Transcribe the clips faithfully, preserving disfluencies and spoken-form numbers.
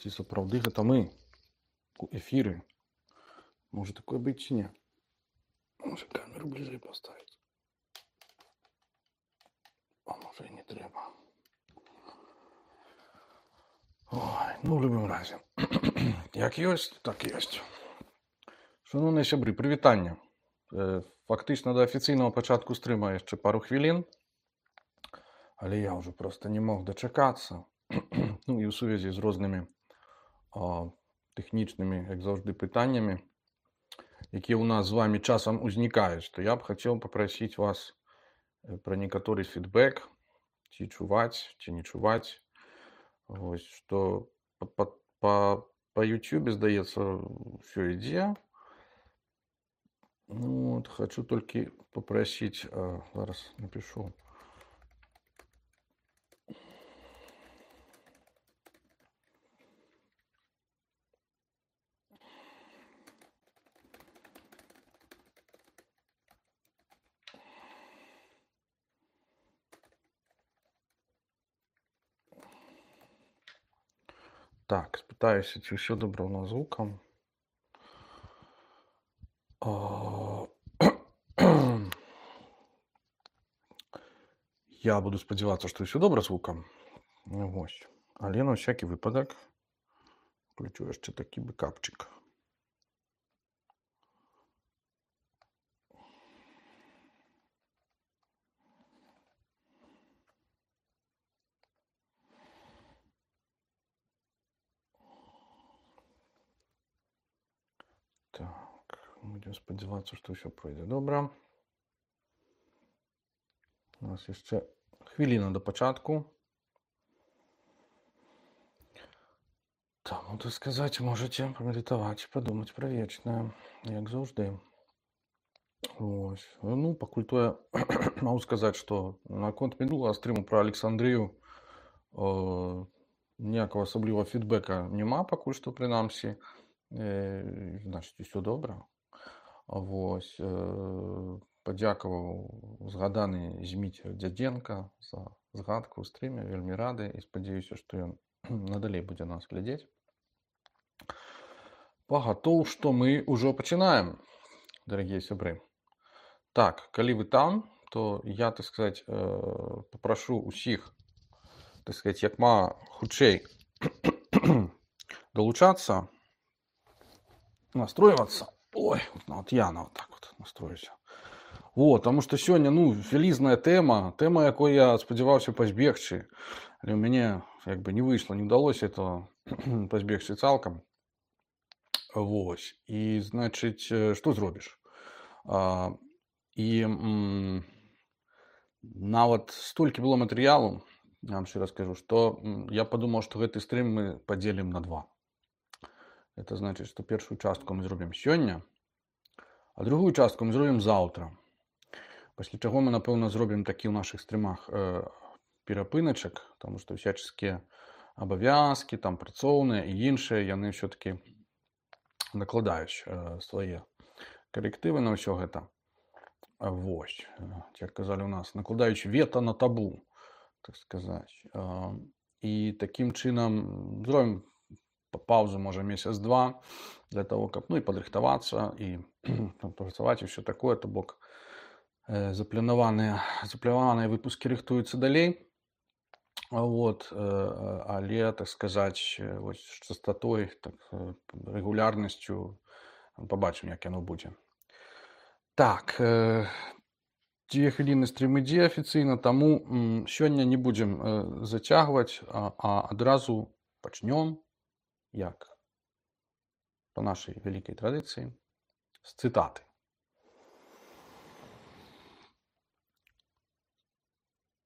Ці сапраўды гэта мы у эфіры? Можа такое быць ці не? Можа камеру бліжэй паставіць? А можа і не трэба. Ой, ну, в любым разе. Як ёсць, так ёсць. Шановныя сябры, прывітанне. Фактычна да афіцыйнага пачатку стрыма яшчэ пару хвілін, але я ўжо проста не мог дачакацца. Ну і ў сувязі з рознымі а, тэхнічнымі, як заўжды, пытаннямі, якія ў нас з вамі часам узнікаюць, то я б хацеў папрасіць вас пра некаторы фідбэк, ці чуваць, ці не чуваць. Вось, што па, па, па, па YouTube, здаецца, ўсё ідзе. Ну, от, хочу толькі папрасіць, а, зараз напишу. Так, спытаюся, ці ўсё добра ў нас з гукам. Я буду спадзявацца, што ўсё добра з гукам. Вось. Але на всякі выпадак включу яшчэ такі бэкапчык. Так, будем спадзявацца, што ўсё пройдзе добра. У нас яшчэ хвіліна да пачатку. Таму, так сказаць, можаце памедытаваць, падумаць пра вечнае, як заўжды. Вось. Ну, пакуль тое, магу сказаць, што наконт мінулага стрыму пра Александрыю э, ніякага асаблівага фідбэка няма, пакуль што, прынамсі. Э, значыць, усё добра. Вось. Э, падзякаваў згаданы Зміцер Дзядзенка за згадку ў стрыме, вельмі рады і спадзяюся, што ён надалей будзе нас глядзець. Пагатоў, што мы ўжо пачынаем, дарагія сябры. Так, калі вы там, то я, так сказаць, папрашу ўсіх, так сказаць, як мага хутчэй далучацца, настройвацца. Ой, вот я на вот так вот настроюся. Вот, таму што сёння, ну, вялізная тэма, тэма, якой я спадзяваўся пазбегчы, але ў мяне як бы не выйшла, не ўдалося этого пазбегчы цалкам. Вось. І, значыць, што зробіш? А, і м, нават столькі было матэрыялу, я вам шчыра скажу, што я падумаў, што гэты стрым мы падзелім на два. Это значыць, што першую частку мы зробім сёння, а другую частку мы зробім заўтра. Пасля чаго мы, напэўна, зробім такі ў нашых стрымах э, перапыначак, таму што всяческія абавязкі, там працоўныя і іншыя, яны ўсё-такі накладаюць э, свае карэктывы на ўсё гэта. Вось, як казалі ў нас, накладаюць вета на табу, так сказаць. Э, і такім чынам зробім паузу, можа, месяц-два, для того, каб, ну, і падрыхтавацца, і працаваць, і ўсё такое, то бок э, запланаваныя, запланаваныя выпускі рыхтуюцца далей. Вот, э, але, так сказаць, вось, частатой, так, рэгулярнасцю пабачым, як яно будзе. Так, э, дзве хвіліны стрым ідзе афіцыйна, таму м, сёння не будзем э, зацягваць, а, а адразу пачнём, як па нашай вялікай традыцыі, з цытаты.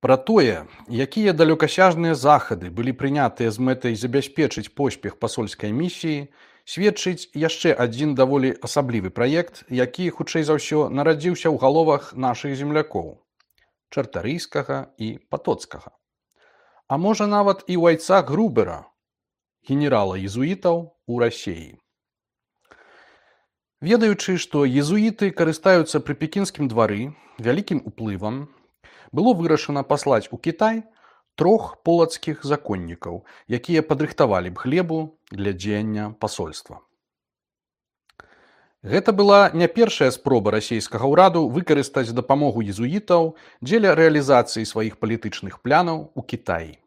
Пра тое, якія далёкасяжныя захады былі прынятыя з мэтай забяспечыць поспех пасольскай місіі, сведчыць яшчэ адзін даволі асаблівы праект, які, хутчэй за ўсё, нарадзіўся ў галовах нашых землякоў – Чартарыйскага і Патоцкага. А можа нават і ў айцах Грубера, генерала езуітаў у Расеі. Ведаючы, што езуіты карыстаюцца пры пекінскім двары вялікім уплывам, было вырашана паслаць у Кітай трох полацкіх законнікаў, якія падрыхтавалі б глебу для дзеяння пасольства. Гэта была не першая спроба расійскага ўраду выкарыстаць дапамогу езуітаў дзеля рэалізацыі сваіх палітычных планаў у Кітаі.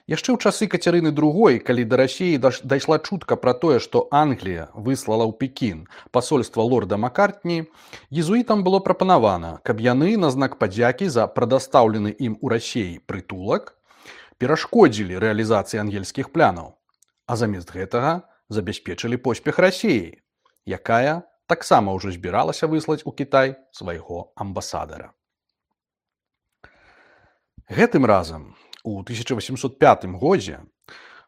Яшчэ ў часы Кацярыны другой, калі да Расіі дайшла чутка пра тое, што Англія выслала ў Пекін пасольства лорда Маккартні, езуітам было прапанавана, каб яны на знак падзякі за прадастаўлены ім у Расіі прытулак перашкодзілі рэалізацыі ангельскіх планаў, а замест гэтага забяспечылі поспех Расіі, якая таксама ўжо збіралася выслаць у Кітай свайго амбасадара. Гэтым разам, у тысяча восемьсот пятым годзе,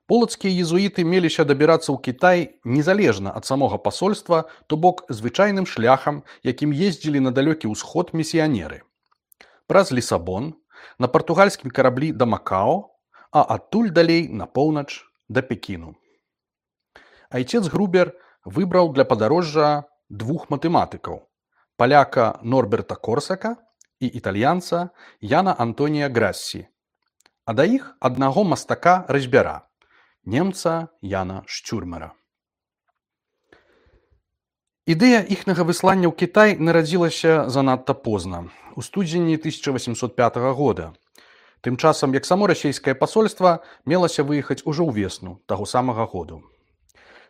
полацкія езуіты меліся дабірацца ў Кітай незалежна ад самога пасольства, то бок звычайным шляхам, якім ездзілі на далёкі ўсход місіянеры. Праз Лісабон, на партугальскім караблі да Макао, а адтуль далей на поўнач да Пекіну. Айцец Грубер выбраў для падарожжа двух матэматыкаў, паляка Норберта Корсака і італьянца Яна Антонія Грассі, а да іх аднаго мастака-разьбяра, немца Яна Шчурмера. Ідэя іхняга выслання ў Кітай нарадзілася занадта позна, у студзені тысяча восемьсот пятага года. Тым часам, як само расійскае пасольства мелася выехаць ужо ўвесну таго самага году.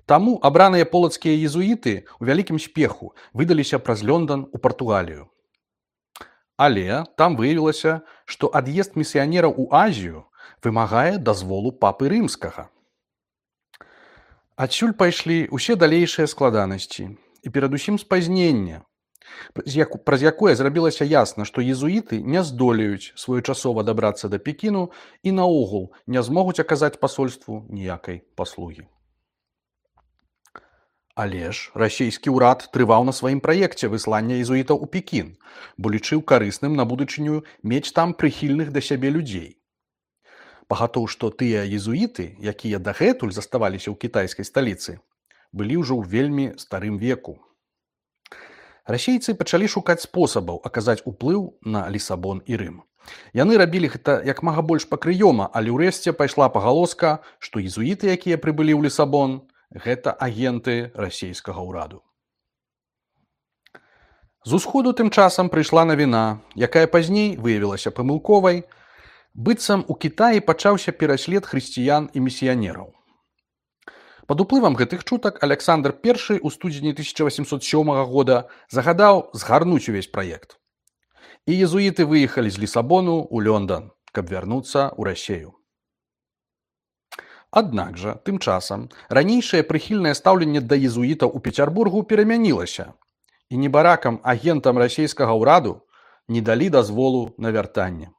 Таму абраныя полацкія езуіты ў вялікім спеху выдаліся праз Лондан у Партугалію. Але там выявілася, што ад'езд місіянераў у Азію вымагае дазволу папы рымскага. Адсюль пайшлі ўсе далейшыя складанасці і перадусім спазненне, праз якое зрабілася ясна, што езуіты не здолеюць своечасова дабрацца да Пекіну і наогул не змогуць аказаць пасольству ніякай паслугі. Але ж расійскі ўрад трываў на сваім праекце выслання езуітаў у Пекін, бо лічыў карысным на будучыню мець там прыхільных да сябе людзей. Пагатоў, што тыя езуіты, якія дагэтуль заставаліся ў кітайскай сталіцы, былі ўжо ў вельмі старым веку. Расейцы пачалі шукаць спосабаў аказаць уплыў на Лісабон і Рым. Яны рабілі гэта як мага больш пакрыёма, але ўрэшце пайшла пагалоска, што езуіты, якія прыбылі ў Лісабон, гэта агенты расійскага ўраду. З усходу тым часам прыйшла навіна, якая пазней выявілася памылковай, быццам у Кітаі пачаўся пераслед хрысціян і місіянераў. Пад уплывам гэтых чутак Аляксандр першы ў студзені тысяча восемьсот сёмага года загадаў згарнуць увесь праект. І езуіты выехалі з Лісабону ў Лондан, каб вярнуцца ў Расію. Аднак жа, тым часам, ранейшае прыхільнае стаўленне да езуітаў у Пецярбургу перамянілася, і небаракам агентам расійскага ўраду не далі дазволу на вяртанне.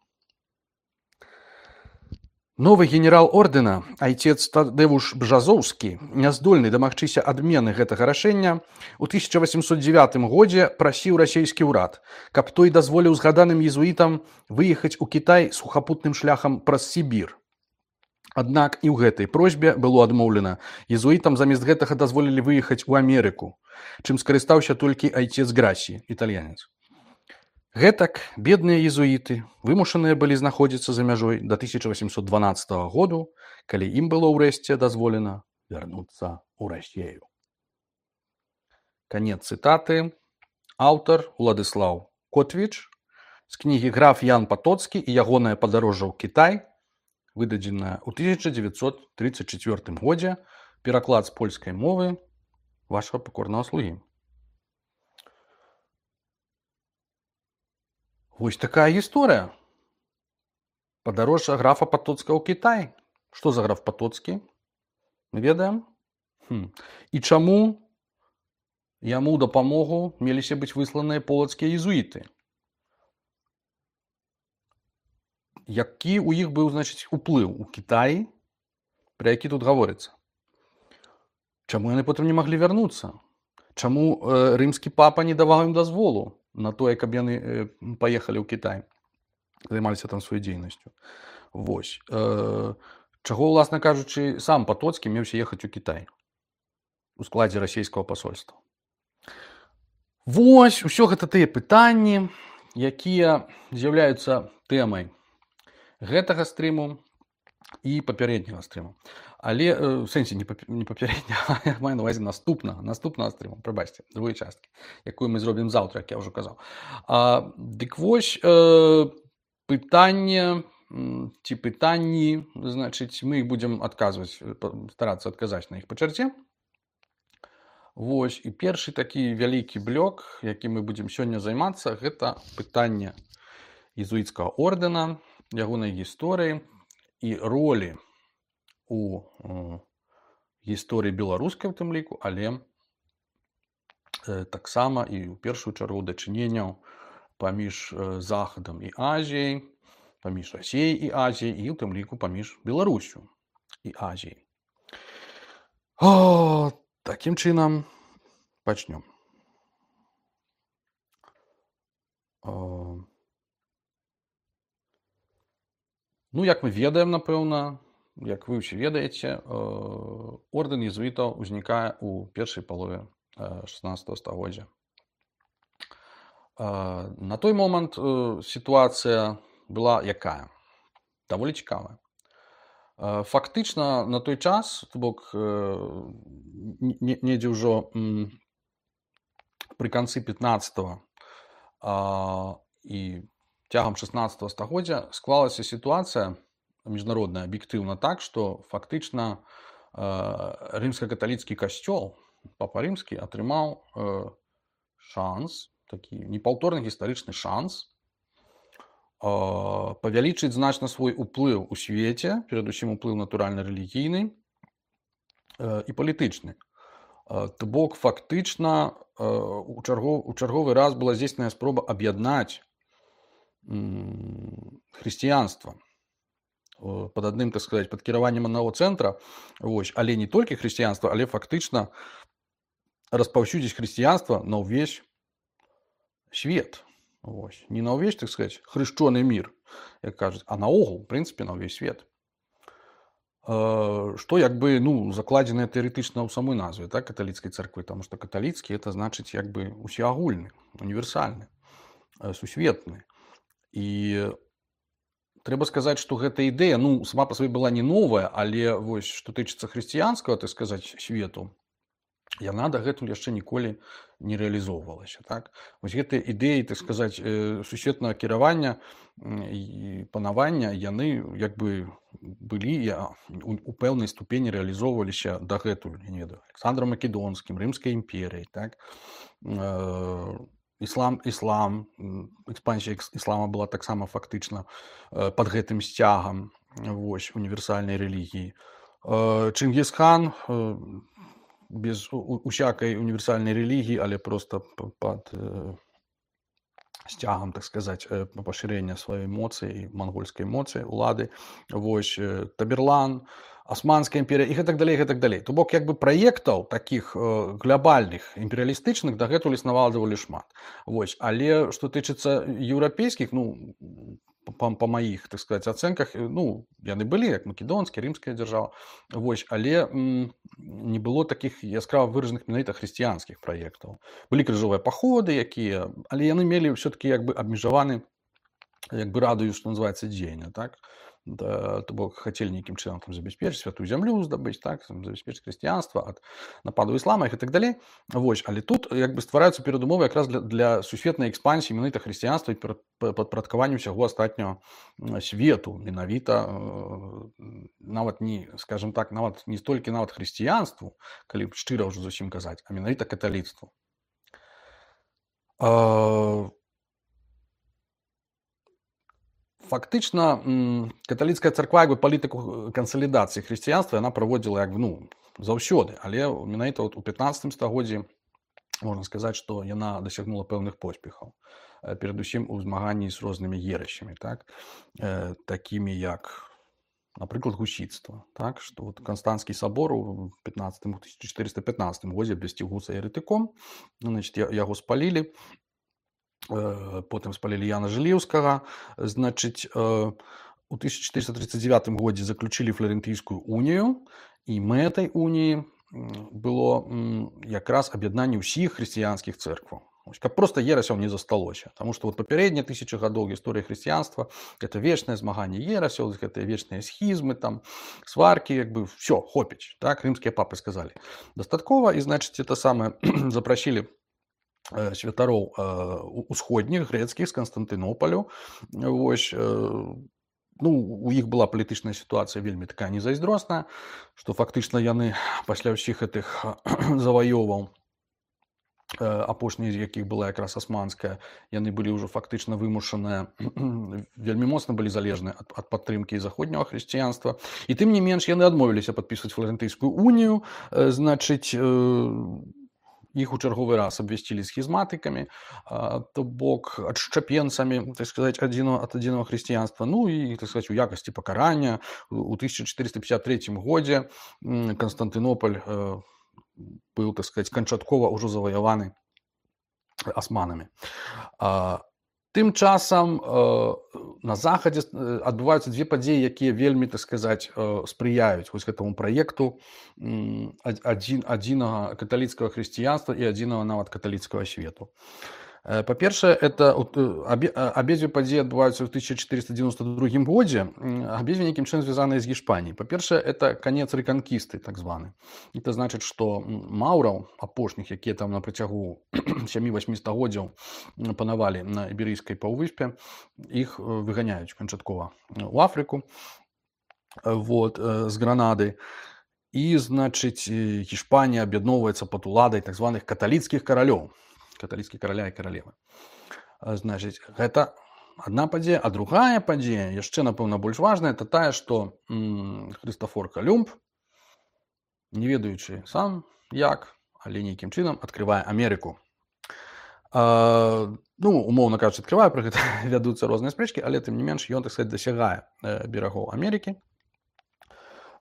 Новы генерал ордэна, айцец Тадэвуш Бжазоўскі, няздольны дамагчыся адмены гэтага рашэння, у тысяча восемьсот дзевятым годзе прасіў расійскі ўрад, каб той дазволіў згаданым езуітам выехаць у Кітай сухапутным шляхам праз Сібір. Аднак і ў гэтай просьбе было адмоўлена. Езуітам замест гэтага дазволілі выехаць у Амерыку, чым скарыстаўся толькі айцец Грассі, італьянец. Гэтак бедныя езуіты вымушаныя былі знаходзіцца за мяжой да тысяча восемьсот дванаццатага году, калі ім было ўрэшце дазволена вярнуцца ў Расію. Канец цытаты. Аўтар Уладыслаў Котвіч з кнігі «Граф Ян Патоцкі і ягонае падарожжа ў Кітай», выдадзеная ў тысяча дзевяцьсот тридцать четвёртым годзе, пераклад з польскай мовы вашага пакорнага слугі. Вось такая гісторыя. Падарожжа графа Патоцкага ў Кітай. Што за граф Патоцкі? Мы ведаем? Хм. І чаму яму ў дапамогу меліся быць высланыя полацкія езуіты? Які ў іх быў, значыць, уплыў у Кітаі, пра які тут гаворыцца? Чаму яны потым не маглі вярнуцца? Чаму э, рымскі папа не даваў ім дазволу на тое, каб яны э, паехалі ў Кітай, займаліся там сваёй дзейнасцю? Вось. Э, чаго, уласна кажучы, сам Патоцкі меўся ехаць у Кітай у складзе расійскага пасольства? Вось, усё гэта тыя пытанні, якія з'яўляюцца тэмай гэтага стрыму і папярэдняга стрыму. Але э, в сэнсе не, пап... не папярэдняга, я маю на увазе наступнага, наступнага стрыму, прабачце, другой часткі, якую мы зробім заўтра, як я ўжо казаў. А, дык вось э, пытанне ці пытанні, значыць, мы будзем адказваць, старацца адказаць на іх па чарце. Вось, і першы такі вялікі блок, які мы будзем сёння займацца, гэта пытанне езуіцкага ордэна, ягонай гісторыі і ролі у э, гісторыі беларускай у тым ліку, але э, таксама і ў першую чаргу дачыненняў паміж э, Захадам і Азіяй, паміж Расіяй і Азіяй, і ў тым ліку паміж Беларусю і Азіяй. О, такім чынам пачнём. О, ну, як мы ведаем, напэўна, як вы ўсе ведаеце, ордэн езуітаў узнікае ў першай палове шаснаццатага стагоддзя. На той момант сітуацыя была якая? Даволі цікавая. Фактычна на той час, то бок недзе ўжо пры канцы пятнаццатага і цягам шаснаццатага стагоддзя склалася сітуацыя міжнародная аб'ектыўна так, што фактычна рымска-каталіцкі касцёл, папа рымскі, атрымаў шанс, такі непаўторны гістарычны шанс павялічыць значна свой уплыў у свеце, перадусім уплыў натуральна-рэлігійны і палітычны. То бок фактычна у чарговы раз была здзейснена спроба аб'яднаць хрысціянства под адным, так сказать, пад кіраваннем аднаго цэнтра, вось, але не толькі хрысціянства, але фактычна распаўсюдзіць хрысціянства на ўвесь свет. Вось. Не на ўвесь, так сказать, хрышчоны мір, як кажуць, а наогул, в прынцыпе, на ўвесь свет. Што як бы, ну, закладзена тэарэтычна ў самой назве, так, каталіцкай царквы, таму што каталіцкі это значыць як бы усеагульны, універсальны, сусветны. І трэба сказаць, што гэта ідэя, ну, сама па сабе была не новая, але вось, што тычыцца хрысціянскага, так сказаць, свету, яна дагэтуль яшчэ ніколі не рэалізоўвалася. Так? Вось гэтыя ідэі, так сказаць, сусветнага кіравання і панавання, яны як бы былі у пэўнай ступені рэалізоўваліся дагэтуль, я не ведаю, Александром Македонскім, Рымскай імперыяй, так? Іслам, іслам, экспансія іслама была таксама фактычна пад гэтым сцягам, вось, універсальнай рэлігіі. Чынгіз-хан без усякай універсальнай рэлігіі, але проста пад сцягам, так сказаць, пашырэння сваёй моцы і мангольскай моцы, улады, вось, Таберлан, Османская імперія і гэтак далей, гэтак далей. То бок, як бы праектаў такіх глобальных, імперыялістычных дагэтуль існавала даволі шмат. Вось, але што тычыцца еўрапейскіх, ну, па, па маіх, так сказаць, ацэнках, ну, яны былі, як македонская, рымская дзяржава, вось, але м, не было такіх яскрава выражаных менавіта хрысціянскіх праектаў. Былі крыжовыя паходы, якія, але яны мелі ўсё-такі як бы абмежаваны, як бы радыус, што называецца, дзеяння, так? Да, то бок хацелі нейкім чынам там забяспечыць святую зямлю здабыць, так, забяспечыць хрысціянства ад нападу іслама і так далей. Вось, але тут як бы ствараюцца перадумовы якраз для, для сусветнай экспансіі менавіта хрысціянства і падпарадкавання ўсяго астатняго свету, менавіта нават не, скажем так, нават не столькі нават хрысціянству, калі шчыра ўжо зусім казаць, а менавіта каталіцтву. Фактычна каталіцкая царква як бы палітыку кансалідацыі хрысціянства яна праводзіла як бы, ну, заўсёды, але менавіта у пятнаццатым стагоддзі можна сказаць, што яна дасягнула пэўных поспехаў, перадусім у змаганні з рознымі ерасямі, так, такімі як, напрыклад, гусіцтва, так, што вот Канстанцкі сабор у тысяча чатырыста пятнаццатым годзе абвясціў Гуса еретыком, значит, яго спалілі. Потым спалілі Яна Жыліўскага, значыць, у тысяча чатырыста тридцать девятым годзе заключылі Фларэнтыйскую унію, і мэтай уніі было якраз аб'яднанне ўсіх хрысціянскіх цэркваў. Каб просто ерасяў не засталося. Таму што вот папярэднія тысячы гадоў гісторыі хрысціянства гэта вечнае змаганне ерасяў, гэтыя вечныя схізмы, там сваркі, як бы все, хопіць. Так рымскія папы сказалі. Дастаткова, і значыць это самае запрасілі святароў усходніх грэцкіх з Канстантынопалю. Вось, ну, у іх была палітычная сітуацыя вельмі такая незайздросная, што фактычна яны пасля ўсіх гэтых заваёваў, апошняй з якіх была якраз асманская, яны былі ўжо фактычна вымушаныя, вельмі моцна былі залежныя ад, ад падтрымкі заходняга хрысціянства. І тым не менш яны адмовіліся падпісваць Фларэнтыйскую унію, значыць, іх у чарговы раз абвясцілі схізматыкамі, то бок адшчапенцамі, так сказаць, адзінага ад адзінага хрысціянства. Ну і, так сказаць, у якасці пакарання у тысяча чатырыста пятьдесят третьем годзе Канстантынополь быў, так сказаць, канчаткова ўжо заваяваны асманамі. Тым часам на захадзе адбываюцца дзве падзеі, якія вельмі, так сказаць, спрыяюць вось гэтаму праекту адзін, адзінага каталіцкага хрысціянства і адзінага нават каталіцкага свету. Па-першае, это абедзве падзеі адбываюцца ў тысяча чатырыста девяносто другім годзе, абедзве нейкім чынам звязаныя з Гішпаніяй. Па-першае, это канец рэканкісты, так званы. Это значыць, што маўраў апошніх, якія там на працягу сямі-васьмі стагоддзяў панавалі на Іберыйскай паўвыспе, іх выганяюць канчаткова ў Афрыку, вот, з Гранады. І, значыць, Гішпанія аб'ядноўваецца пад уладай так званых каталіцкіх каралёў. Каталіцкі караля і каралевы. Значыць, гэта адна падзея, а другая падзея, яшчэ, напэўна, больш важная, это тая, што м, Хрыстафор Калюмб, не ведаючы сам як, але нейкім чынам адкрывае Амерыку. А, ну, умоўна кажучы, адкрывае, пра гэта вядуцца розныя спрэчкі, але тым не менш ён, так сказаць, дасягае берагоў Амерыкі,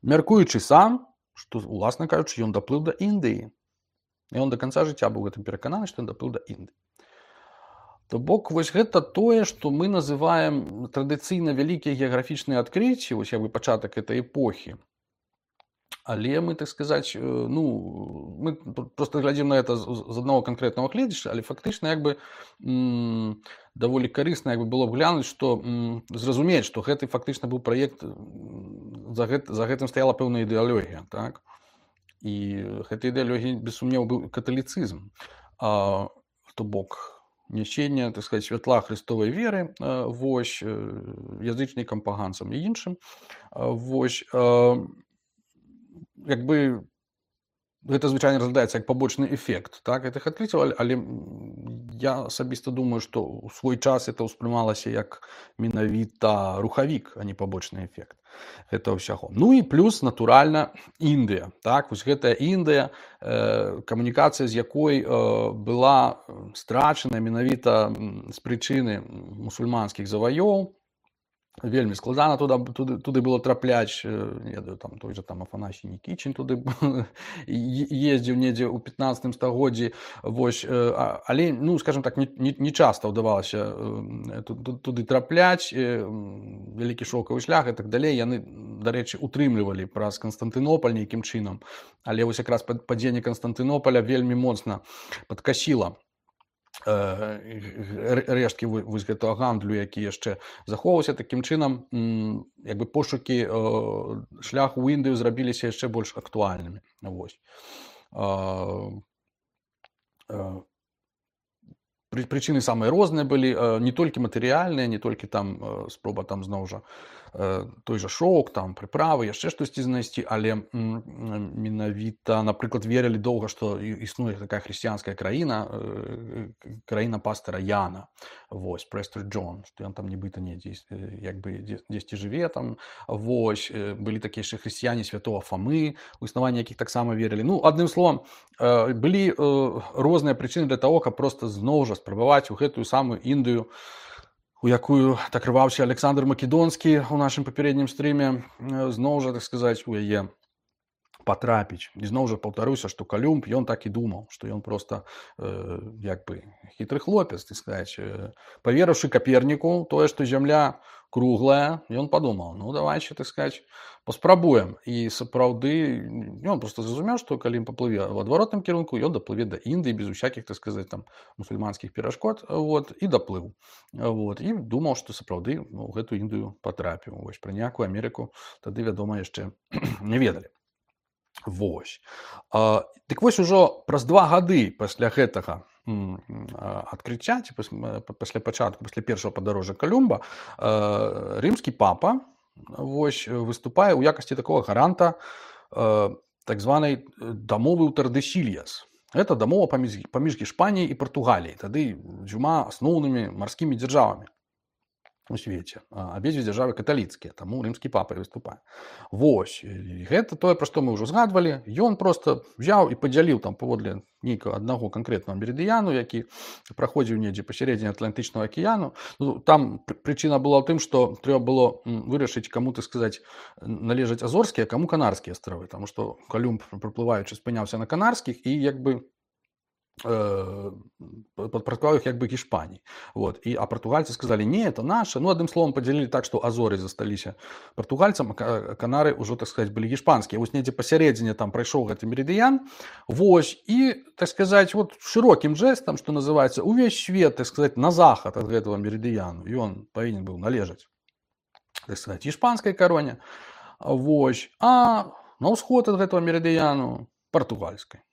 мяркуючы сам, што, уласна кажучы, ён даплыў да Індыі. І он до конца жыцця быў гэтым перакананы, што ён даплыў да Індыі. То бок, вось гэта тое, што мы называем традыцыйна вялікія геаграфічныя адкрыцці, вось як бы пачатак этой эпохі. Але мы, так сказаць, ну, мы просто глядзім на это з аднаго канкрэтнага гледзяча, але фактычна як бы м, даволі карысна як бы было б глянуць, што м, зразумець, што гэты фактычна быў праект, за, гэт, за гэтым стаяла пэўная ідэалогія, так? І гэта ідэалогія, без сумневу, быў каталіцызм. А, то бок нясенне, так сказаць, святла хрыстовай веры, а, вось, язычнікам, паганцам і іншым. А, вось, а, як бы гэта звычайна разглядаецца як пабочны эфект, так, гэтых адкрыццяў, але, але я асабіста думаю, што ў свой час это ўспрымалася як менавіта рухавік, а не пабочны эфект гэтага ўсяго. Ну і плюс, натуральна, Індыя. Так, вось гэтая Індыя, э, камунікацыя з якой э, была страчана менавіта з прычыны мусульманскіх заваёў. Вельмі складана туды, туды, туды было трапляць, не ведаю, там той же там Афанасій Нікічын туды ездзіў недзе ў пятнаццатым стагоддзі, вось, але, ну, скажем так, не, не, не часта ўдавалася туды трапляць, вялікі шоўкавы шлях і так далей, яны, дарэчы, утрымлівалі праз Канстантынополь нейкім чынам, але вось якраз падзенне Канстантынополя вельмі моцна падкасіла рэшткі вось гэтага гандлю, які яшчэ захоўваўся. Такім чынам, як бы пошукі шляху ў Індыю зрабіліся яшчэ больш актуальнымі. Вось. Прычыны самыя розныя былі, не толькі матэрыяльныя, не толькі там спроба там зноў жа той жа шоўк, там прыправы, яшчэ штосьці знайсці, але менавіта, напрыклад, верылі доўга, што існуе такая хрысціянская краіна, краіна пастара Яна, вось, Престер Джон, што ён там нібыта недзе, як бы дзесьці жыве там, вось, былі такія яшчэ хрысціяне святого Фамы, у існаванне якіх таксама верылі. Ну, адным словам, былі розныя прычыны для таго, каб проста зноў жа спрабаваць у гэтую самую Індыю, у якую так рваўся Александр Македонскі ў нашым папярэднім стрыме, зноў жа, так сказаць, у яе патрапіць. І зноў жа паўтаруся, што Калюмб, ён так і думаў, што ён проста э, як бы хітры хлопец, так сказаць. Э, паверыўшы Каперніку тое, што зямля круглая, ён падумаў, ну давайте, так сказаць, паспрабуем. І сапраўды ён проста зразумеў, што калі ён паплыве ў адваротным кірунку, ён даплыве да Індыі без усякіх, так сказаць, там мусульманскіх перашкод, вот, і даплыў. Вот, і думаў, што сапраўды ну, гэтую Індыю патрапіў. Вось пра ніякую Амерыку тады, вядома, яшчэ не ведалі. Вось. А, дык вось ужо праз два гады пасля гэтага адкрыцця, ці пасля пачатку, пасля першага падарожжа Калюмба, рымскі папа вось, выступае ў якасці такога гаранта так званай дамовы ў Тардесільяс. Гэта дамова паміж, паміж Іспаніяй і Партугаліяй, тады дзвюма асноўнымі марскімі дзяржавамі у свеце. Абедзве дзяржавы каталіцкія, таму рымскі папа і выступае. Вось, і гэта тое, пра што мы ўжо згадвалі. Ён проста взяў і падзяліў там паводле нейкага аднаго канкрэтнага мерыдыяну, які праходзіў недзе пасярэдзіне Атлантычнага акіяну. Ну, там прычына была ў тым, што трэба было вырашыць, каму, так сказаць, належаць Азорскія, а каму Канарскія астравы, таму што Калюмб, прыплываючы, спыняўся на Канарскіх і як бы падпарадкаваў іх як бы Іспаніі. Вот. І, а партугальцы сказалі, не, это наша. Ну, адным словам, падзялілі так, што Азоры засталіся партугальцам, а Канары ўжо, так сказаць, былі іспанскія. Вось недзе пасярэдзіне там прайшоў гэты мерыдыян. Вось. І, так сказаць, вот шырокім жэстам, што называецца, увесь свет, так сказаць, на захад ад гэтага мерыдыяну. Ён павінен быў належаць, так сказаць, іспанскай кароне. Вось. А на ўсход ад гэтага мерыдыяну партугальскай.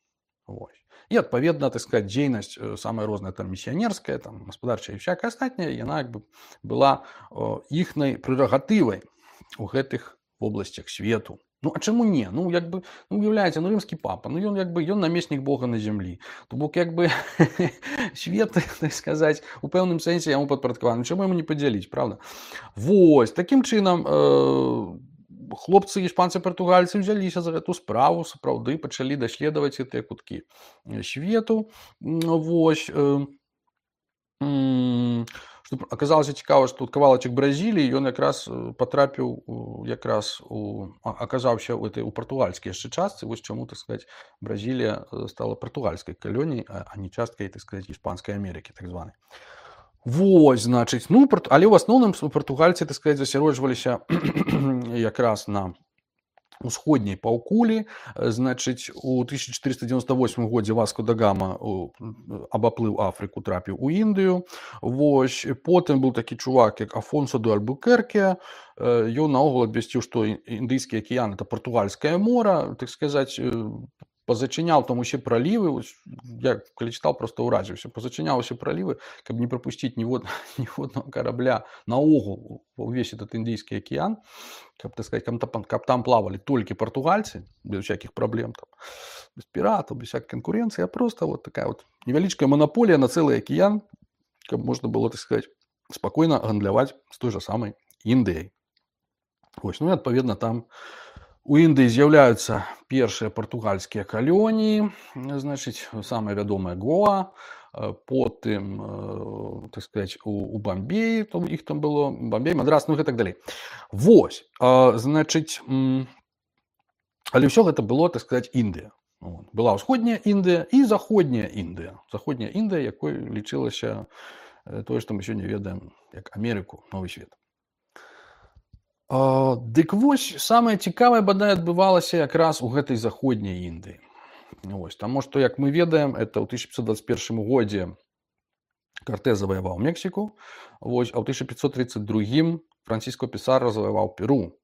Вось. І, адпаведна, так сказаць, дзейнасць самая розная, там, місіянерская, там, гаспадарчая і всякая астатняя, яна як бы была іхнай прэрагатывай у гэтых вобласцях свету. Ну, а чаму не? Ну, як бы, ну, уяўляеце, ну, рымскі папа, ну, ён як бы, ён намеснік Бога на зямлі. То бок, як бы, свет, так сказаць, у пэўным сэнсе яму падпарадкаваны. Чаму яму не падзяліць, правда? Вось, такім чынам, э хлопцы, іспанцы, партугальцы ўзяліся за гэту справу, сапраўды пачалі даследаваць гэтыя куткі свету. Вось. Што аказалася цікава, што кавалачак Бразіліі, ён якраз патрапіў, якраз у, аказаўся ў этой у партугальскай яшчэ частцы. Вось чаму, так сказаць, Бразілія стала партугальскай калоніяй, а не часткай, так сказаць, іспанскай Амерыкі, так званай. Вось, значыць, ну, але ў асноўным партугальцы, так сказаць, засяроджваліся якраз на усходняй паўкулі. Значыць, у тысяча чатырыста дзевяносто восьмым годзе Васко да Гама абаплыў Афрыку, трапіў у Індыю. Вось, потым быў такі чувак, як Афонсо де Альбукерке. Ён наогул абвясціў, што Індыйскі акіян – это партугальскае мора, так сказаць, позачыняў там усе пралівы, я калі чытаў, проста ўразіўся, позачыняў усе пралівы, каб не прапусціць ніводнага карабля наогул увесь этот Індыйскі акіян, каб, так сказаць, каб там плавалі толькі партугальцы, без всяких праблем, там, без піратаў, без всякой канкурэнцыі, а проста вот такая вот невялічкая монополія на цэлы акіян, каб можна было, так сказаць, спакойна гандляваць з той жа самай Індыяй. Вось, ну і адпаведна там у Індыі з'яўляюцца першыя партугальскія калоніі, значыць, самая вядомая Гоа, потым, так сказаць, у, у Бамбеі, то іх там было, Бамбей, Мадрас, ну і так далей. Вось, значыць, але ўсё гэта было, так сказаць, Індыя. Была ўсходняя Індыя і заходняя Індыя. Заходняя Індыя, якой лічылася тое, што мы сёння ведаем як Амерыку, новы свет. Uh, дык вось, самае цікавае, бадай, адбывалася якраз у гэтай заходняй Індыі. Вось, таму што, як мы ведаем, это ў тысяча пятьсот двадцать первым годзе Картез заваяваў Мексіку, вось, а ў тысяча пятьсот тридцать другім Франциско Писарро заваяваў Перу.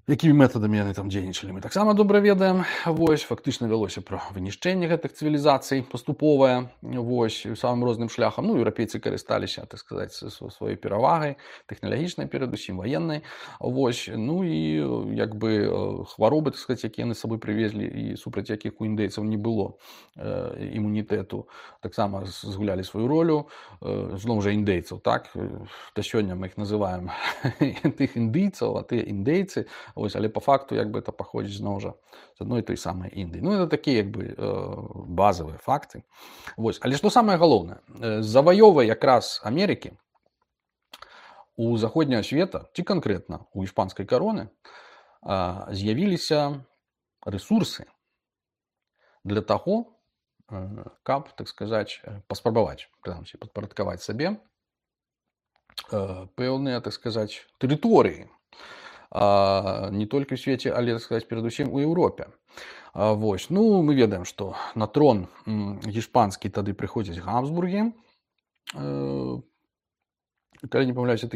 Якімі метадамі яны там дзейнічалі, мы таксама добра ведаем. Вось, фактычна вялося пра вынішчэнне гэтых цывілізацый паступовае, вось, самым розным шляхам. Ну, еўрапейцы карысталіся, так сказаць, сваёй перавагай, тэхналагічнай, перадусім ваеннай. Вось, ну і як бы хваробы, так сказаць, якія яны з сабой прывезлі і супраць якіх у індыйцаў не было імунітэту, таксама згулялі сваю ролю. Зноў жа індейцаў, так? Да сёння мы іх называем тых індыйцаў, а тыя індейцы. Вось, але по факту як бы это паходзіць зноў жа з адной той самай Індыі. Ну, это такія як бы базавыя факты. Вось, але што самае галоўнае, заваёвай якраз Амерыкі у заходняга света, ці канкрэтна у іспанскай кароны, з'явіліся ресурсы для таго, каб, так сказаць, паспрабаваць, прынамсі, падпарадкаваць сабе пэўныя, так сказаць, тэрыторыі. Не толькі ў свеце, але, так сказаць, перадусім у Еўропе. Вось. Ну, мы ведаем, што на трон гішпанскі тады прыходзяць Габсбургі. Калі не памыляюся,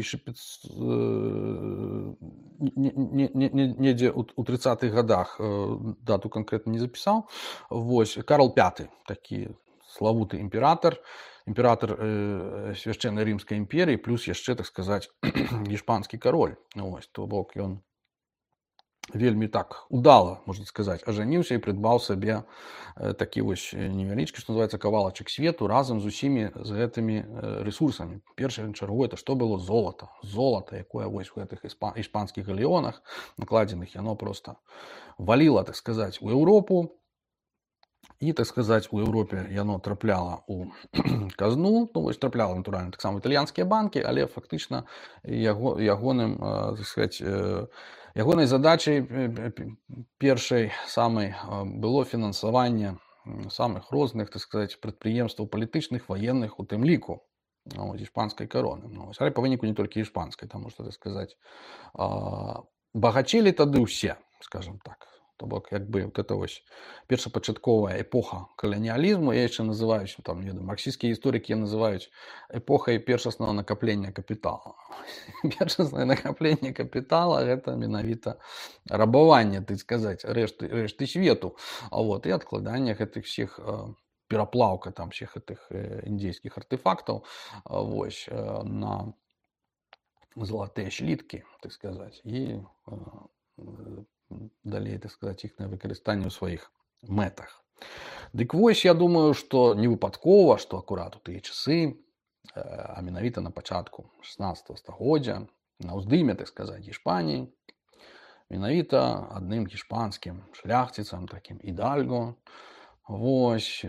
недзе ў трыццатых гадах, дату канкрэтна не запісаў. Вось. Карл пяты, такі славуты імператар, імператар свяшчэннай рымскай імперіі, плюс яшчэ, так сказаць, гішпанскі кароль. Вось. То бок ён вельмі так удала, можна сказаць, ажаніўся і прыдбаў сабе такі вось невялічкі, што называецца, кавалачак свету разам з усімі з гэтымі ресурсамі. Першае чаргу, это што было? Золата. Золата, якое вось у гэтых іспанскіх галеонах накладзеных, яно проста валіла, так сказаць, у Еўропу. І, так сказаць, у Еўропе яно трапляла ў казну, ну, вось трапляла, натуральна, таксама італьянскія банкі, але фактычна яго, ягоным, так сказаць, ягонай задачай першай самай было фінансаванне самых розных, так сказаць, прадпрыемстваў палітычных, ваенных, у тым ліку, ну, іспанскай кароны. Ну, але па выніку не толькі іспанскай, таму што, так сказаць, багацелі тады ўсе, скажам так. То бок, як бы, вот это вось першапачатковая эпоха каланіялізму, я яшчэ называюць, там, не ведаю, марксісцкія гісторыкі называюць эпохай першаснага накаплення капітала. Першаснае накапленне капітала – гэта менавіта рабаванне, так сказаць, рэшты, рэшты свету. А вот, і адкладанне гэтых всіх, пераплаўка там всіх гэтых індзейскіх артефактаў, вось, на залатыя сліткі, так сказаць, і далей, так сказаць, іхнае выкарыстанне ў сваіх мэтах. Дык вось, я думаю, што не выпадкова, што акурат у тыя часы, а менавіта на пачатку шаснаццатага стагоддзя, на ўздыме, так сказаць, Іспаніі, менавіта адным гішпанскім шляхціцам, такім Ідальго, вось,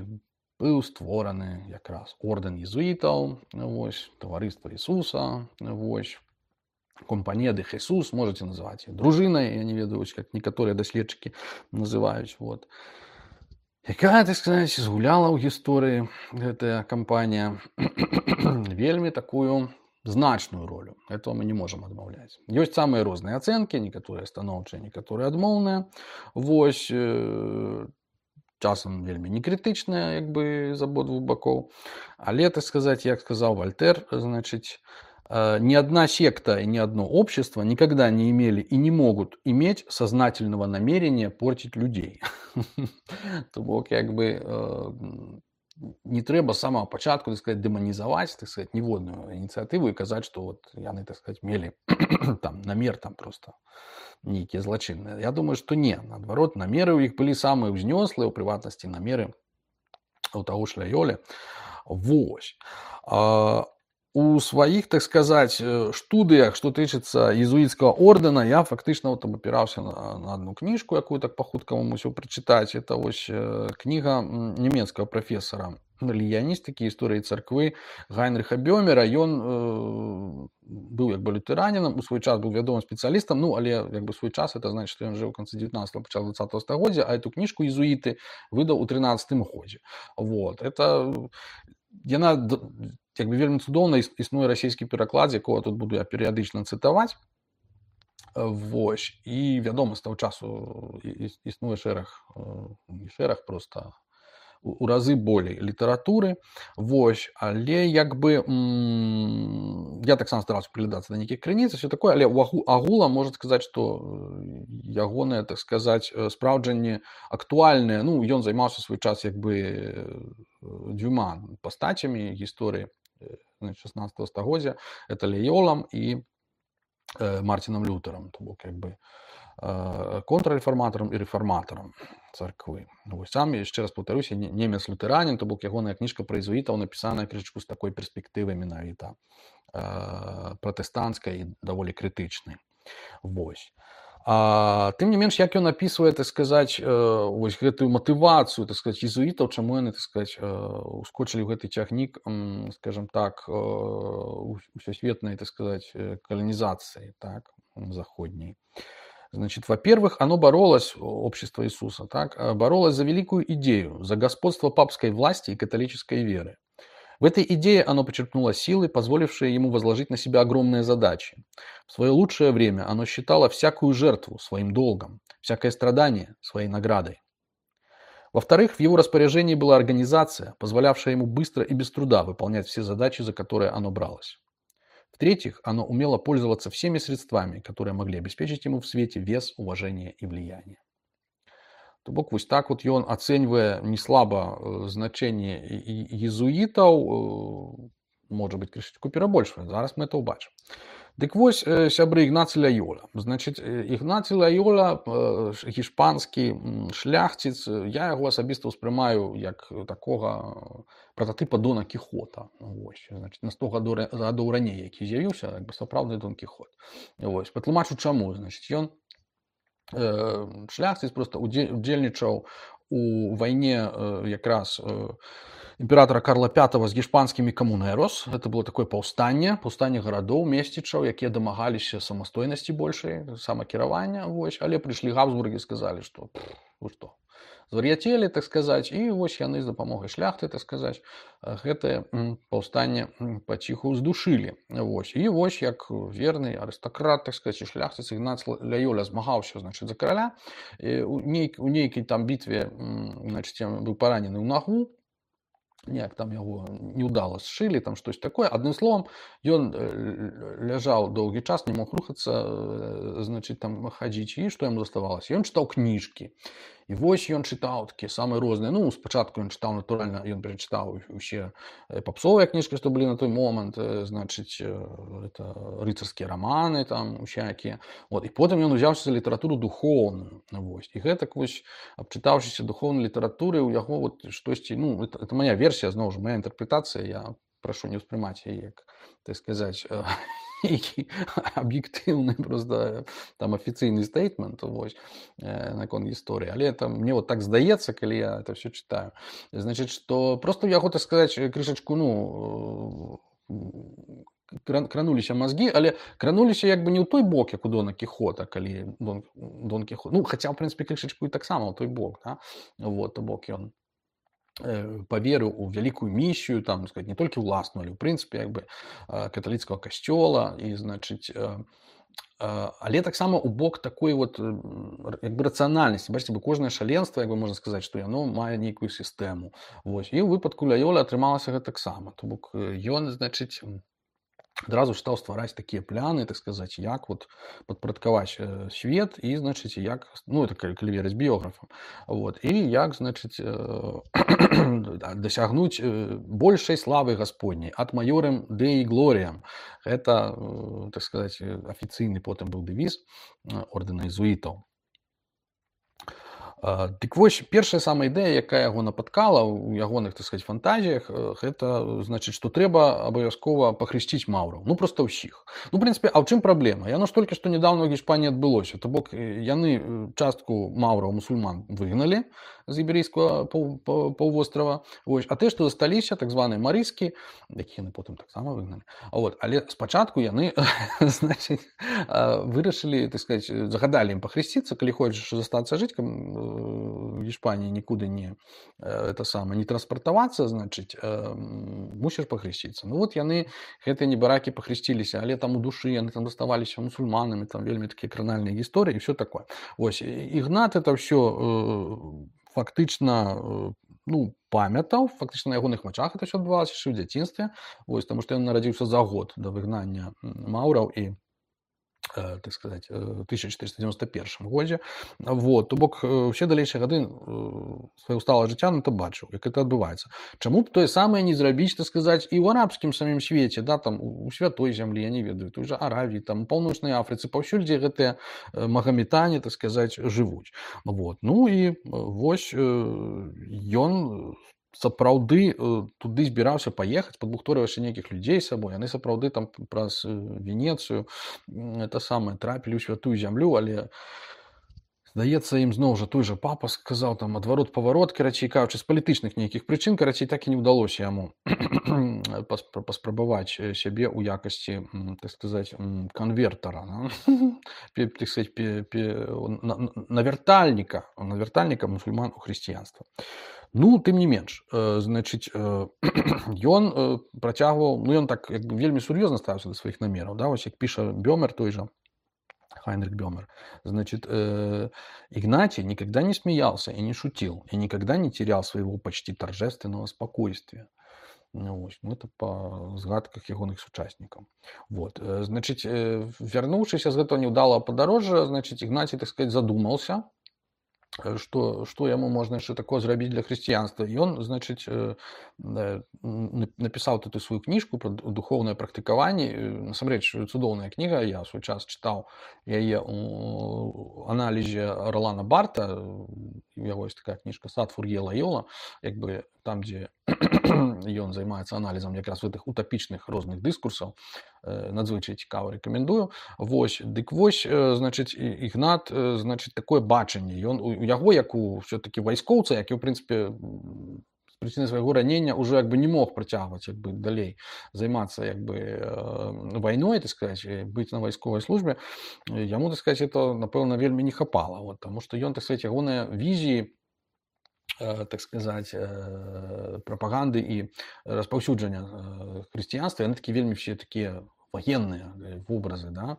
быў створаны якраз ордэн езуітаў, вось, таварыства Ісуса, вось, компанія де Хесус, можете называть ее дружиной, я не ведаю, как некоторые доследчики называют. Вот. Якая, так сказать, згуляла ў гісторыі гэтая кампанія вельмі такую значную ролю. Этого мы не можем адмаўляць. Ёсць самыя розныя ацэнкі, некаторыя станоўчыя, некаторыя адмоўныя. Вось, э, часам вельмі некрытычныя, як бы, з абодвух бакоў. Але, так сказать, як сказаў Вольтер, значыць, ни одна секта и ни одно общество никогда не имели и не могут иметь сознательного намерения портить людей. То бок, як бы, не трэба з самого пачатку, так сказать, дэманізаваць, так сказать, ніводную ініцыятыву і казаць, што вот яны, так сказать, мелі там намер там просто нейкія злачынныя. Я думаю, што не, наадварот, намеры ў іх былі самыя ўзнёслыя, у прыватнасці намеры у таго ж Лайолі. Вось. У сваіх, так сказаць, студыях, што тычыцца езуіцкага ордэна, я фактычна вот абапіраўся на, на одну кніжку, якую так па-хуткаму мусіў прачытаць. Это вось кніга нямецкага прафесара рэлігіяністыкі, гісторыі царквы Гайнрыха Бёмера. Ён э, быў як бы лютэранінам, у свой час быў вядомым спецыялістам, ну, але як бы свой час, это значит, што ён жыў у канцы дзевятнаццатага, пачатку дваццатага стагоддзя, а эту кніжку езуіты выдаў у трынаццатым годзе. Вот. Это яна як бы вельмі цудоўна, існуе расійскі пераклад, якога тут буду я перыядычна цытаваць. Вось. І вядома, з таго часу існуе шэраг, не шэраг, проста у разы болей літаратуры. Вось. Але як бы м- я таксама стараўся прыглядацца да нейкіх крыніц, усё такое, але агулам можна сказаць, што ягоныя, так сказаць, спраўджанні актуальныя. Ну, ён займаўся свой час як бы дзвюма пастацямі гісторыі шаснаццатага стагоддзя. Это Лайолам і э, Мартинам Лютерам, то бок, як бы, э, контррэфарматарам і рэфарматарам царквы. Вось, сам, яшчэ раз паўтаруся, немец-лютэранін, то бок ягоная кніжка пра езуітаў напісаная крышачку з такой перспектывай менавіта э, пратэстанцкай і даволі крытычнай. Вось. А, тым не менш, як ён апісвае, так сказаць, вось гэтую матывацыю, так сказаць, езуітаў, чаму яны, так сказаць, ускочылі ў гэты цягнік, скажем так, усёсветнай, так сказаць, каланізацыі, так, заходняй. Значит, во-первых, оно боролось, общество Иисуса, так, э, боролось за великую идею, за господство папской власти и католической веры. В этой идее оно почерпнуло силы, позволившие ему возложить на себя огромные задачи. В свое лучшее время оно считало всякую жертву своим долгом, всякое страдание своей наградой. Во-вторых, в его распоряжении была организация, позволявшая ему быстро и без труда выполнять все задачи, за которые оно бралось. В-третьих, оно умело пользоваться всеми средствами, которые могли обеспечить ему в свете вес, уважение и влияние. То бок вось так вот ён, ацэньвае неслаба э, значэнне і- і- езуітаў, э, можа быць, крышачку перабольшвае. Зараз мы это ўбачым. Дык вось, э, сябры, Ігнацый Лайола. Значыць, э, Ігнацый Лайола, э, ш- гішпанскі м, шляхціц, э, я яго асабіста ўспрымаю як такога э, прататыпа Дона Кіхота. Вось, значыць, на сто гадоў ра- гадоў раней, які з'явіўся, як бы сапраўдны Дон Кіхот. Вось, патлумачу чаму. Значыць, ён э, шляхціц просто удзе- удзельнічаў у вайне э, якраз э, імператора Карла пятого з гішпанскімі камунерос. Это было такое паўстанне, паўстанне гарадоў, месцічаў, якія дамагаліся самастойнасці большай, самакіравання. Вось, але прыйшлі Габсбургі і сказалі, што «Пф, вы што, звар'яцелі, так сказаць, і вось яны з дапамогай шляхты, так сказаць, э, гэтае м, паўстанне м, паціху здушылі. Вось. І вось як верны арыстакрат, так сказаць, і шляхціц Ігнац Лайоля змагаўся, значыць, за караля. І у, нейк, у нейкай там бітве, м, значыць, ён быў паранены ў нагу, неяк там яго неудала сшылі, там штось такое. Адным словам, ён э, ляжаў доўгі час, не мог рухацца, э, значыць, там хадзіць, і што яму заставалася? Ён чытаў кніжкі. І вось ён чытаў такія самыя розныя. Ну, спачатку ён чытаў, натуральна, ён перачытаў усе э, папсовыя кніжкі, што былі на той момант, э, значыць, э, это рыцарскія раманы, там, усякія. Вот. І потым ён узяўся за літаратуру духоўную. Вось. І гэтак вось, абчытаўшыся духоўнай літаратуры, у яго вот штосьці, ну, это, это моя версія, зноў жа, моя інтэрпрэтацыя, я прашу не ўспрымаць яе як, так сказаць, э, нейкі аб'ектыўны просто там афіцыйны стейтмент, вось, э, наконт гісторыі. Але это мне вот так здаецца, калі я это все читаю. Значыць, што просто у яго, так сказаць, крышачку, ну, кран- крануліся мазгі, але крануліся як бы не ў той бок, як у Дона Кіхота, калі Дон, Дон Кіхот, ну, хаця, в прынцыпе, крышачку і таксама ў той бок, да? Вот, то бок ён э, паверыў у вялікую місію, там, сказать, не толькі ўласную, але, ў прынцыпе, як бы, э, каталіцкага касцёла, і, значыць, э, э, але таксама ў бок такой вот, э, як бы, рацыянальнасці. Бачыце, бо кожнае шаленства, як бы можна сказаць, што яно мае нейкую сістэму. Вось. І ў выпадку Лайоля атрымалася гэтаксама. То бок э, ён, значыць, адразу стаў ствараць такія пляны, так сказаць, як вот падпарадкаваць э, свет і, значыць, як, ну, это калі, калі верыць біёграфам, вот, і як, значыць, э, дасягнуць э, большай славы Гасподняй, ад маёрам Деі Глоріям. Гэта, э, так сказаць, афіцыйны потым быў дэвіз э, ордэна езуітаў. А, Дык вось, першая самая ідэя, якая яго напаткала ў ягоных, так сказаць, фантазіях, э, гэта, значыць, што трэба абавязкова пахрысціць маўраў. Ну, проста ўсіх. Ну, в прынцыпе, а ў чым праблема? Яно ж толькі што нядаўна ў Гішпаніі адбылося. То бок, э, яны э, частку маўраў, мусульман выгналі з іберыйскага паў- паў- паўвострава. Вось. А тыя, што засталіся, так званыя марыскі, якіх яны потым таксама выгналі. А вот. Але спачатку яны, значыць, а, вырашылі, так сказаць, загадалі ім пахрысціцца, калі хочаш застацца жыць, каб в Іспаніі нікуды не э, это самае не транспартавацца, значыць, э, м, мусіш пахрысціцца. Ну вот яны, гэтыя небаракі, пахрысціліся, але там у душы яны там заставаліся мусульманамі, там вельмі такія кранальныя гісторыі і ўсё такое. Вось, і- Ігнат это ўсё э, фактычна э, ну, памятаў, фактычна на ягоных вачах это ўсё адбывалася яшчэ ў дзяцінстве. Вось, таму што ён нарадзіўся за год да выгнання м, маўраў і э, так сказать, э, в тысяча четыреста девяносто первом годзе. Вот. То бок, э, все далейшыя гады э, свайго сталага жыцця на то бачыў, як это адбываецца. Чаму б тое самае не зрабіць, так сказаць, і ў арабскім самім свеце, да, там, у у святой зямлі, я не ведаю, той жа Аравіі, там, у Паўночнай Афрыцы, паўсюль, дзе гэтыя э, магаметане, так сказаць, жывуць. Вот. Ну і э, вось э, ён сапраўды э, туды збіраўся паехаць, падбухторваўшы нейкіх людзей з сабой. Яны сапраўды там праз э, Венецыю м, это самае трапілі ў святую зямлю, але Здаецца, ім зноў жа той жа папа сказаў там адварот-паварот, карацей кажучы, з палітычных нейкіх прычын, карацей, так і не ўдалося яму паспра- паспрабаваць э, сябе ў якасці, м, так сказаць, м, канвертара, да? Пе- так сказаць, пе- пе- на- на- навяртальніка, навяртальніка мусульман у хрысціянства. Ну, тым не менш, э, значыць, э, ён э, працягваў, ну ён так як бы вельмі сур'ёзна ставіўся да сваіх намераў, да? Вось як піша Бёмер той жа, Хайнрих Бёмер. Значит, э, Игнатий никогда не смеялся и не шутил, и никогда не терял своего почти торжественного спокойствия. Ну, вось, ну, это па згадках ягоных сучаснікаў. Вот. э, Значыць, э, вярнуўшыся з гэтага неўдалага падарожжа, значыць, Ігнацій, так сказать, задумаўся, э, што, што яму можна яшчэ такое зрабіць для хрысціянства. І ён, значыць, э, э, н- напісаў тут і сваю кніжку пра ду- духоўнае практыкаванне. Э, Насамрэч, цудоўная кніга, я ў свой час чытаў яе у аналізе Ролана Барта. У яго ёсць такая кніжка «Сад Фур'е Лайола», як бы там, дзе ён займаецца аналізам якраз гэтых утапічных розных дыскурсаў. Э, Надзвычай цікава, рэкамендую. Вось, дык вось, э, значыць, І- Ігнат, э, значыць, такое бачанне. Ён у у яго, як у все-таки вайскоўца, які, ў прынцыпе, м, з прычыны свайго ранення ўжо як бы не мог працягваць як бы далей займацца як бы э, вайной, так сказать, э, быць на вайсковай службе, э, яму, так сказать, это, напэўна, вельмі не хапала. Вот, таму што ён, так сказать, ягоныя візіі, э, так сказать, э, прапаганды і распаўсюджання э, хрысціянства, яны такі вельмі все такія военные э, вобразы, да,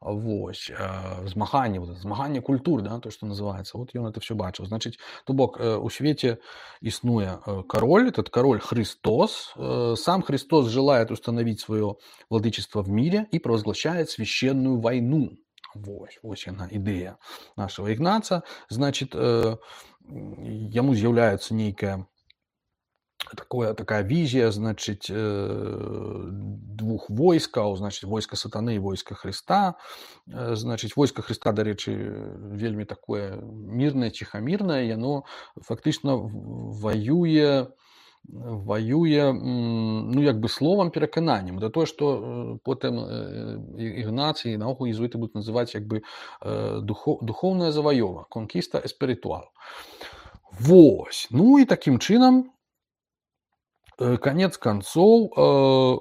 вось, э, змаганне, вот, это змаганне культур, да, то, что называется, вот ён это все бачыў. Значыць, то бок, э, у свеце існуе э, король, этот король Христос, э, сам Христос желает установить свое владычество в мире и провозглашает священную войну. Вось, вось яна ідэя нашего Ігнаца. Значит, э, яму з'яўляецца нейкая такое, такая візія, значыць, э, двух войскаў, значыць, войска сатаны і войска Хрыста. Э, Значыць, войска Хрыста, дарэчы, вельмі такое мірнае, ціхамірнае, яно фактычна в- ваюе ваюе, м, ну, як бы словам перакананнем. Да тое, што э, потым э, І- Ігнацій і наогул езуіты будуць называць як бы э, духо- духоўная заваёва, конкіста эспіритуал. Вось. Ну і такім чынам, э, канец канцоў, э,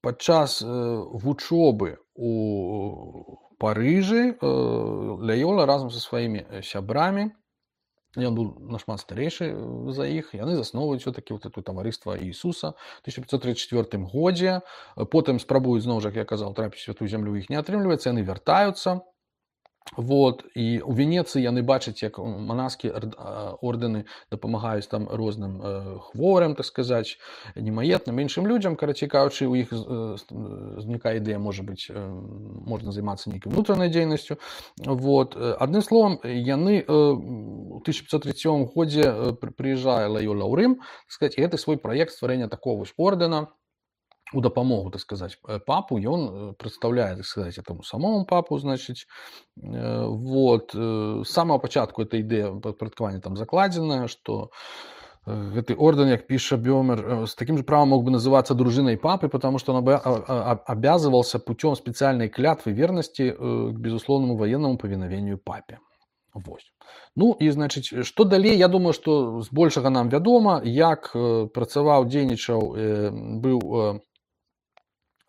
падчас э, вучобы у Парыжы э, Лайола разам са сваімі э, сябрамі, ён быў нашмат старэйшы э, за іх, яны засноўваюць все-таки вот это таварыства Іісуса ў тысяча пятьсот тридцать четвёртым годзе. Э, Потым спрабуюць зноў жа, як я казаў, трапіць у святую зямлю, у іх не атрымліваецца, яны вяртаюцца. Вот, і у Венецыі яны бачаць, як манаскія ор- а, ордэны дапамагаюць там розным э, хворым, так сказаць, немаетным, іншым людзям. Карацей кажучы, у іх э, с- э, знікае ідэя, можа быць, э, можна займацца нейкай унутранай дзейнасцю. Вот. э, Адным словам, яны э, у тысяча пятьсот тридцать седьмым годзе э, пры- прыязджае Лайола ў Рым, так сказаць, і гэты свой праект стварэння такого вось ордэна у дапамогу, так сказаць, э, папу ён э, прадстаўляе, так сказаць, этому самому папу, значыць. Э, вот. э, З самага пачатку эта ідэя падпарадкавання там закладзеная, што э, гэты орден, як піша Бёмер, э, с таким же правом мог бы называться дружиной папы, потому что он обя- а- а- обязывался путем специальной клятвы верности э, к безусловному военному повиновению папе. Вось. Ну і, значыць, што далей, я думаю, што збольшага нам вядома, як э, працаваў, дзейнічаў, э, быў э,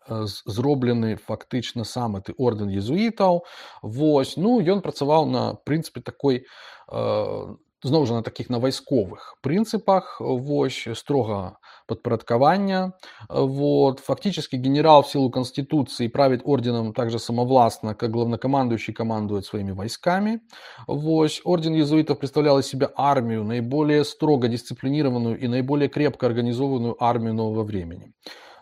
э, з- зроблены фактычна сам гэты ордэн езуітаў. Вось. Ну, ён працаваў на прынцыпе такой, э, зноў жа на такіх на вайсковых прынцыпах, вось, строга падпарадкавання. Вот. Фактически генерал в силу Конституции правит орденом также самовластно, как главнокомандующий командует своими войсками. Вось. Орден иезуитов представлял из себя армию, наиболее строго дисциплинированную и наиболее крепко организованную армию нового времени.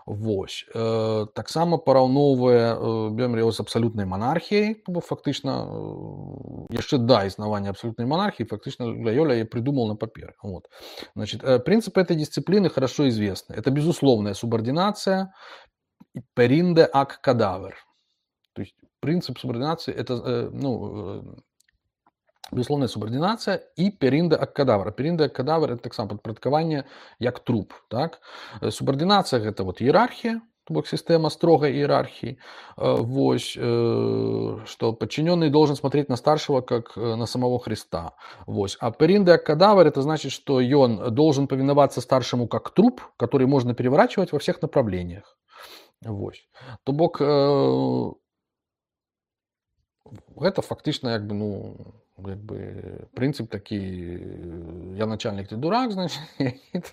Вось. Э, таксама параўноўвае э, Бёмер яго з абсалютнай манархіяй, бо фактычна э, яшчэ да існавання абсолютной монархии фактично Лайоля я придумал на папере. Вот. Значит, э, принципы этой дисциплины хорошо известны. Это безусловная субординация, перинде ак кадавер. То есть принцип субординации это э, ну, э, безусловная субординация и перинде ак кадавер. Перинде ак кадавер это так само падпарадкаванне як труп. Так? Субординация это вот иерархия. то бок сістэма строгай іерархіі, вось, што подчиненный должен смотреть на старшего как на самого Христа. Вось. А перинде кадавр, это значит, что он должен повиноваться старшему как труп, который можно переворачивать во всех направлениях. Вось. То бок гэта фактычна як бы, ну, як бы прынцып такі, я начальник, ты дурак, значит,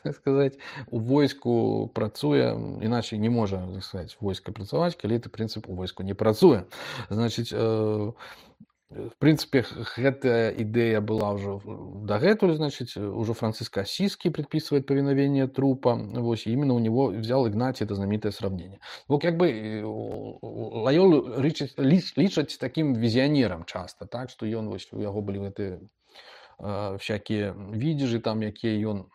так сказать, у войску працуе, іначай не можа, так сказать, войска працаваць, калі ты прынцып у войску не працуе. Значит, в прынцыпе, гэтая ідэя была ўжо дагэтуль, значит, уже Франциск Асіскі предписывает повиновение трупа, вось, и именно у него взял Игнатий это знаменитое сравнение. Вот как бы Лайолу лічаць таким визионером часто, так, что ён, вось, у яго былі гэты э, всякие видежи там, якія ён,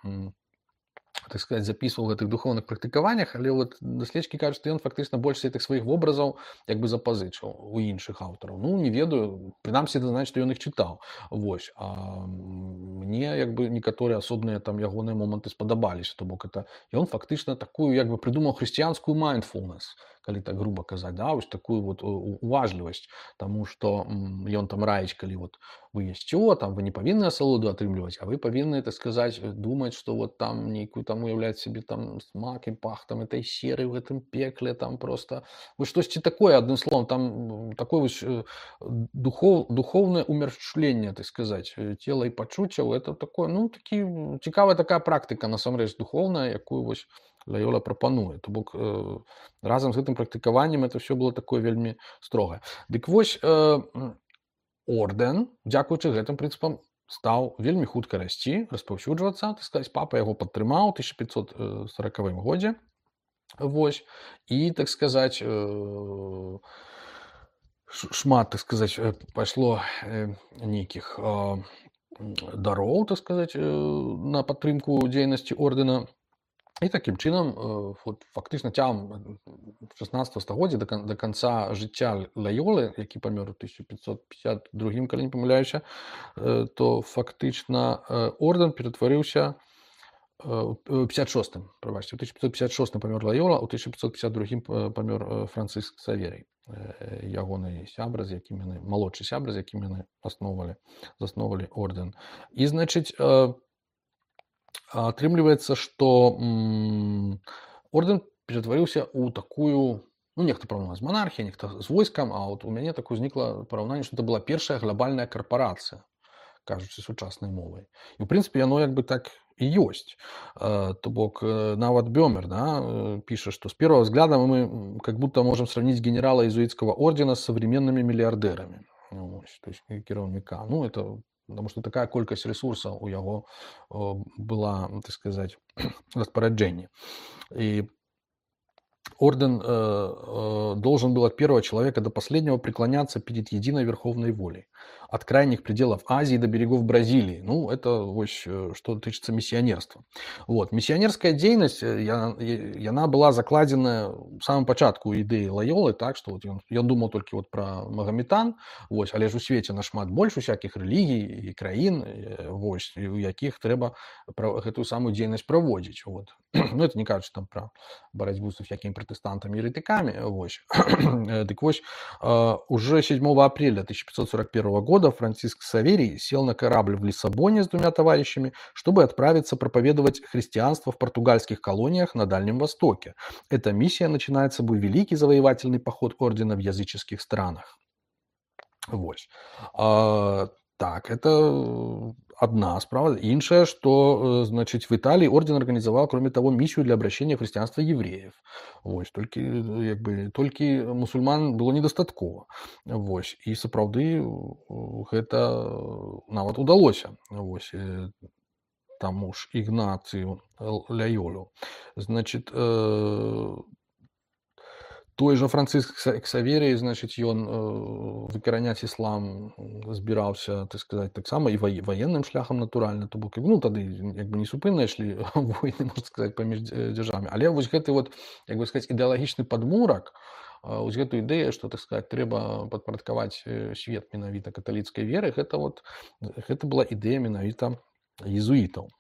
так сказать, записывал в этих духовных практыкаваннях, але вот даследчыкі кажуць, што ён фактычна больш гэтых сваіх вобразаў як бы запазычыў у іншых аўтараў. Ну, не ведаю, прынамсі это значит, што ён іх чытаў. Вось. А мне як бы некаторыя асобныя там ягоныя моманты спадабаліся, то бок это ён фактычна такую як бы прыдумаў хрысціянскую mindfulness, калі так грубо казаць, да, вось такую вот уважлівасць, таму што ён там раіць, калі вот вы есцё, там вы не павінны асалоду атрымліваць, а вы павінны, так сказаць, думаць, што вот там нейкую там уяўляць сябе там смак і пах там этой серы ў гэтым пекле, там просто вы штосьці такое, адным словом, там такое вось духов, духовное умершленне, так сказаць, цела і пачуццяў, это такое, ну, такі цікавая такая практыка, насамрэч, духовная, якую вось Лайола прапануе. То бок э, разам з гэтым практыкаваннем это все было такое вельмі строгае. Дык вось э, ордэн, дзякуючы гэтым прынцыпам, стаў вельмі хутка расці, распаўсюджвацца, так сказаць, папа яго падтрымаў у тысяча пятьсот сорокавым годзе. Вось. І, так сказаць, э, шмат, так сказаць, пайшло э, нейкіх э, дароў, так сказаць, э, на падтрымку дзейнасці ордэна. І такім чынам, вот, фактычна цягам шаснаццатага стагоддзя да, да канца жыцця Лайолы, які памёр у тысяча пятьсот пятьдесят другім, калі не памыляюся, то фактычна ордэн ператварыўся пятьдесят шостым, прабачце, у тысяча пятьсот пятьдесят шостым памёр Лайола, у тысяча пятьсот пятьдесят другім памёр Франциск Ксаверый, ягоны сябра, з якім яны, малодшы сябра, з якім яны асноўвалі, засноўвалі ордэн. І, значыць, атрымліваецца, што ордэн ператварыўся ў такую, ну, нехта параўнаваць з монархіяй, нехта з войскам, а вот у мяне такое узнікла параўнанне, што это была першая глобальная карпорацыя, кажучы сучаснай мовай. І, ў прынцыпе, яно як бы так і ёсць. То бок, нават Бёмер, да, піша, што с первого взгляда мы как будто можем сравнить генерала иезуитского ордена с современными миллиардерами. Ну, то есть кіраўніка. Ну, это потому что такая колькасць ресурсаў у яго была, так сказать, распоряджение. И орден э, э, должен был от первого человека до последнего преклоняться перед единой верховной волей. От крайних пределов Азии до берегов Бразилии. Ну, это вот, что тычется миссионерства. Вот. Миссионерская деятельность, она была закладена в самом початку идеи Лайолы, так, что вот он, он думал только вот про Магометан, вот, але ж у свете нашмат больше всяких религий и краин, вот, у яких треба эту самую деятельность проводить. Вот. Ну, это не кажется там про борьбу со всякими протестантами и еретиками. Вот. Так вот, уже седьмого апреля тысяча пятьсот сорок первого года Франциск Ксаверий сел на корабль в Лиссабоне с двумя товарищами, чтобы отправиться проповедовать христианство в португальских колониях на Дальнем Востоке. Эта миссия начинает с собой великий завоевательный поход ордена в языческих странах. Вот. А, так, это одна справа. Іншая, что, значит, в Италии орден организовал, кроме того, миссию для обращения в христианство евреев. Вот. Только, как бы, только мусульман было недостаткова. Вот. И, сапраўды, это нават удалося. Вот. Тому ж Ігнацію Лайолу. Значит, э... той же Франциск Ксаверий, значит, ён выкараняць іслам збіраўся, так сказать, таксама і военным шляхам натуральна, то бок, ну, тады як бы несупынна ішлі войны, можна сказаць, паміж дзяржавамі. Але вось гэты вот, як бы сказаць, ідэалагічны падмурак, вось гэту ідэю, што, так сказаць, трэба падпарадкаваць свет менавіта каталіцкай веры, гэта вот, гэта была ідэя менавіта езуітаў.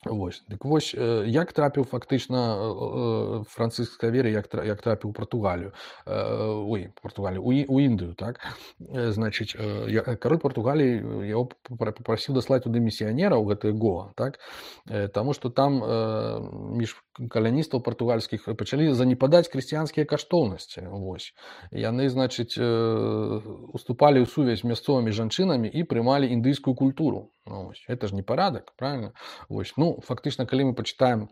Вось. Дык вось, э, як трапіў фактычна э, э, Францыск Ксаверый, як тра як трапіў у Партугалію, э, ой, Партугалію, у І у Індыю, так? Э, значыць, э, я кароль Партугаліі э, яго папра папрасіў даслаць туды місіянера ў гэтае Гоа, так? Э, таму што там э, між каляністаў партугальскіх пачалі занепадаць хрысціянскія каштоўнасці. Вось. Яны, значыць, э, уступалі ў сувязь з мясцовымі жанчынамі і прымалі індыйскую культуру. Ну, вось. Гэта ж не парадак, правильно? Вось. Ну, фактычна, калі мы пачытаем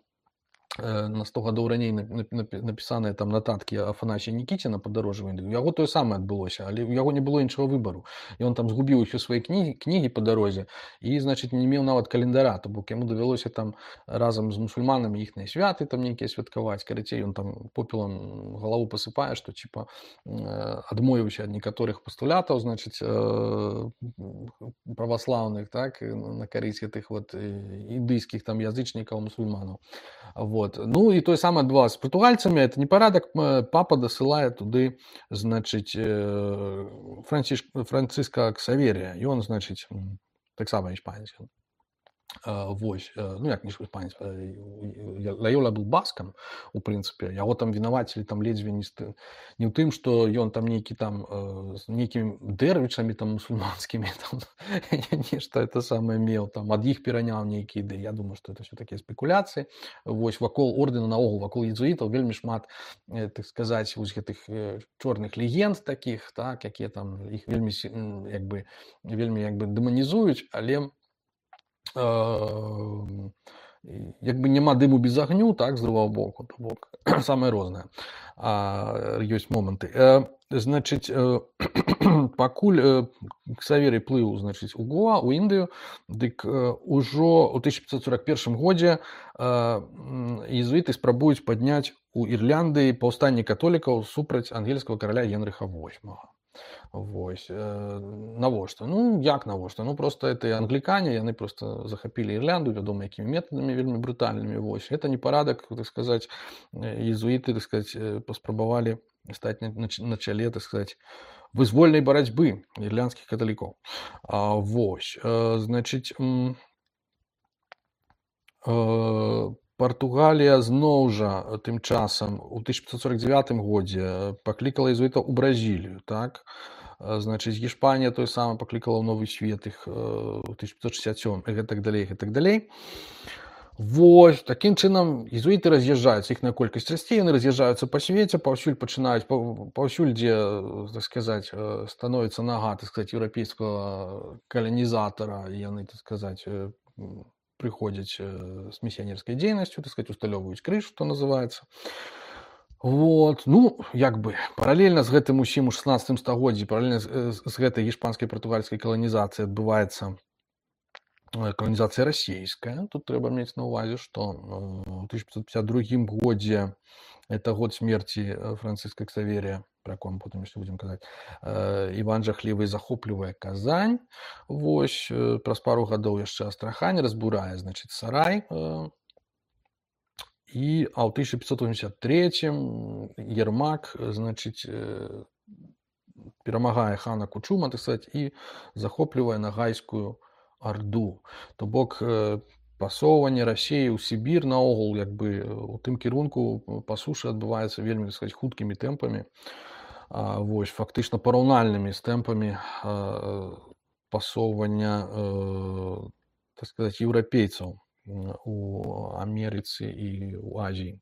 э, на сто гадоў раней нап- нап- напісаныя там нататкі Афанасія Нікіціна падарожжа ў Індыю, у яго тое самае адбылося, але ў яго не было іншага выбару. І ён там згубіў усё свае кнігі, кнігі па дарозе і, значыць, не меў нават календара, то бок яму давялося там разам з мусульманамі іхныя святы там нейкія святкаваць. Карацей, ён там попелам галаву пасыпае, што ціпа э, адмовіўся ад некаторых пастулятаў, значыць, э, праваслаўных, так, і на карысць гэтых вот э, індыйскіх там язычнікаў, мусульманаў. Вот. Ну і тое самае адбывалася з партугальцамі, это непарадак, м, папа дасылае туды, значыць, э, Францішк Францыска Ксаверія. Ён, значыць, м, таксама іспанец. ён. А, вось, э, ну як не іспанец, э, я- Лайола быў баскам, у прынцыпе. Яго там вінавацілі там ледзьве не, ст- не ў тым, што ён там нейкі там э, з нейкімі дэрвічамі там мусульманскімі там нешта это самае меў, там ад іх пераняў нейкія ідэі. Я думаю, што это все такія спекуляцыі. Вось вакол ордэна наогул, вакол езуітаў вельмі шмат, э, так сказаць, вось гэтых э, чорных легенд такіх, так, якія там іх вельмі сі- м, як бы вельмі як бы дэманізуюць, але э, як бы няма дыму без агню, так, з другого боку, то бок самае рознае. А, ёсць моманты. Э, значыць, э, пакуль э, Ксаверый плыў, значыць, у Гоа, у Індыю, дык э, ужо ў тысяча пятьсот сорок первым годзе э, м, езуіты спрабуюць падняць у Ірландыі паўстанне католікаў супраць ангельскага караля Генрыха восьмага. Вось. Э, навошта? Ну, як навошта? Ну, просто это англікане, яны просто захапілі Ірлянду, вядома, якімі метадамі вельмі брутальнымі. Вось. Гэта непарадак, так сказаць, э, езуіты, так сказаць, э, паспрабавалі стаць на, на, ч- на чале, так сказаць, вызвольнай барацьбы ірландскіх каталікоў. А, вось. Э, значыць, м, э, Партугалія зноў жа э, тым часам у тысяча пятьсот сорок девятым годзе э, паклікала езуітаў у Бразілію, так? Э, Значыць, Гішпанія той самы паклікала ў новы свет іх э, у тысяча пятьсот шестьдесят сёмым і гэтак далей, гэтак далей. Вось, такім чынам езуіты раз'язджаюцца, іхная колькасць расце, яны раз'язджаюцца па свеце, паўсюль пачынаюць, паў- паўсюль, дзе, э, так сказаць, э, становіцца нага, так сказаць, еўрапейскага каланізатара, і яны, так сказаць, э, м, прыходзяць э, з місіянерскай дзейнасцю, так сказаць, усталёўваюць крыж, што называецца. Вот, ну, як бы, паралельна з гэтым усім у шестнадцатым стагоддзі, паралельна з, э, з гэтай гішпанскай партугальскай каланізацыяй адбываецца э, каланізацыя расійская. Тут трэба мець на ўвазе, што э, ў тысяча пятьсот пятьдесят другім годзе, это год смерці э, Францыска Ксаверія, пра якого мы потым яшчэ будзем казаць, э, Іван Жахлівы захоплівае Казань. Вось, э, праз пару гадоў яшчэ Астрахань разбурае, значыць, Сарай. Э, і, а ў тысяча пятьсот восемьдесят третьем Ермак, э, значыць, э, перамагае хана Кучума, так сказаць, і захоплівае Нагайскую Арду. То бок э, пасоўванне Расіі ў Сібір наогул як бы э, у тым кірунку э, па сушы адбываецца вельмі, так сказаць, хуткімі тэмпамі. А, вось, фактычна параўнальнымі з тэмпамі э, пасоўвання, э, так сказаць, еўрапейцаў м, у Амерыцы і ў Азіі.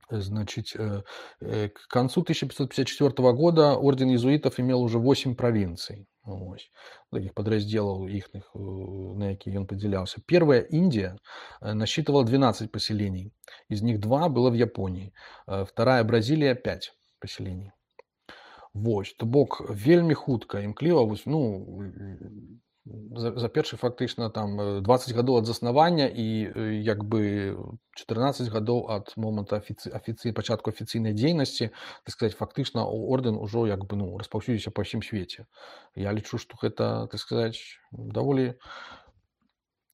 Значит, э, э, к концу тысяча пятьсот пятьдесят четвёртого года орден иезуитов имел уже восемь провинций, ось, таких подразделов ихних, э, на какие он поделялся. Первая Индия э, насчитывала двенадцать поселений, из них два было в Японии, э, вторая Бразилия пять поселений. Вось, то бок вельмі хутка імкліва, вось, ну, за, за першы фактычна там э, дваццаць гадоў ад заснавання і э, як бы чатырнаццаць гадоў ад моманту афіцый, афіцый, пачатку афіцыйнай дзейнасці, так сказаць, фактычна ордэн ужо як бы, ну, распаўсюдзіўся па ўсім свеце. Я лічу, што гэта, так сказаць, даволі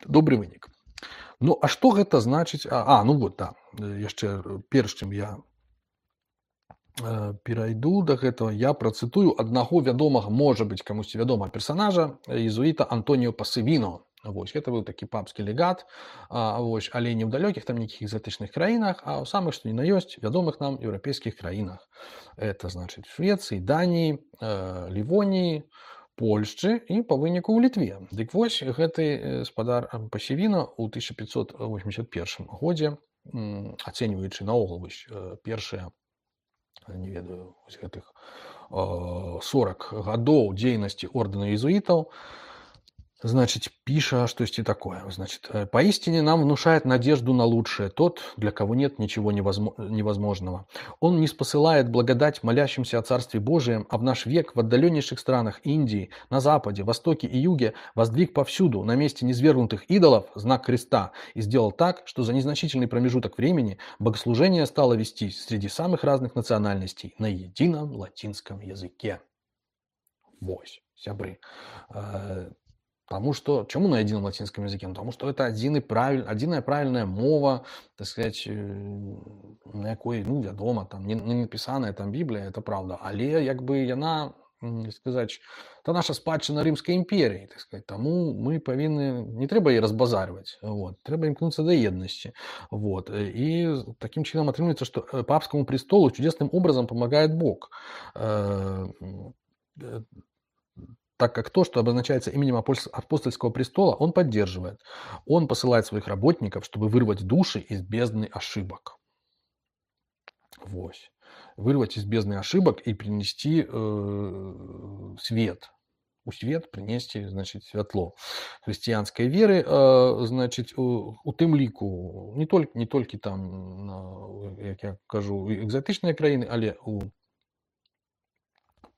добры вынік. Ну, а што гэта значыць? А, а ну вот, да, яшчэ перш чым я э, перайду да гэтага, я працытую аднаго вядомага, можа быць, камусьці вядомага персанажа, езуіта Антоніо Пасывіно. Вось, гэта быў такі папскі легат, а, вось, але не ў далёкіх там нейкіх экзатычных краінах, а ў самых, што ні на ёсць, вядомых нам еўрапейскіх краінах. Это, значыць, Швецыі, Даніі, э, Лівоніі, Польшчы і па выніку ў Літве. Дык вось гэты спадар Пасевіна ў тысяча пятьсот восемьдесят первым годзе, м, ацэньваючы наогул вось першыя, не ведаю, вось гэтых э, сорок гадоў дзейнасці ордэна езуитов, значит, пиша штосьці такое. Значит, поистине нам внушает надежду на лучшее тот, для кого нет ничего невозможного. Он не спосылает благодать молящимся о Царстве Божием, а в наш век в отдаленнейших странах Индии, на Западе, Востоке и Юге воздвиг повсюду на месте низвергнутых идолов знак креста и сделал так, что за незначительный промежуток времени богослужение стало вестись среди самых разных национальностей на едином латинском языке. Вось, сябры. Потому что, чему на едином латинском языке? Потому что это один правиль, одиная правильная мова, так сказать, на якой, ну, вядома, там, не, не написаная там Библия, это правда. Але, як бы, яна, сказать, это наша спадчына Римской империи, так сказать, тому мы повинны, не треба її разбазаривать, вот, треба імкнуться до едности, вот, и таким чином отрывается, что папскому престолу чудесным образом помогает Бог, так как то, что обозначается именем апостольского престола, он поддерживает. Он посылает своих работников, чтобы вырвать души из бездны ошибок. Вось. Вырвать из бездны ошибок и принести э, свет. У свет принести, значит, святло христианской веры, э, значит, у, у тым ліку не только, не только там, як я кажу, экзотичные краины, але у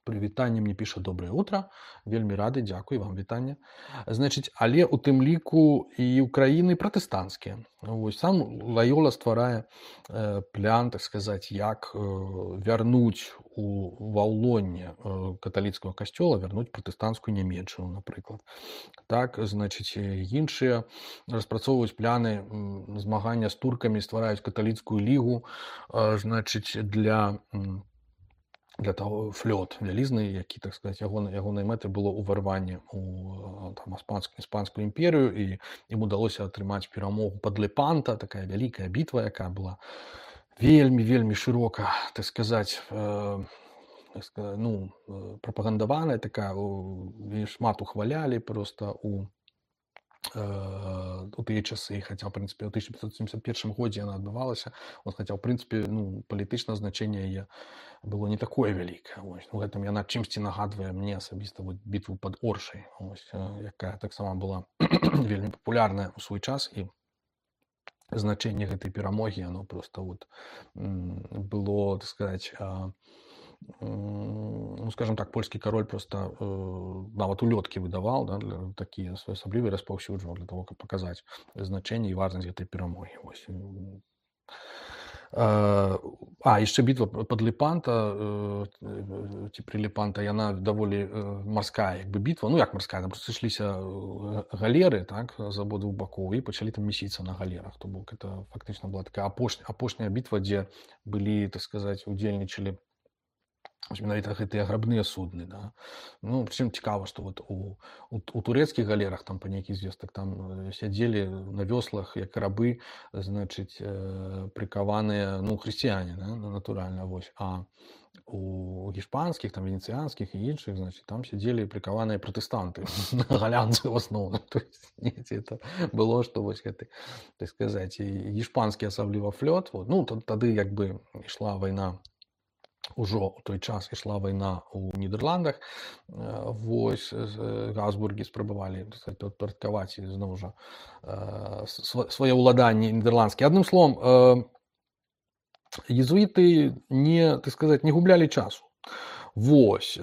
Прывітанне мне піша доброе утро, вельмі рады, дзякуй вам, вітанне. Значыць, але ў тым ліку і ў краіны пратэстанцкія. Вось сам Лайола стварае э, план, так сказаць, як э, вярнуць у ваўлонне э, каталіцкага касцёла, вярнуць пратэстанцкую Нямецчыну, напрыклад. Так, значыць, іншыя распрацоўваюць пляны э, змагання з туркамі, ствараюць каталіцкую лігу, э, значыць, для для того флёт вялізны, які, так сказать, ягонай ягонай мэтай было ўварванне ў там іспанскую іспанскую імперію, і ім удалося атрымаць перамогу пад Лепанта, такая вялікая бітва, якая была вельмі вельмі шырока, так сказать, э, так сказать, ну, прапагандаваная такая, і шмат ухвалялі просто у у тыя часы, хаця, ў прынцыпе, ў тысяча пятьсот семьдесят первым годзе яна адбывалася, вот, хаця, ў прынцыпе, ну, палітычнае значэнне яе было не такое вялікае. Вось. У гэтым яна чымсьці нагадвае мне асабіста вот, бітву пад Оршай, вось, якая таксама была вельмі папулярная ў свой час, і значэнне гэтай перамогі, оно просто вот было, так сказать, ну, скажем так, польский король просто э, нават улёткі выдавал, да, для такие своеасаблівыя распаўсюджваў для того, каб показаць значэнне і важнасць гэтай перамогі. Вось. А, яшчэ бітва пад Лепанта, э, ці пры Лепанта, яна даволі э, марская, як бы бітва, ну як марская, там просто сышліся галеры, так, з абодвух бакоў, і пачалі там месіцца на галерах. То бок это фактычна была такая апошняя, апошняя бітва, дзе былі, так сказаць, удзельнічалі менавіта гэтыя грабныя судны, да. Ну, прычым цікава, што вот у, у, у турэцкіх галерах там па нейкіх звестак там сядзелі на вёслах як рабы, значыць, э, прыкаваныя, ну, хрысціяне, да, натуральна, вось. А у гішпанскіх, там венецыянскіх і іншых, значыць, там сядзелі прыкаваныя пратэстанты, галянцы ў асноўным. То есть, это было, што вось гэты, так сказаць, гішпанскі асабліва флёт, вот. Ну, тады як бы ішла вайна, ужо ў той час ішла вайна ў Нідерландах, вось Габсбургі спрабавалі падпарадкаваць зноў жа свае ўладанні нідэрландскія. Адным словам, езуіты не, так сказаць, не гублялі часу. Вось.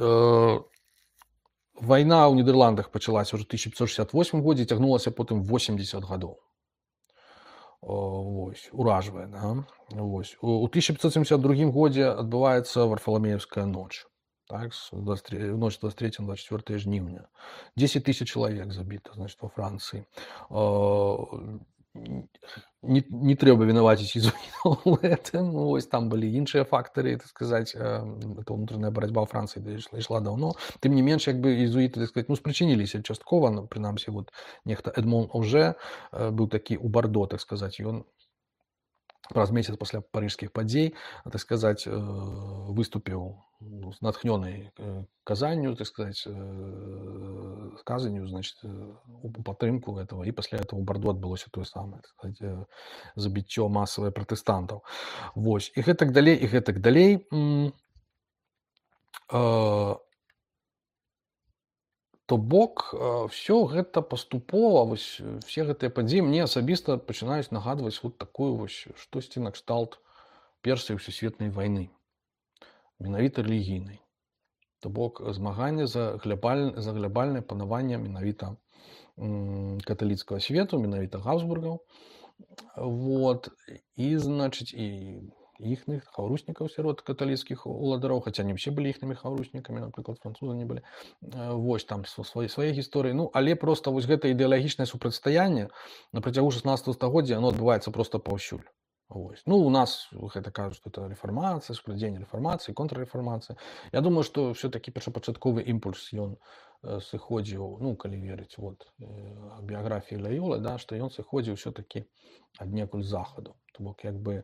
Вайна ў Нідерландах пачалася ўжо ў тысяча пятьсот шестьдесят восьмым годзе, цягнулася потым восемьдесят гадоў. Вось, уражвае, да? Вось. У тысяча пятьсот семьдесят другім годзе адбываецца Варфаламеевская ноч, так, ноч двадцать третьего двадцать четвёртого жніўня. десять тысяч чалавек забіта, значит, во Францыі. не, не трэба вінаваціць езуітаў у гэтым. Ну, вось там былі іншыя фактары, так сказаць, это ўнутраная барацьба ў Францыі ішла, ішла даўно. Тым не менш, як бы езуіты, так сказаць, ну, спрычыніліся часткова, ну, прынамсі, вот нехта Эдмон Оже быў такі ў Бардо, так сказаць, ён праз месяц пасля парыжскіх падзей, так сказаць, выступіў з натхнёнай казанню, так сказаць, сказанню, значит, у падтрымку этого, і пасля этого ў Бардо адбылося тое самае, так сказаць, забіццё масавае пратэстантаў. Вось, і гэтак далей, і гэтак далей. То бок, все гэта паступова, вось, все гэтыя падзеі мне асабіста пачынаюць нагадваць вот такую вось штосьці накшталт першай сусветнай вайны, менавіта рэлігійнай. То бок, змаганне за глябаль... за глябальнае панаванне менавіта каталіцкага свету, менавіта Габсбургаў. Вот, і, значыць, і іхных хаўруснікаў сярод каталіцкіх уладароў, хаця не ўсе былі іхнымі хаўруснікамі, напрыклад, французы не былі. Вось, там свае, свае гісторыі. Ну, але проста вось гэта ідэалагічнае супрацьстаянне на працягу шаснаццатага стагоддзя, оно адбываецца проста паўсюль. Вось. Ну, у нас гэта кажуць, што это рэфармацыя, супрацьстаянне рэфармацыі, контррэфармацыя. Я думаю, што ўсё-такі першапачатковы імпульс ён сыходзіў, ну, калі верыць, вот, біяграфіі Лайолы, да, што ён сыходзіў ўсё-такі аднекуль з захаду. То бок, як бы,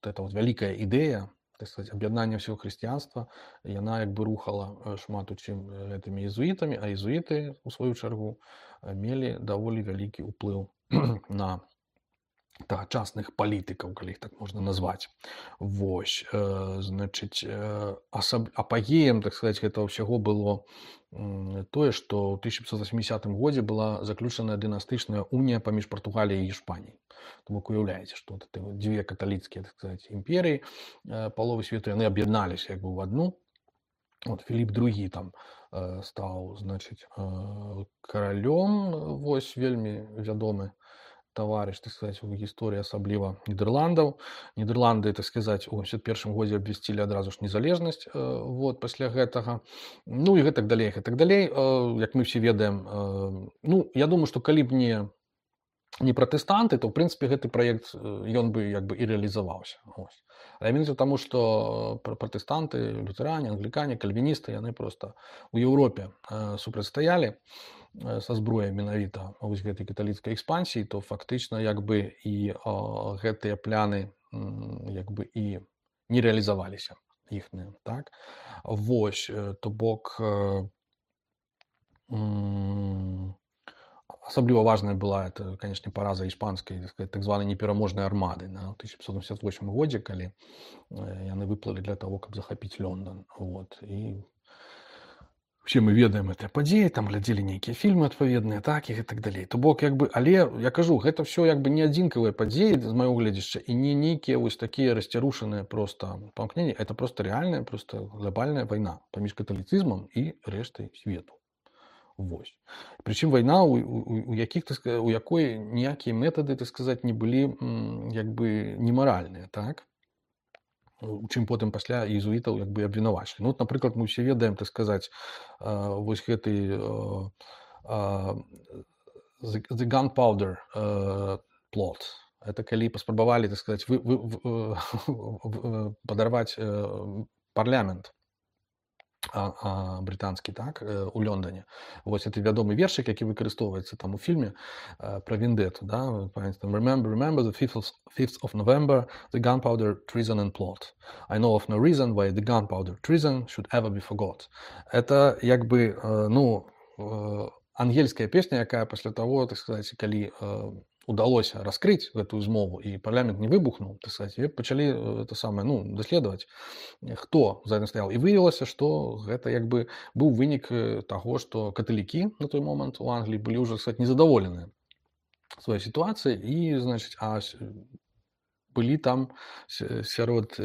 эта вот вялікая ідэя, так сказать, аб'яднання ўсяго хрысціянства, яна як бы рухала шмат у чым гэтымі езуітамі, а езуіты, у сваю чаргу, мелі даволі вялікі ўплыў на тагачасных палітыкаў, калі іх так можна назваць. Вось, значыць, асаб... апагеем, так сказаць, гэтага ўсяго было тое, што ў тысяча пятьсот восьмидесятым годзе была заключаная дынастычная унія паміж Партугаліяй і Іспаніяй. То бок, уяўляеце, што вот дзве каталіцкія, так сказаць, імперыі паловы свету, яны аб'ядналіся як бы ў адну. Вот Філіп другі там стаў, значыць, каралём, вось, вельмі вядомы таварыш, так сказаць, у гісторыі асабліва Нідерландаў. Нідерланды, так сказаць, у сямдзесят першым годзе абвясцілі адразу ж незалежнасць, вот, пасля гэтага. Ну і гэтак далей, гэтак далей. Як мы ўсе ведаем, ну, я думаю, што калі б не не пратэстанты, то, ў прынцыпе, гэты праект, ён бы, як бы, і рэалізаваўся. Ось. Але менавіта таму, што пратэстанты, лютэране, англікане, кальвіністы, яны проста у Еўропе супрацьстаялі са зброяй менавіта вось гэтай каталіцкай экспансіі, то фактычна як бы і а, гэтыя пляны як бы і не рэалізаваліся іхныя, так? Вось, то бок асабліва важная была это, конечно, параза іспанскай, так сказать, так званай непераможнай армады на тысяча пятьсот восемьдесят восьмым годзе, калі яны выплылі для того, каб захапіць Лондон. Вот. І все мы ведаем гэтыя падзеі, там глядзелі нейкія фільмы адпаведныя, так, і так далей. То бок, як бы, але я кажу, гэта все як бы не адзінкавыя падзеі з маёго гледзяшча і не нейкія вось такія расцярушаныя просто памкненні, это просто рэальная, просто глобальная вайна паміж каталіцызмам і рэштай свету. Вось. Прычым вайна, у, у, у, якіх, у якой ніякія метады, так сказаць, не былі як бы немаральныя, так? У чым потым пасля езуітаў як бы абвінавачылі. Ну, вот, напрыклад, мы ўсе ведаем, так сказаць, вось гэты the gunpowder plot. Это калі паспрабавалі, так сказаць, вы, вы, вы, падарваць парламент а, а, брытанскі, так, у Лондоне. Вось это вядомы вершык, які выкарыстоўваецца там у фільме uh, пра вендетту, да, remember, remember the fifth of November, the gunpowder treason and plot. I know of no reason why the gunpowder treason should ever be forgot. Это як бы, uh, ну, uh, ангельская песня, якая пасля таго, так сказаць, калі uh, удалося раскрыць гэтую змову і парламент не выбухнуў, так сказаць, і пачалі это самае, ну, даследаваць, хто за гэтым стаяў. І выявілася, што гэта як бы быў вынік таго, што каталікі на той момант у Англіі былі ўжо, так сказаць, незадаволеныя сваёй сітуацыяй і, значыць, а былі там сярод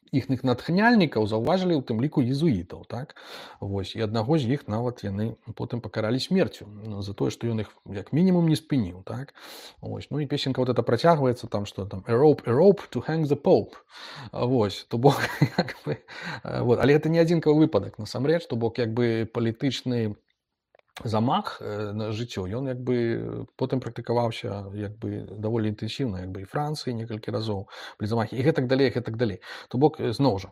іхных натхняльнікаў заўважылі ў тым ліку езуітаў, так? Вось, і аднаго з іх нават яны потым пакаралі смерцю за тое, што ён іх як мінімум не спыніў, так? Вось, ну і песенка вот это працягваецца там, што там a rope, a rope to hang the pope. Вось, то бок, як бы, вот, але гэта не адзінкавы выпадак, насамрэч, то бок, як бы палітычны замах э, на жыццё, ён як бы потым практыкаваўся як бы даволі інтэнсіўна, як бы і Францыі некалькі разоў былі замахі і гэтак далей, гэтак далей. То бок э, зноў жа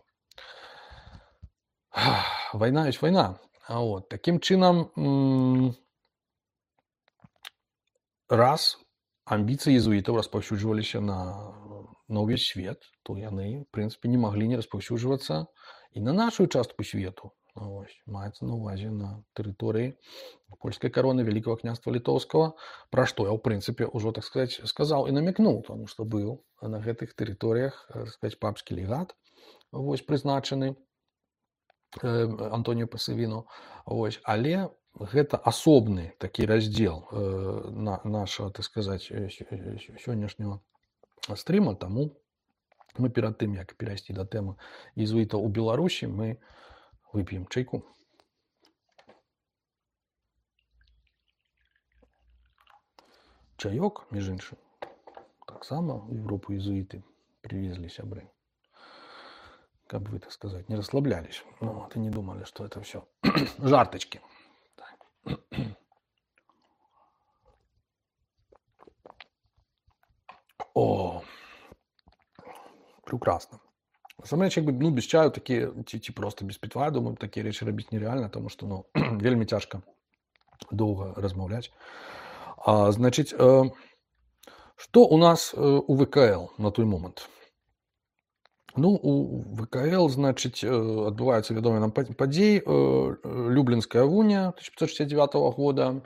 вайна ёсць вайна. А вот такім чынам м, раз амбіцыі езуітаў распаўсюджваліся на, на ўвесь свет, то яны, в прынцыпе, не маглі не распаўсюджвацца і на нашу частку свету. Ось, маецца на ўвазе на тэрыторыі польскай кароны Вялікага княства Літоўскага, пра што я, ў прынцыпе, ўжо, так сказаць, сказаў і намякнуў, таму што быў на гэтых тэрыторыях, так сказаць, папскі легат, вось, прызначаны э, Антоніо Пасавіно. Вось, але гэта асобны такі раздзел э, на нашага, так сказаць, сённяшняга стрыма, таму мы перад тым, як перайсці да тэмы езуітаў у Беларусі, мы выпьем чайку. Чаёк, між іншым, таксама ў Европу езуіты привезли сябры. Как бы, так сказать, не расслаблялись. Ну, вот, и не думали, что это все жарточки. О, прекрасно. Сам рэч, як бы, ну, без чаю такие, ці, ці просто без питва, думаю, такие речи робить нереально, потому что, ну, вельми тяжко долго размаўляць. А, значит, э, что у нас э, у ВКЛ на той момент? Ну, у ВКЛ, значит, адбываюцца вядомыя нам падзеі. Люблінская вуня тысяча пятьсот шестьдесят девятого года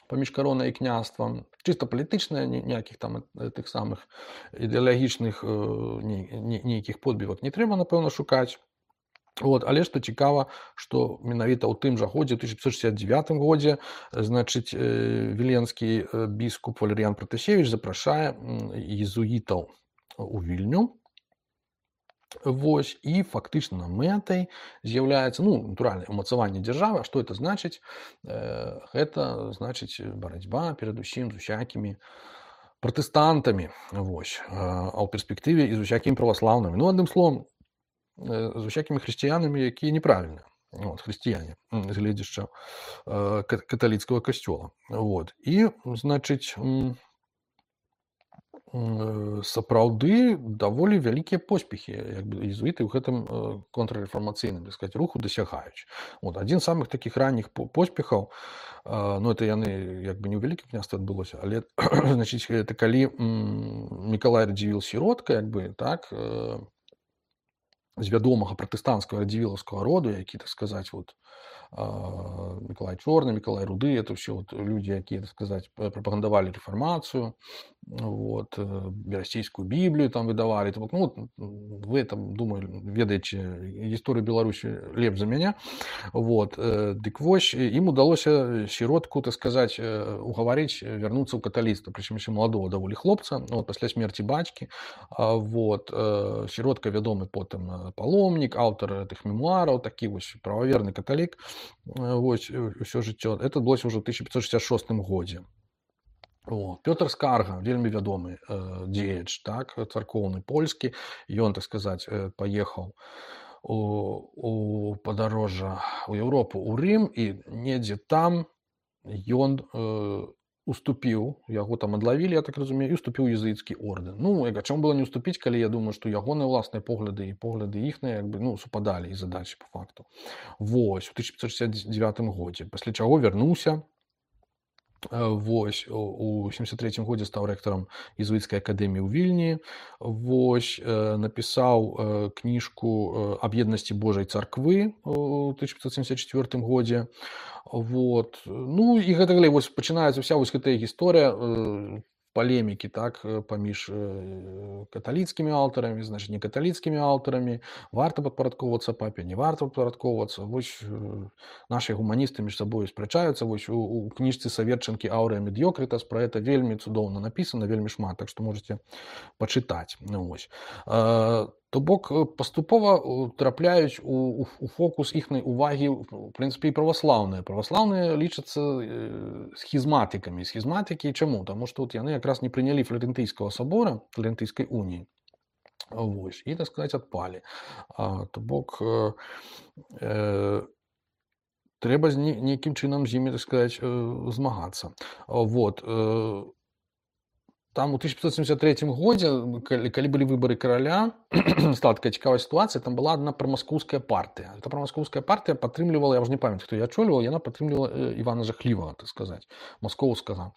паміж каронай і княствам. Чыста палітычная, ніякіх там тых самых ідэалагічных нейкіх подбівак не трэба, напэўна, шукаць. Вот, але што цікава, што менавіта ў тым жа годзе, у тысяча пятьсот шестьдесят девятым годзе, значыць, віленскі біскуп Валерыян Пратасевіч запрашае езуітаў у Вільню. Вось, і фактычна мэтай з'яўляецца, ну, натуральна, умацаванне дзяржавы. А што это значыць? Э, гэта значыць барацьба перадусім з усякімі пратэстантамі, вось, а ў перспектыве і з усякімі праваслаўнымі. Ну, адным словам, э, з усякімі хрысціянамі, якія неправільныя. Вот, хрысціяне, з гледзяшча э, каталіцкага касцёла. Вот. І, значыць, сапраўды даволі вялікія поспехі, як бы, езуіты ў гэтым контррэфармацыйным, так сказаць, руху дасягаюць. Вот, адзін з самых такіх ранніх поспехаў, ну, это яны як бы не ў Вялікім княстве адбылося, але значыць, это калі Мікалай Радзівіл Сіротка, як бы, так, з вядомага пратэстанцкага радзівілаўскага роду, які, так сказаць, вот, Миколай Чорны, Миколай Руды, это все вот люди, якія, так сказать, прапагандавалі рэфармацыю, вот, берасцейскую Біблію там выдавалі. Ну, вот, вы там, думаю, ведаеце гісторыю Беларусі лепш за мяне. Вот, дык вось, ім удалося Сіротку, так сказать, угаварыць вярнуцца ў каталіцтва, прычым яшчэ маладого даволі хлопца, вот, пасля смерці бацькі. Вот, Сіротка вядомы потым паломнік, аўтар тых мемуараў, такі вось прававерны каталік. Вось, ўсё жыццё. Это было ўжо ў тысяча пятьсот шестьдесят шостым годзе. О, Пётр Скарга, вельмі вядомы э, дзеяч, так, царкоўны польскі. Ён, так сказаць, э, паехаў у, у падарожжа ў Еўропу, у Рым, і недзе там ён э, уступіў, яго там адлавілі, я так разумею, і уступіў у езуіцкі ордэн. Ну, а чаму было не уступіць, калі я думаю, што ягоныя ўласныя погляды і погляды іхныя, як бы, ну, супадалі і задачы по факту. Вось, у тысяча пятьсот шестьдесят девятым годзе, пасля чаго вярнуўся. Вось, у сямдзесят трэцім годзе стаў рэктарам езуіцкай акадэміі ў Вільні. Вось, напісаў кніжку аб еднасці Божай царквы у тысяча пятьсот семьдесят четвёртым годзе. Вот. Ну і гэта далей, вось пачынаецца вся вось гэтая гісторыя палемікі, так, паміж каталіцкімі аўтарамі, значыць, не каталіцкімі аўтарамі, варта падпарадковвацца папе, не варта падпарадковвацца. Вось нашы гуманісты між сабой спрачаюцца. Вось у, у кніжцы Саверчанкі «Аўрэа медіёкрытас» пра гэта вельмі цудоўна напісана, вельмі шмат, так што можаце пачытаць. Ну, вось. То бок паступова трапляюць у, у, у фокус іхнай увагі, в прынцыпе, і праваслаўныя. Праваслаўныя лічацца схізматыкамі. Схізматыкі чаму? Таму што вот яны якраз не прынялі Фларэнтыйскага сабора, Фларэнтыйскай уніі. Вось, і, так сказаць, адпалі. А, то бок э, трэба з не нейкім чынам з імі, так сказаць, э, змагацца. А, вот, э, там у тысяча пятьсот семьдесят третьем годзе, калі калі былі выбары караля, стала такая цікавая сітуацыя, там была адна прамаскоўская партыя. Эта прамаскоўская партыя падтрымлівала, я ўжо не памятаю, хто яе ачольваў, яна падтрымлівала э, Івана Жахлівага, так сказаць, маскоўскага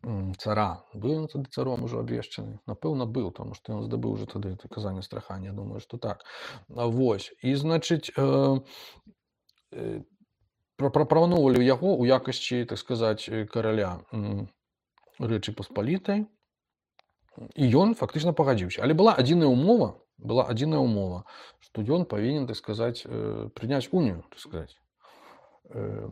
м, цара. Быў ён тады царом ужо абвешчаны? Напэўна, быў, таму што ён здабыў уже тады это казанне страхання, я думаю, што так. А, вось. І, значыць, э, э, пра- прапаноўвалі яго ў якасці, так сказаць, э, караля м, Рэчы Паспалітай, і ён фактычна пагадзіўся. Але была адзіная ўмова, была адзіная ўмова, што ён павінен, так сказаць, э, прыняць унію, так сказаць, э,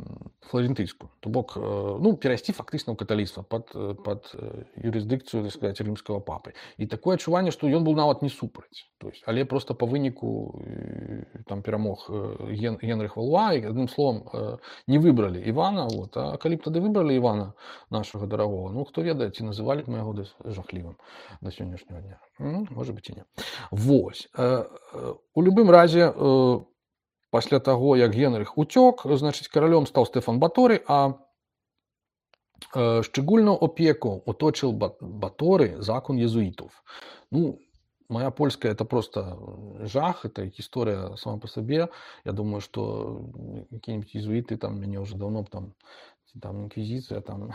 фларентыйскую. То бок, э, ну, перайсці фактычна ў каталіцтва пад, э, пад э, юрысдыкцыю, так сказаць, рымскага папы. І такое адчуванне, што ён быў нават не супраць. То есть, але проста па выніку э, там перамог э, Ген, Генрых Валуа, і адным словам э, не выбралі Івана. Вот. А калі б тады выбралі Івана нашага дарагога, ну, хто ведае, ці называлі б мы яго дас- жахлівым да сённяшняга дня. М, можа быць і не. Вось. Э, э, у любым разе, э, пасля таго, як Генрых уцёк, значыць, каралём стаў Стэфан Баторый, а э, шчыгульную опеку оточил Ба- Баторый закон езуитов. Ну, моя польская это просто жах, это история сама по себе. Я думаю, что какие-нибудь езуиты там меня уже давно б там там інквізіцыя там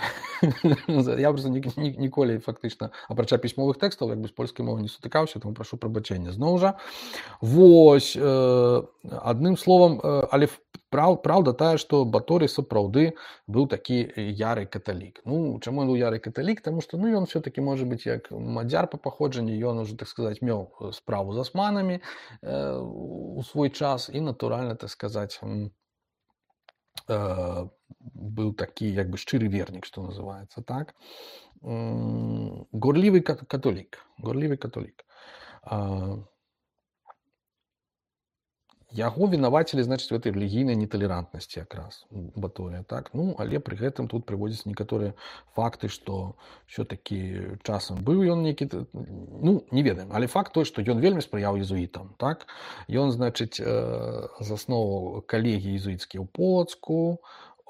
я просто ні, ні, ніколі фактычна апрача пісьмовых тэкстаў як бы з польскай мовай не сутыкаўся, тому прашу прабачэння зноў жа. Вось, э, адным словам, э, але ф- праў, праўда тая, што Баторый сапраўды быў такі яры каталік. Ну, чаму ён быў яры каталік? Таму што ну, ён все-таки можа быць як мадзяр па паходжанні, ён уже, так сказаць, меў э, справу з асманамі э, у свой час і, натуральна, так сказаць, м, э, быў такі як бы шчыры вернік, што называецца, так? М, Горлівы кат- католік, горлівы католік. А, Яго вінавацілі, значыць, в этой рэлігійнай неталерантнасці якраз Баторыя, так? Ну, але пры гэтым тут прыводзяць некаторыя факты, што ўсё-такі часам быў ён нейкі, т- ну, не ведаем, але факт той, што ён вельмі спрыяў езуітам, так? Ён, значыць, э, засноваў калегіі езуіцкія ў Полацку,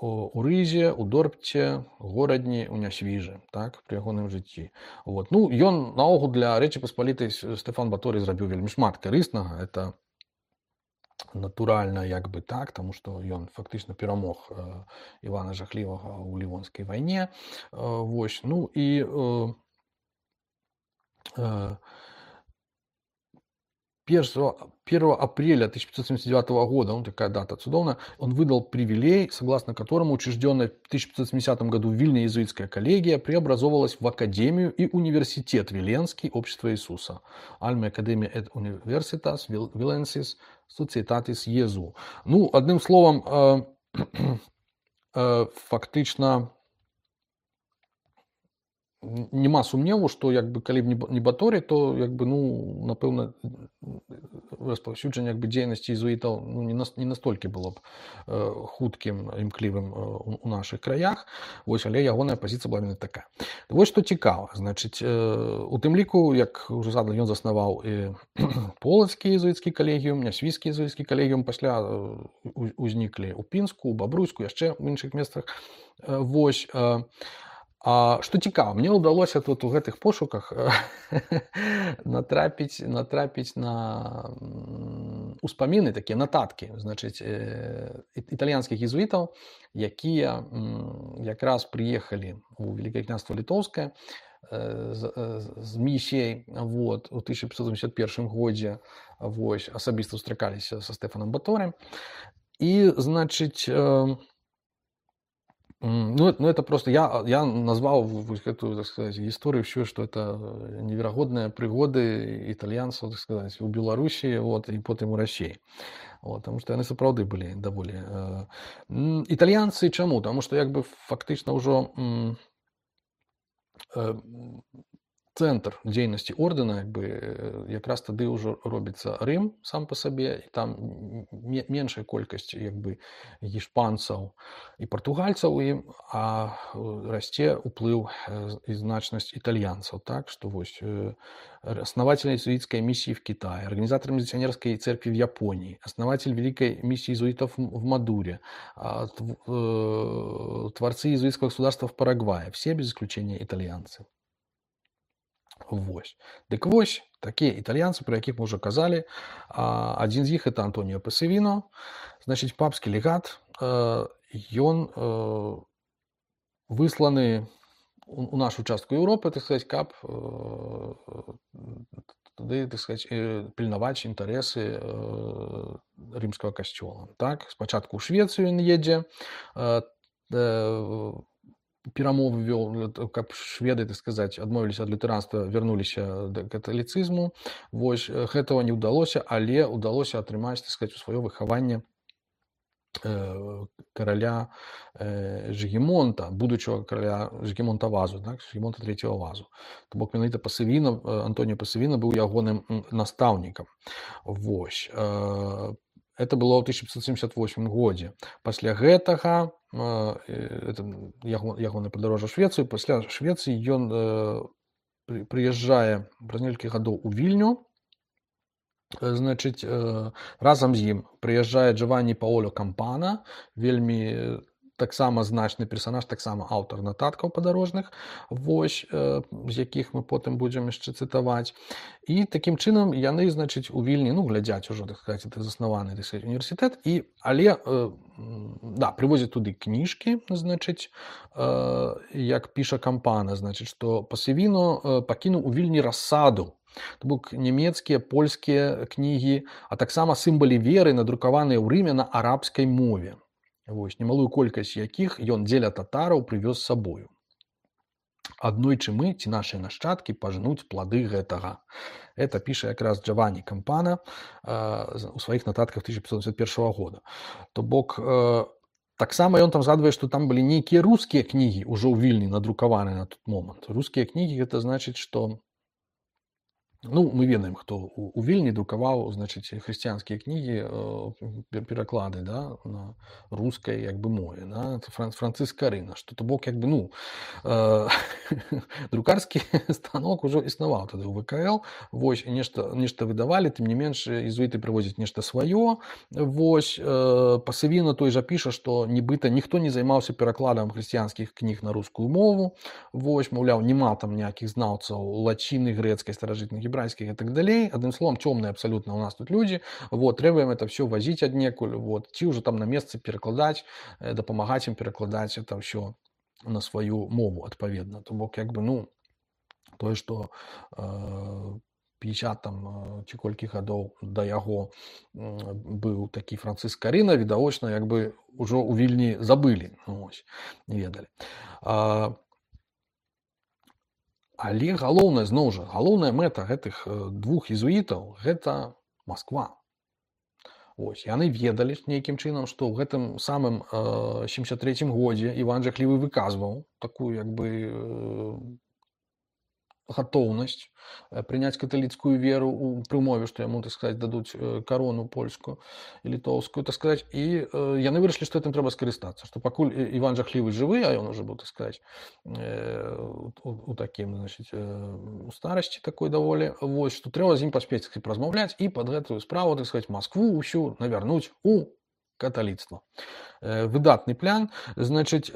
у у Рызе, у Дорбце, горадні, у Нясвіжы, так, пры ягоным жыцці. Вот. Ну, ён наогул для Рэчы Паспалітай С- Стэфан Баторый зрабіў вельмі шмат карыснага. Это натуральна як бы так, таму што ён фактычна перамог э, Івана Жахлівага ў Лівонскай вайне. Э, вось. Ну і э, э, первого апреля тысяча пятьсот семьдесят девятого года, ну такая дата цудовная, он выдал привилей, согласно которому учрежденная в тысяча пятьсот семидесятом году в Вильне иезуитская коллегия преобразовалась в Академию и университет Виленский Общества Иисуса. Альма Академия et Universitas Vilensis Societatis Jesu. Ну, одним словом, э, э, фактично нема сумневу, што як бы калі б не Ба- не Баторый, то як бы ну напэўна распаўсюджанне як бы дзейнасці езуітаў ну, не, нас, не настолькі было б э, хуткім імклівым э, у, у нашых краях. Вось, але ягоная пазіцыя была именно такая. Вось што цікава, значыць, э, у тым ліку, як уже задал, ён заснаваў і полацкі езуіцкі калегіум, нясвійскі езуіцкі калегіум, пасля э, у- узніклі ў Пінску, у Бабруйску, яшчэ ў іншых месцах. Э, вось, э, а што цікава, мне ўдалося тут у гэтых пошуках э, натрапіць натрапіць на м, успаміны такія нататкі, значыць, э, і- італьянскіх езуітаў, якія м, якраз прыехалі у Великае княства Літоўскае э, з, э, з місіяй вот, у тысяча пятьсот семьдесят первом годзе вось, асабіста сустракаліся са Стэфанам Баторым. І, значыць, э, М, Ну, это- ну, это просто я, я назвал в- в эту, так сказать, историю все, что это невероятные пригоды итальянцев, так сказать, у Белоруссии, вот, и потом у России. Вот, потому что они сапраўды были довольно. Э, м, итальянцы чему? Потому что, как бы, фактично уже м, э, цэнтр дзейнасці ордэна, як бы якраз тады ўжо робіцца Рым сам па сабе, і там меншая колькасць як бы гішпанцаў і партугальцаў у ім, а расце ўплыў і значнасць італьянцаў. Так што вось основатель иезуитской миссии в Китае, организатор миссионерской церкви в Японии, основатель великой миссии иезуитов в Мадуре, творцы иезуитского государства в Парагвае. Все без исключения итальянцы. Вось. Дык вось, такія італьянцы, про якіх мы ўжо казалі. Адзін з іх это Антоніо Пассавіно, значыць, папскі легат. Ён высланы у нашу частку Еўропы, так сказаць, каб туды, так сказаць, пільнаваць інтарэсы рымскага касцёла. Так, спачатку ў Швецыю ён едзе, перамовы вёў, каб шведы, так сказаць, адмовіліся ад лютэранства, вярнуліся да каталіцызму. Вось, гэтага не ўдалося, але ўдалося атрымаць, так сказаць, у сваё выхаванне караля Жыгімонта, будучага караля Жыгімонта Вазу, так, Жыгімонта трэцяга Вазу. То бок менавіта Пассавіно, Антоніо Пассавіно быў ягоным настаўнікам. Вось. Это было ў тысяча пятьсот семьдесят восьмым годзе. Пасля гэтага, это ягонае падарожжа ў Швецыю, пасля Швецыі ён прыязджае праз некалькі гадоў у Вільню. Значыць, разам з ім прыязджае Джованні Паоло Кампана, вельмі таксама значны персанаж, таксама аўтар нататкаў падарожных, вось, з якіх мы потым будзем яшчэ цытаваць. І такім чынам яны, значыць, у Вільні, ну, глядзяць ужо, так сказаць, это заснаваны, так сказаць, універсітэт, і, але, да, прывозяць туды кніжкі, значыць, як піша Кампана, значыць, што Пассавіно пакінуў у Вільні рассаду. То бок нямецкія, польскія кнігі, а таксама сімвалы веры, надрукаваныя ў Рыме на арабскай мове. Вось, немалую колькасць якіх ён дзеля татараў прывёз з сабою. Аднойчы мы, ці нашыя нашчадкі, пажнуць плады гэтага. Это піша якраз Джованні Кампана у сваіх нататках тысяча пятьсот семьдесят первого года. То бок, таксама ён там згадвае, што там былі нейкія рускія кнігі ўжо ў Вільні надрукаваныя на тот момант. Рускія кнігі, гэта значыць, што ну, мы ведаем, хто у Вільні друкаваў, значыць, хрысціянскія кнігі, пераклады, да, на рускай, як бы, мове, да, Францыск Карына, што, то бок, як бы, ну, друкарскі станок ужо існаваў тады ў вэ ка эл, вось, нешта, нешта выдавалі, тым не менш, езуіты прывозяць нешта сваё, вось, Пассавіно той жа піша, што нібыта ніхто не займаўся перакладам хрысціянскіх кніг на рускую мову, вось, маўляў, няма там ніякіх знаўцаў лаціны, грэцкай, старажытнай, гебрайскіх і так далей. Адным словам, цёмныя абсалютна у нас тут людзі. Вот, трэба ім это ўсё вазіць аднекуль, вот, ці ўжо там на месцы перакладаць, дапамагаць ім перакладаць это ўсё на сваю мову адпаведна. То бок, як бы, ну, тое, што пятьдесят там ці колькі гадоў да яго быў такі Францыск Карына, відавочна, як бы ўжо ў Вільні забылі, ось, не ведалі. Але галоўнае, зноў жа, галоўная мэта гэтых двух езуітаў – гэта Масква. Ось, яны ведалі нейкім чынам, што ў гэтым самым сямдзесят трэцім годзе Іван Жахлівы выказваў такую, як бы, гатоўнасць прыняць каталіцкую веру у прымове, што яму, так сказаць, дадуць карону польскую і літоўскую, так сказаць, і яны вырашылі, што гэтым трэба скарыстацца, што пакуль Іван Жахлівы жывы, а ён ужо быў, так сказаць, у такім, значыць, у старасці такой даволі, вось, што трэба з ім паспець размаўляць і пад гэтую справу, так сказаць, Маскву ўсю навярнуць у каталіцтва. Выдатны план, значыць,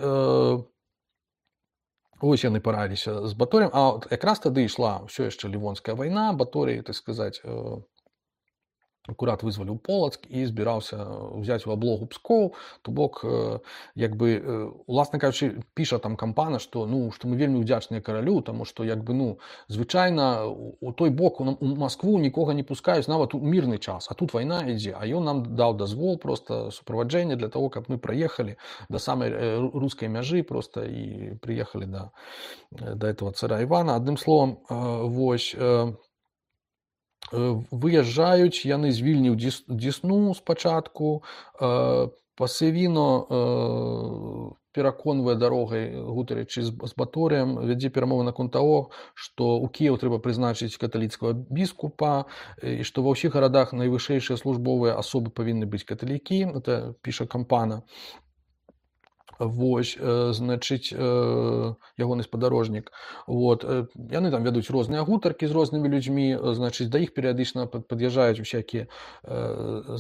ось яны параліся з Баторем, а якраз тады ішла ўсё яшчэ Лівонская вайна, Баторый, так сказаць, акурат вызваліў Полацк і збіраўся ўзяць у аблогу Пскоў, то бок, як бы, уласна кажучы, піша там Кампана, што, ну, што мы вельмі ўдзячныя каралю, таму што, як бы, ну, звычайна у той бок у Маскву нікога не пускаюць нават у мірны час, а тут вайна ідзе, а ён нам даў дазвол, проста суправаджэнне для того, каб мы праехалі да самай рускай мяжы проста і прыехалі да, да этого цара Івана. Адным словам, вось, выязджаюць яны з Вільні ў Дзесну спачатку, Пасавіно э, пераконвае дарогай, гутарычы з, з Баторыем, вядзе перамовы наконт таго, што ў Кіеў трэба прызначыць каталіцкага біскупа, і што ва ўсіх гарадах найвышэйшыя службовыя асобы павінны быць каталікі, это піша Кампана. Вось, э, значыць, э, ягоны спадарожнік. Вот. Э, яны там вядуць розныя гутаркі з рознымі людзьмі, значыць, да іх перыядычна пад'язджаюць усякія э,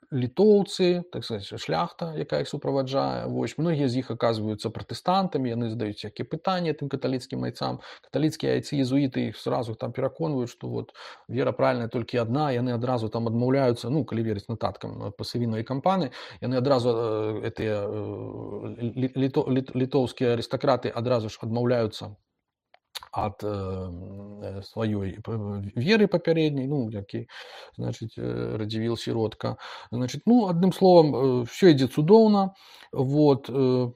літоўцы, так сказать, шляхта, якая іх суправаджае. Вось. Многія з іх аказваюцца пратэстантамі, яны задаюць всякія пытанні тым каталіцкім айцам. Каталіцкія айцы езуіты іх сразу там пераконваюць, што вот вера правільная толькі адна, яны адразу там адмаўляюцца, ну, калі верыць нататкам Пасавіно і Кампаны, яны адразу э, гэтыя літо, літ, літоўскія арыстакраты адразу ж адмаўляюцца ад э, сваёй веры папярэдняй, ну, які, значыць, Радзівіл сіротка. Значыць, ну, адным словам, все ідзе цудоўна. Вот. Э,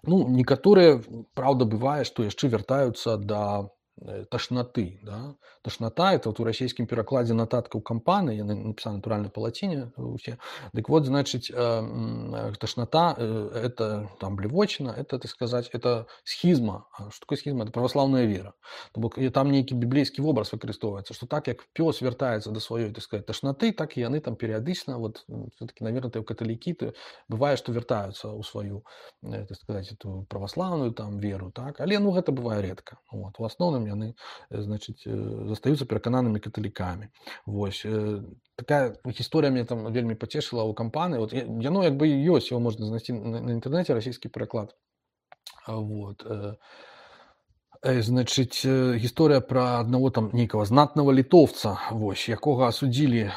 ну, некаторыя, праўда, бывае, што яшчэ вяртаюцца да ташнаты. Да? Ташната, это вот у расійскім перакладзе нататкаў Кампаны, яны напісаны натуральна па лаціне усе. Дык вот, значыць, ташната, это там блевочина, это, так сказать, это схізма. Што такое схізма? Это праваслаўная вера. То бок там нейкі біблейскі вобраз выкарыстоўваецца, што так як пёс вяртаецца да сваёй, так сказать, ташнаты, так і яны там перыядычна, вот, все-таки, наверное, каталікі, то бывае, што вяртаюцца ў сваю, так сказать, эту праваслаўную там веру, так? Але, ну, гэта бывае редка. Вот. У асноўным яны, значыць, застаюцца перакананымі каталікамі. Вось. Такая гісторыя мне там вельмі пацешыла ў Кампаны. Вот. Яно як бы ёсць, яго можна знайсці на інтэрнэце, расійскі пераклад. Вот. Значыць, гісторыя пра аднаго там нейкага знатнага літоўца, вось, якога асудзілі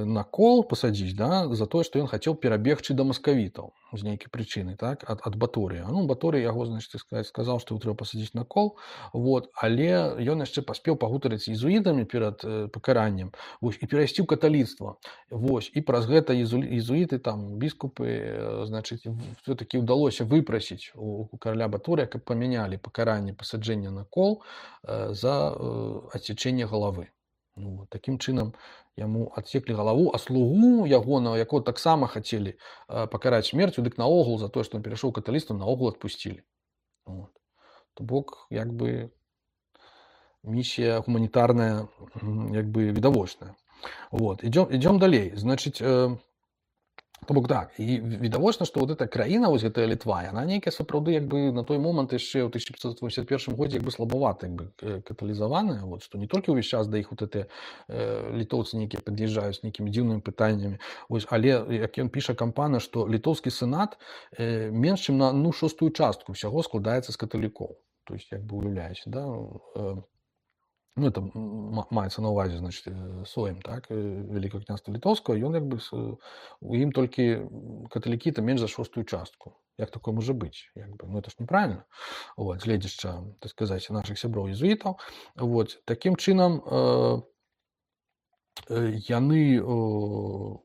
на кол пасадзіць, да, за тое, што ён хацеў перабегчы да маскавітаў з нейкай прычыны, так, ад, ад Баторыя. Ну, Баторый яго, значыць, сказаў, што трэба пасадзіць на кол, вот, але ён яшчэ паспеў пагутарыць з езуітамі перад э, пакараннем, вось, і перайсці ў каталіцтва. Вось, і праз гэта езуіты, там, біскупы, э, значыць, все-таки ўдалося выпрасіць у, у караля Баторыя, каб памянялі пакаранне пасаджэння на кол э, за э, адсечэнне галавы. Ну, такім чынам яму адсеклі галаву, а слугу ягонага, якого таксама хацелі э, пакараць смерцю, дык наогул за тое, што ён перайшоў каталіцтва, наогул адпусцілі. Вот. То бок, як бы, місія гуманітарная, як бы, відавочная. Вот. Ідём, ідём далей. Значыць, э, то бок так, і відавочна, што вот эта краіна, вось гэтая Літва, яна нейкая сапраўды як бы на той момант яшчэ ў тысяча пятьсот восемьдесят первом годзе як бы слабавата як бы каталізаваная, вот, што не толькі ўвесь час да іх вот гэтыя э, літоўцы нейкія пад'язджаюць з нейкімі дзіўнымі пытаннямі, вось, але як ён піша Кампана, што літоўскі сенат э, менш чым на ну шостую частку ўсяго складаецца з каталікоў, то есть як бы уяўляеце, да, э, ну, это маецца на ўвазе, значыць, Сойм, так, Вялікага княства Літоўскага, ён як бы у ім толькі каталікі то менш за шостую частку. Як такое можа быць? Як бы, ну, это ж неправільна. Вот, гледзячы, так сказаць, нашых сяброў езуітаў. Вот, такім чынам э, яны э,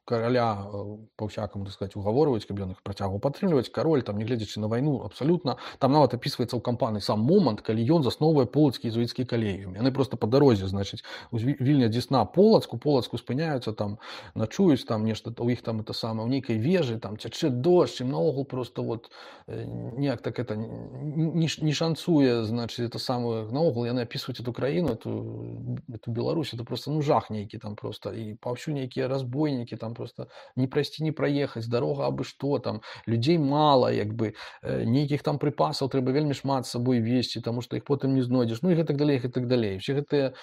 караля па-ўсякаму, так сказаць, угаворваюць, каб ён іх працягваў падтрымліваць. Кароль, там, не гледзячы на вайну, абсалютна, там нават апісваецца ў Кампаны сам момант, калі ён засноўвае полацкі езуіцкі калегіум. Яны проста па дарозе, значыць, у Вільня Дзесна Полацку, Полацку спыняюцца, там, начуюць, там, нешта, у іх там это самае, у нейкай вежы, там, цячэ дождж, і наогул просто вот неяк так это не, не шанцуе, значыць, это самае, наогул яны апісваюць эту краіну, эту, эту Беларусь, это просто, ну, жах нейкі там просто, і паўсюль нейкія разбойнікі, там просто не прайсці, не праехаць, дарога абы што, там людзей мала, як бы нейкіх там прыпасаў трэба вельмі шмат з сабой весці, таму што іх потым не знойдзеш, ну і гэтак далей, гэтак далей. Все гэтыя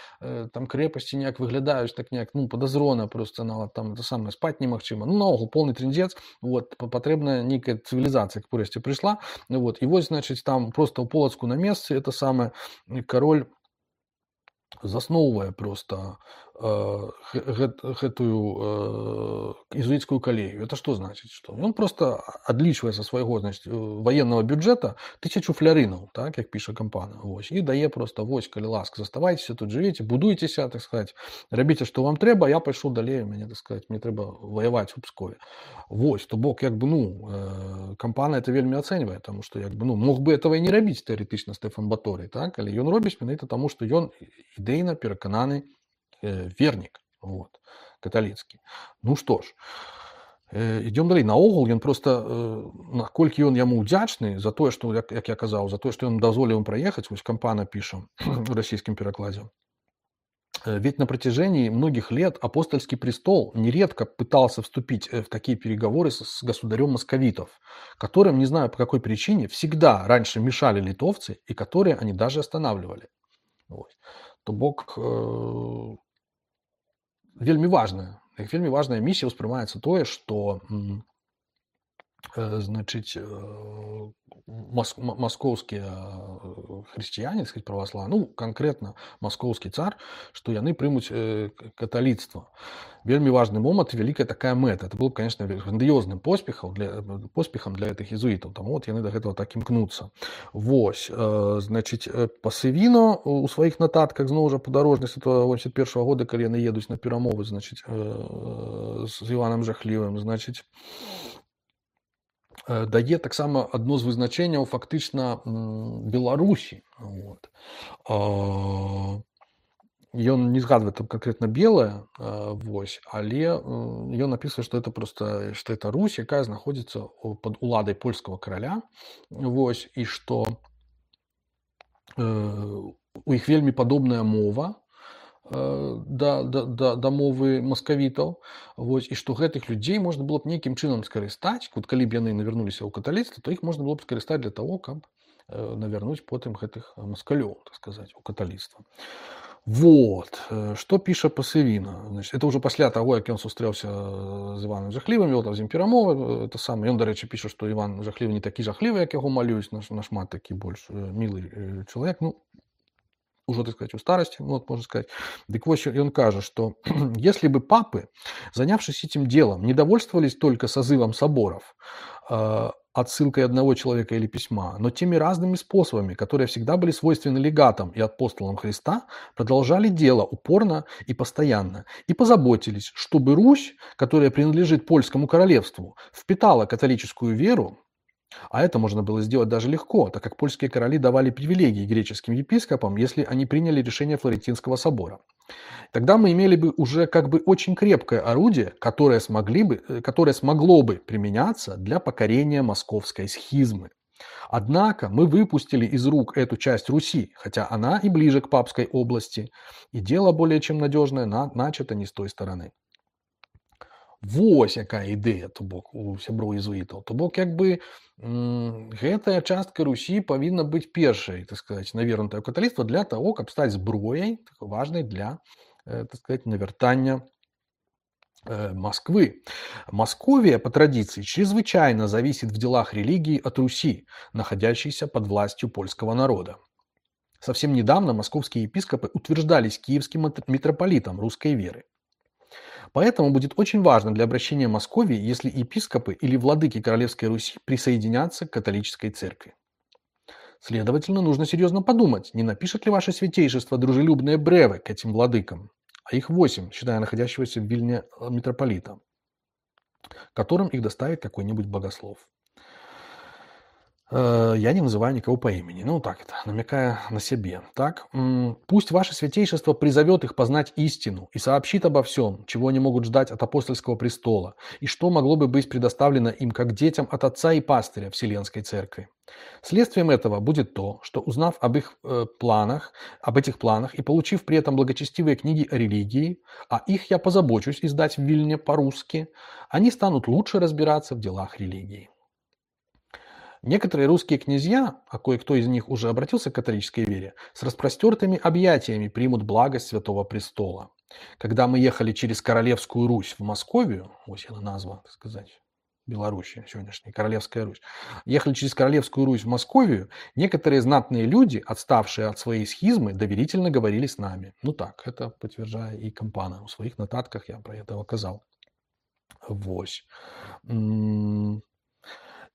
там крэпасці неяк выглядаюць так неяк, ну, падазрона просто, нават там это самае, спаць немагчыма. Ну, наогул полны трындзец, вот, патрэбная нейкая цывілізацыя, к урэшце прыйшла, вот, і вось, значыць, там просто ў Полацку на месцы, это самае, кароль засноўвае просто э, гэтую э, езуіцкую калегію. Это што значыць? Што? Ён просто адлічвае са свайго, значыць, ваеннага бюджэта тысячу флярынаў, так, як піша Кампана, вось, і дае просто, вось, калі ласка, заставайцеся тут, жывіце, будуйцеся, так сказаць, рабіце, што вам трэба, я пайшоў далей, мне, так сказаць, мне трэба ваяваць у Пскове. Вось, то бок, як бы, ну, э, Кампана это вельмі ацэньвае, таму што, як бы, ну, мог бы этого і не рабіць тэарэтычна Стэфан Баторый, так, але ён робіць менавіта таму, што ён ідэйна перакананы э, вернік, вот, каталіцкі. Ну што ж, Ідём далей. Наогул ён проста, наколькі ён яму ўдзячны за тое, што, як, як я казаў, за тое, што ён дазволіў ім праехаць, вось Кампана піша у расійскім перакладзе. Ведь на протяжении многих лет апостольский престол нередко пытался вступить в такие переговоры с государем московитов, которым, не знаю по какой причине, всегда раньше мешали литовцы, и которые они даже останавливали. Вот. То бок, э, вельмі важная, вельмі важная миссия успрымаецца тое, что э, значит, э, мос, московские христиане, сказать, православные, ну, конкретно московский царь, что яны примут э, католицтво. Вельмі важный момент, великая такая мэта. Это было, конечно, грандиозным поспехом для, поспехом для этих иезуитов. Там вот яны до этого так имкнуться. Вось, э, значит, Пасывіно у своих нотатках, знову ж подорожник с этого восемьдесят первого года, когда яны едут на перамовы, значит, э, с Иваном Жахливым, значит, дае таксама адно з вызначэнняў фактычна Беларусі. Вот. Ён не згадвае там конкретно белое, вось, але ён напісвае, што это просто, што это Русь, якая знаходзіцца пад уладай польскага караля, вось, і што у іх вельмі падобная мова да, да, да, да мовы маскавітаў, вось, і што гэтых людзей можна было б нейкім чынам скарыстаць, вот, калі б яны навярнуліся ў каталіцтва, то іх можна было б скарыстаць для того, каб навярнуць потым гэтых маскалёў, так сказаць, у каталіцтва. Вот, што піша Пасывіна. Значит, это ўжо пасля таго, як ён сустрэўся з Іваном Жахлівым, вёў там з ім перамовы, это самае. Ён, дарэчы, піша, што Іван Жахлівы не такі жахлівы, як яго малююць, нашмат такі больш мілы чалавек, ну, уже, так сказать, у старости, вот, можно сказать. Так вот, он кажет, что если бы папы, занявшись этим делом, не довольствовались только созывом соборов, э, отсылкой одного человека или письма, но теми разными способами, которые всегда были свойственны легатам и апостолам Христа, продолжали дело упорно и постоянно, и позаботились, чтобы Русь, которая принадлежит польскому королевству, впитала католическую веру. А это можно было сделать даже легко, так как польские короли давали привилегии греческим епископам, если они приняли решение Флорентинского собора. Тогда мы имели бы уже как бы очень крепкое орудие, которое, смогли бы, которое смогло бы применяться для покорения московской схизмы. Однако мы выпустили из рук эту часть Руси, хотя она и ближе к папской области, и дело более чем надежное начато не с той стороны. Вось якая ідэя, то бок, у сяброў езуітаў. То бок, як бы, гэтая частка Русі павінна быць першай, так сказать, навернутая ў каталіцтва для того, каб стаць зброяй, важнай для, так сказать, навяртання Москвы. Московия, по традиции, чрезвычайно зависит в делах религии от Руси, находящейся под властью польского народа. Совсем недавно московские епископы утверждались киевским митрополитом русской веры. Поэтому будет очень важно для обращения Московии, если епископы или владыки Королевской Руси присоединятся к католической церкви. Следовательно, нужно серьезно подумать, не напишет ли ваше святейшество дружелюбные бревы к этим владыкам, а их восемь, считая находящегося в Вильне митрополита, которым их доставит какой-нибудь богослов. Я не называю никого по имени, ну так это, намекая на себе. Так, пусть ваше святейшество призовет их познать истину и сообщит обо всем, чего они могут ждать от апостольского престола, и что могло бы быть предоставлено им как детям от отца и пастыря Вселенской Церкви. Следствием этого будет то, что, узнав об их э, планах, об этих планах и получив при этом благочестивые книги о религии, а их я позабочусь издать в Вильне по-русски, они станут лучше разбираться в делах религии. Некоторые русские князья, а кое-кто из них уже обратился к католической вере, с распростертыми объятиями примут благость Святого Престола. Когда мы ехали через Королевскую Русь в Московию, вот она назва, так сказать, Белоруссия сегодняшняя, Королевская Русь, ехали через Королевскую Русь в Московию, некоторые знатные люди, отставшие от своей схизмы, доверительно говорили с нами. Ну так, это подтверждает и Кампана. В своих нотатках я про это указал. Вось.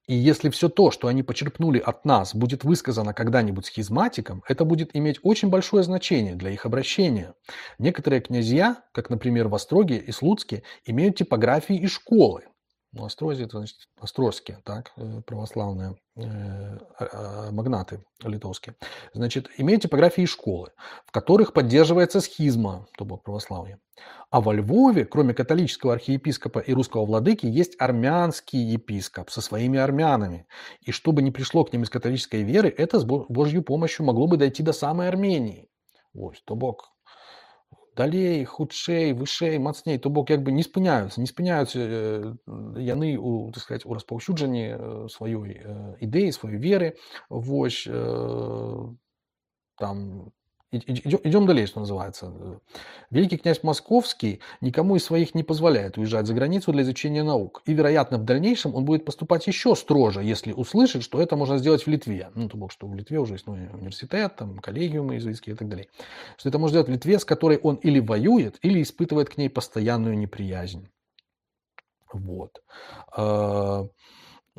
И если все то, что они почерпнули от нас, будет высказано когда-нибудь схизматикам, это будет иметь очень большое значение для их обращения. Некоторые князья, как, например, в Остроге и Слуцке, имеют типографии и школы. Ну, Острозі, это значит острозские, так, э, православные э, а- а, магнаты литовские. Значит, имеют типографии и школы, в которых поддерживается схизма, то бок православие. А во Львове, кроме католического архиепископа и русского владыки, есть армянский епископ со своими армянами. И чтобы не пришло к ним из католической веры, это с Бо- Божьей помощью могло бы дойти до самой Армении. Ось, то бок далей, хутчэй, вышэй, мацней, то бок як бы не спыняюцца, не спыняюцца э, яны у, так сказать, у распаўсюджанні э, сваёй э, ідэі, сваёй веры. Вось э, там идем далее, что называется. Великий князь Московский никому из своих не позволяет уезжать за границу для изучения наук. И, вероятно, в дальнейшем он будет поступать еще строже, если услышит, что это можно сделать в Литве. Ну, то бок, что в Литве уже есть ну, университет, там, коллегиумы иезуитские и так далее. Что это можно сделать в Литве, с которой он или воюет, или испытывает к ней постоянную неприязнь. Вот.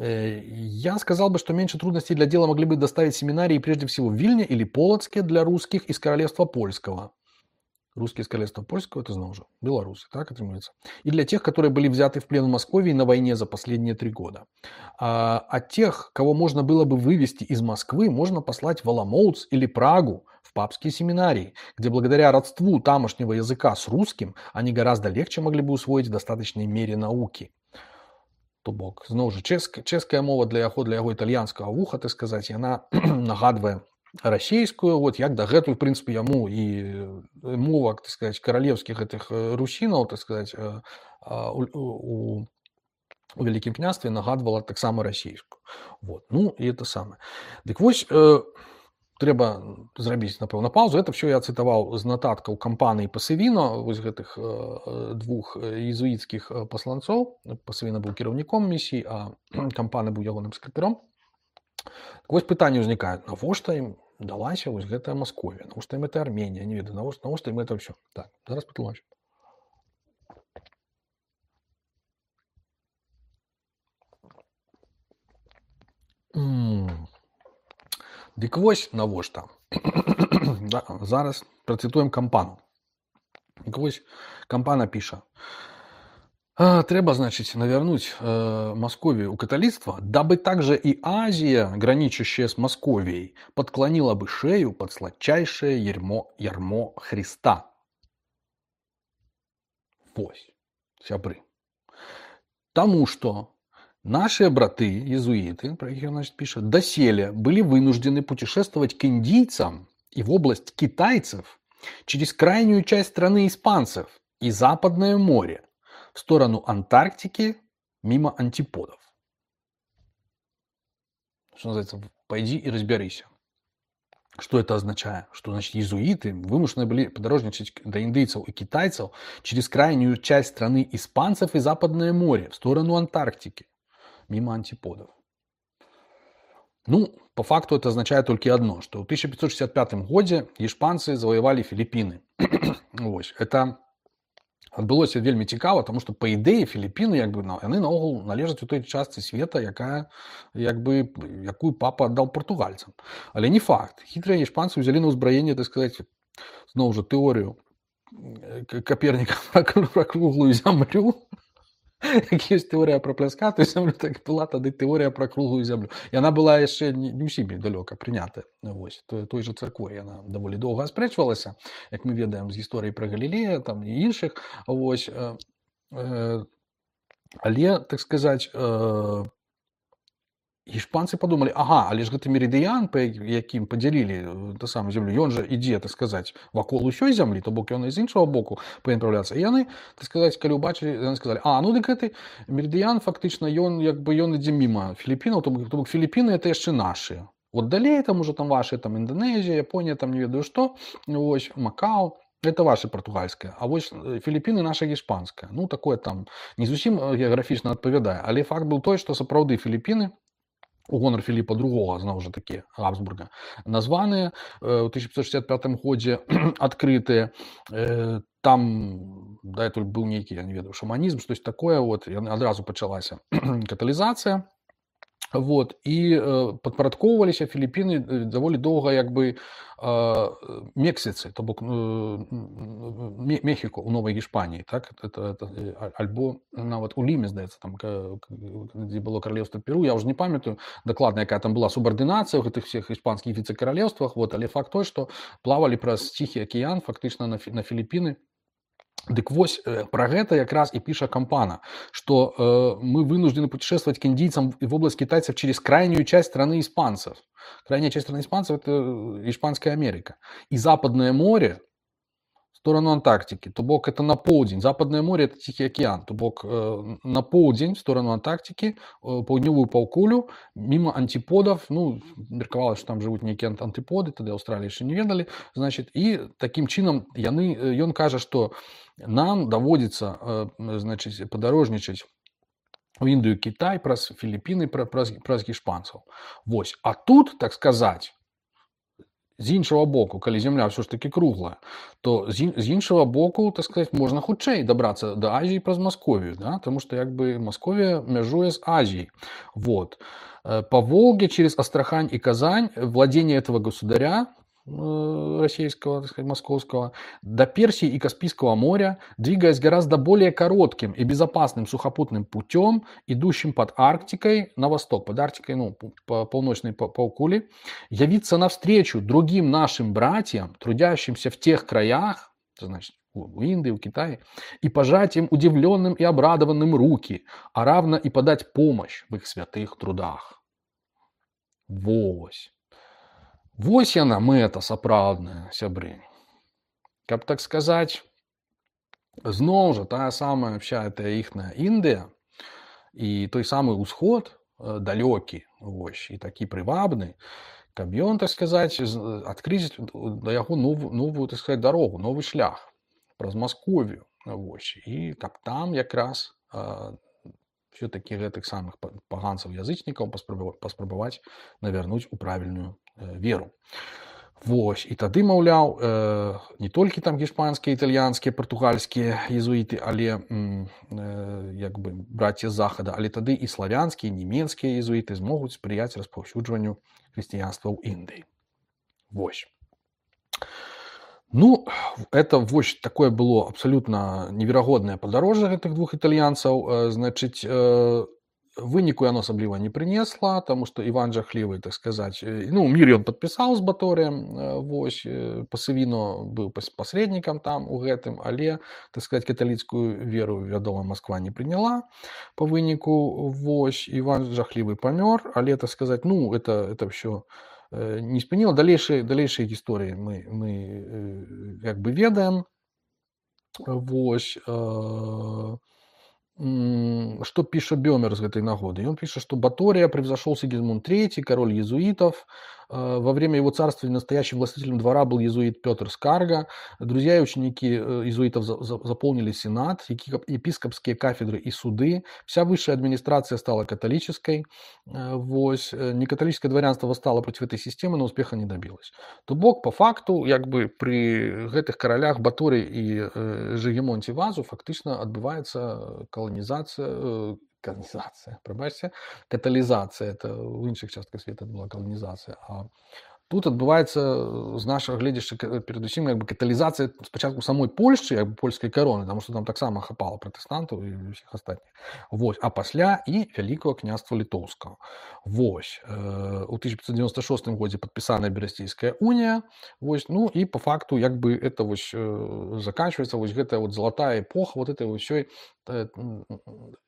Я сказал бы, что меньше трудностей для дела могли бы доставить семинарии прежде всего в Вильне или Полоцке для русских из Королевства Польского. Русские из Королевства Польского, это знал уже, белорусы, так отрывается. И для тех, которые были взяты в плен в Москве на войне за последние три года. А, а тех, кого можно было бы вывести из Москвы, можно послать в Оломоуц или Прагу, в папские семинарии, где благодаря родству тамошнего языка с русским они гораздо легче могли бы усвоить в достаточной мере науки. То бок, зноў жа, чэшская, чэшская мова для яго, для яго італьянскага вуха, так сказаць, яна нагадвае расійскую, вот як дагэтуль, в прынцыпе, яму і мова, так сказаць, каралеўскіх гэтых русінаў, так сказаць, у, у, у Вялікім княстве нагадвала таксама расійскую. Вот. Ну, і это самае. Дык вось, э, трэба зрабіць, напэўна, паузу. Это все я цытаваў з нататкаў кампаніі Пасавіно, вось гэтых э, двух езуіцкіх пасланцоў. Пасавіна быў кіраўніком місіі, а кампаны быў ягоным сакратаром. Так вось пытанне ўзнікае, навошта ім далася вось гэтая Масковія, навошта ім гэта Арменія, не ведаю, навошта, навошта ім это ўсё. Так, зараз патлумачу. Дык вось навошта. Да, зараз працытуем кампану. Дык вось кампана піша. Трэба, значит, навернуть э, Московию у католичества, дабы также и Азия, граничащая с Московией, подклонила бы шею под сладчайшее ярмо, ярмо Христа. Вось, сябры. Тому что наши браты, иезуиты, про их, значит, пишет, доселе были вынуждены путешествовать к индийцам и в область китайцев через крайнюю часть страны испанцев и Западное море, в сторону Антарктики, мимо антиподов. Что называется, пойди и разберись. Что это означает? Что, значит, иезуиты вымушены были подорожничать до индейцев и китайцев через крайнюю часть страны испанцев и Западное море, в сторону Антарктики, мимо антиподов. Ну, по факту это означает только одно, что в тысяча пятьсот шестьдесят пятом году испанцы завоевали Филиппины. Это адбылося вельмі цікава, тому што па ідэі Філіпіны як бы яны наогул належаць у той частцы света, якая як бы якую папа аддаў партугальцам. Але не факт. Хітрыя іспанцы ўзялі на ўзбраенне, так сказаць, зноў жа тэорыю Каперніка пра круглую зямлю. Як ёсць тэорыя пра пляскатую зямлю, так была тады тэорыя пра круглую зямлю. І яна была яшчэ не ўсімі далёка прынятая. Вось, той, той жа царквой яна даволі доўга аспрэчвалася, як мы ведаем з гісторыі пра Галілея там і іншых. Вось, э, э, але, так сказаць, э, іспанцы подумалі, ага, але ж гэты мерыдыян, па якім падзялілі ту самую зямлю, ён жа ідзе, так сказаць, вакол усёй зямлі, то бок ён і з іншага боку павінен правляцца. І яны, так сказаць, калі ўбачылі, яны сказалі, а, ну дык гэты мерыдыян фактычна ён як бы ён ідзе міма Філіппінаў, то бок, то бок Філіппіны это яшчэ нашы. Вот далей там уже там ваши, там Индонезия, Япония, там не ведаю што, вось, Макао, это ваше португальское, а вось Філіппіны наша іспанская. Ну, такое там не зусім геаграфічна адпавядае, але факт быў той, што сапраўды Філіппіны у гонар Філіпа другога, зноў жа такі, Габсбурга, названыя ў тысяча пятьсот шестьдесят пятом годзе адкрытыя. Там датуль быў нейкі, я не ведаю, шаманізм, штось такое, вот, адразу пачалася каталізацыя. Вот, і э, падпарадкоўваліся Філіпіны э, даволі доўга як бы э, Мексіцы, то бок э, Ме- Мехіко у Новай Гішпаніі, так это, это, э, а- альбо нават у Ліме, здаецца, там ка- к- дзе было каралеўства Перу, я ўжо не памятаю дакладна, якая там была субардынацыя ў гэтых всех іспанскіх віцэ-каралеўствах, вот, але факт той, што плавалі праз Ціхі акіян фактычна на, Фі- на Філіпіны. Дык вось э, про гэта якраз і піша Кампана, что э, мы вынуждены путешествовать к индийцам в область китайцев через крайнюю часть страны испанцев. Крайняя часть страны испанцев – это Испанская Америка. И Западное море в сторону Антарктики, то бок это на поўдзень. Западное море – это Тихий океан, то бок э, на поўдзень в сторону Антарктики, э, паўднёвую паўкулю, мимо антиподов, ну, меркавалася, что там живут некие антиподы, тогда Австралии еще не ведали, значит, и таким чином яны, ён кажа, что нам даводится, значит, падарожнічаць у Індыю, Кітай праз Філіпіны, праз, праз гішпанцаў. Вось. А тут, так сказать, з іншага боку, калі зямля ўсё ж таки круглая, то з, з іншага боку, так сказать, можна хутчэй дабрацца да Азіі праз Масковію, да? Тому что як бы Масковія мяжуе з Азіяй. Вот. По Волге через Астрахань и Казань владение этого государя российского, так сказать, московского, до Персии и Каспийского моря, двигаясь гораздо более коротким и безопасным сухопутным путем, идущим под Арктикой на восток, под Арктикой, ну, по полночной полукуле, явиться навстречу другим нашим братьям, трудящимся в тех краях, значит, у Индии, у Китая, и пожать им удивленным и обрадованным руки, а равно и подать помощь в их святых трудах. Вось. Вось яна мэта сапраўдная, сябры. Каб так сказаць, зноў жа тая самая вся эта іхная Індыя і той самы ўсход далёкі, вось, і такі прывабны, каб ён, так сказаць, адкрыць да яго новую, новую, так сказаць, дарогу, новы шлях праз Масковію, вось, і каб там якраз все-таки гэтых самых паганцаў-язычнікаў паспрабаваць навярнуць у правільную веру. Вось. І тады, маўляў, э, не толькі там гішпанскія, італьянскія, партугальскія езуіты, але э, як бы браці з захада, але тады і славянскія, нямецкія езуіты змогуць спрыяць распаўсюджванню хрысціянства ў Індыі. Вось. Ну, это вось такое было абсолютно неверагоднае падарожжа гэтых двух італьянцаў. Значыць, э, выніку яно асабліва не прынесла, таму што Іван Жахлівы, так сказаць, ну, мір ён падпісаў з Баторыем, вось, Пасавіно быў пасрэднікам там у гэтым, але, так сказаць, каталіцкую веру, вядома, Масква не прыняла па выніку, вось, Іван Жахлівы памёр, але, так сказаць, ну, это, это ўсё не спыніла. Далейшыя, далейшыя гісторыі мы, мы як бы ведаем, вось, э, что пишет Бёмер с этой нагоды? И он пишет, что Батория превзошел Сигизмунд третий, король иезуитов. Во время его царствования настоящим властителем двора был иезуит Петр Скарга. Друзья и ученики иезуитов заполнили сенат, епископские кафедры и суды. Вся высшая администрация стала католической. Вось. Некатолическое дворянство восстало против этой системы, но успеха не добилось. То бок, по факту, як бы при этих королях Баторий и Жигемонте Вазу фактично отбывается колонизация, колонизация, пробачьте, катализация, это в іншых частках света была колонизация, а тут адбываецца з нашага гледзяшча перадусім як бы каталізацыя спачатку самой Польшчы, як бы польскай кароны, таму што там таксама хапала пратэстантаў і ўсіх астатніх. Вось, а пасля і вялікага княства літоўскага. Вось, у тысяча пятьсот девяносто шестом годзе падпісаная Берасцейская унія. Вось, ну і по факту як бы это вось заканчивается вось гэтая вот золотая эпоха вот этой ўсёй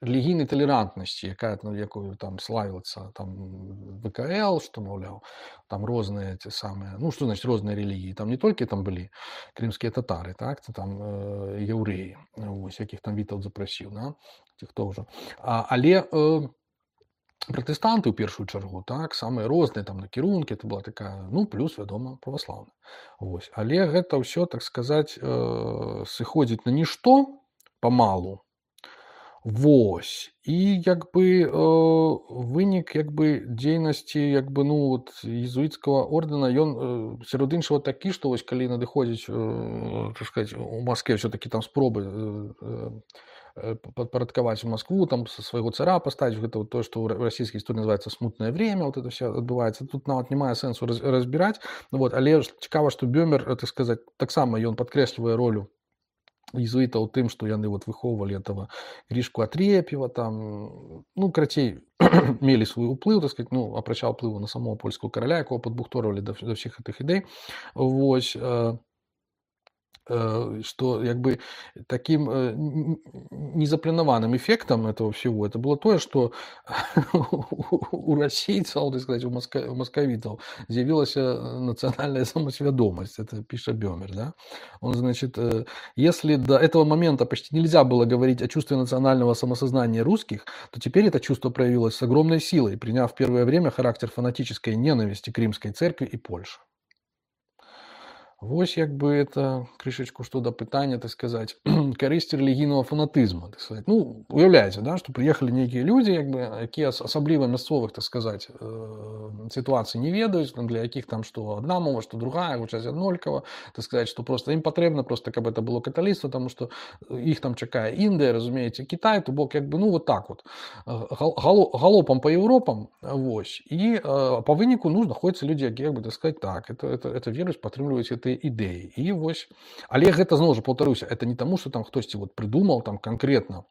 рэлігійнай талерантнасці, якая, ну, якую там славіцца там ВКЛ, што, маўляў, там розныя те самыя, ну, што значит розныя рэлігіі, там не толькі там былі крымскія татары, так, там э, яўрэі, вось, якіх там Вітаўт запрасіў, да, ці хто ўжо. А, але э, пратэстанты ў першую чаргу, так, самыя розныя там накірункі, это была такая, ну, плюс, вядома, праваслаўная. Вось, але гэта ўсё, так сказаць, э, сыходзіць на нішто памалу. Вось, і як бы э, вынік як бы дзейнасці як бы, ну, вот, езуіцкага ордэна, ён э, сярод іншага такі, што вось калі надыходзіць, э, так сказаць, у Маскве ўсё-такі там спробы э, э, падпарадкаваць Москву, там са свайго цара паставіць, гэта вот то, што ў расійскай гісторыі называецца смутнае время, вот это все адбываецца. Тут нават не мае сэнсу раз, разбіраць. Вот, але цікава, што Бёмер, так сказаць, таксама ён падкрэслівае ролю езуітаў тым, што яны вот выхоўвалі этого Гришку Атрепьева, там, ну, карацей, мелі свой уплыў, так сказать, ну, апрача ўплыву на самого польского караля, якого падбухторвалі да, да ўсіх гэтых ідэй. Вось, э, что як бы таким э, незапланаваным эффектом этого всего это было то, что у расейцаў, так сказать, у, моска, у московитов з'явилась национальная самосведомость. Это пишет Бёмер, да? Он, значит, э, если до этого момента почти нельзя было говорить о чувстве национального самосознания русских, то теперь это чувство проявилось с огромной силой, приняв в первое время характер фанатической ненависти к римской церкви и Польше. Вось як бы это крышечку што да пытання, так сказаць, карысці рэлігійнага фанатызму, так сказаць. Ну, уяўляеце, да, што прыехалі нейкія людзі, як бы, якія асабліва мясцовых, так сказаць, сітуацый не ведаюць, для якіх там што адна мова, што другая, гучаць аднолькава, так сказаць, што проста ім патрэбна проста, каб это было каталіцтва, таму што іх там чакае Індыя, разумееце, Кітай, то бок як бы, ну, вот так вот, галопам па Еўропам, вось, і па выніку, ну, знаходзяцца людзі, якія, як бы, так сказаць, так, это, это, это веруюць, падтрымліваюць гэты ідэі. І вось, але гэта зноў жа паўтаруся, это не таму, што там хтосьці вот прыдумаў там канкрэтна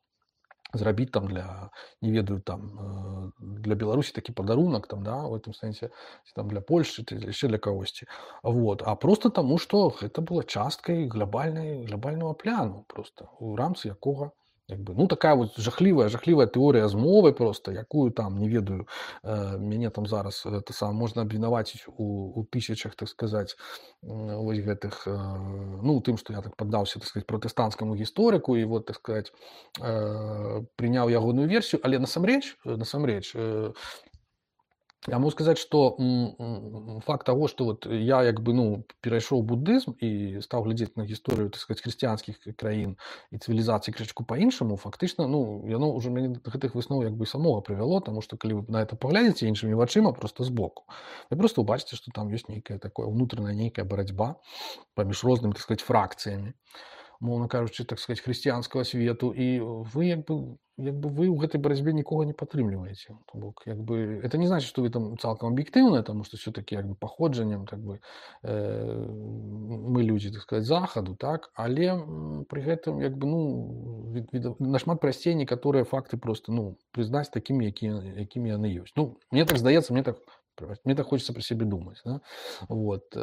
зрабіць там для, не ведаю, там для Беларусі такі падарунак там, да, в этом сэнсе, там для Польшчы, яшчэ для кагосьці. Вот, а просто таму, што гэта была часткай глобальнай глобальнага пляну просто, у рамцы якога як бы, ну, такая вот жахлівая, жахлівая тэорыя змовы просто, якую там, не ведаю, э, мяне там зараз это сам можна абвінаваціць у, у тысячах, так сказаць, э, вось гэтых, э, ну, тым, што я так паддаўся, так сказаць, пратэстанцкаму гісторыку і вот, так сказаць, э, прыняў ягоную версію, але насамрэч, насамрэч, э, я могу сказаць, што факт таго, што вот я як бы, ну, перайшоў буддызм і стаў глядзець на гісторыю, так сказаць, хрысціянскіх краін і цывілізацыі крышачку па-іншаму, фактычна, ну, яно ўжо мяне да гэтых высноў як бы самога прывяло, таму што калі вы на это паглядзеце іншымі вачыма проста збоку, вы проста ўбачыце, што там ёсць нейкая такое ўнутраная нейкая барацьба паміж рознымі, так сказаць, фракцыямі, мовна кажучы, так сказаць, хрысціянскага свету, і вы як бы як бы вы ў гэтай барацьбе нікога не падтрымліваеце. То бок, як бы, это не значит, што вы там цалкам аб'ектыўныя, таму што все-таки як бы паходжаннем, так бы, э, мы людзі, так сказаць, захаду, так, але пры гэтым як бы, ну, від, від, нашмат прасцей некаторыя факты просто, ну, прызнаць такімі, якія, якімі яны ёсць. Ну, мне так здаецца, мне так мне так хочется про себе думать, да? Вот.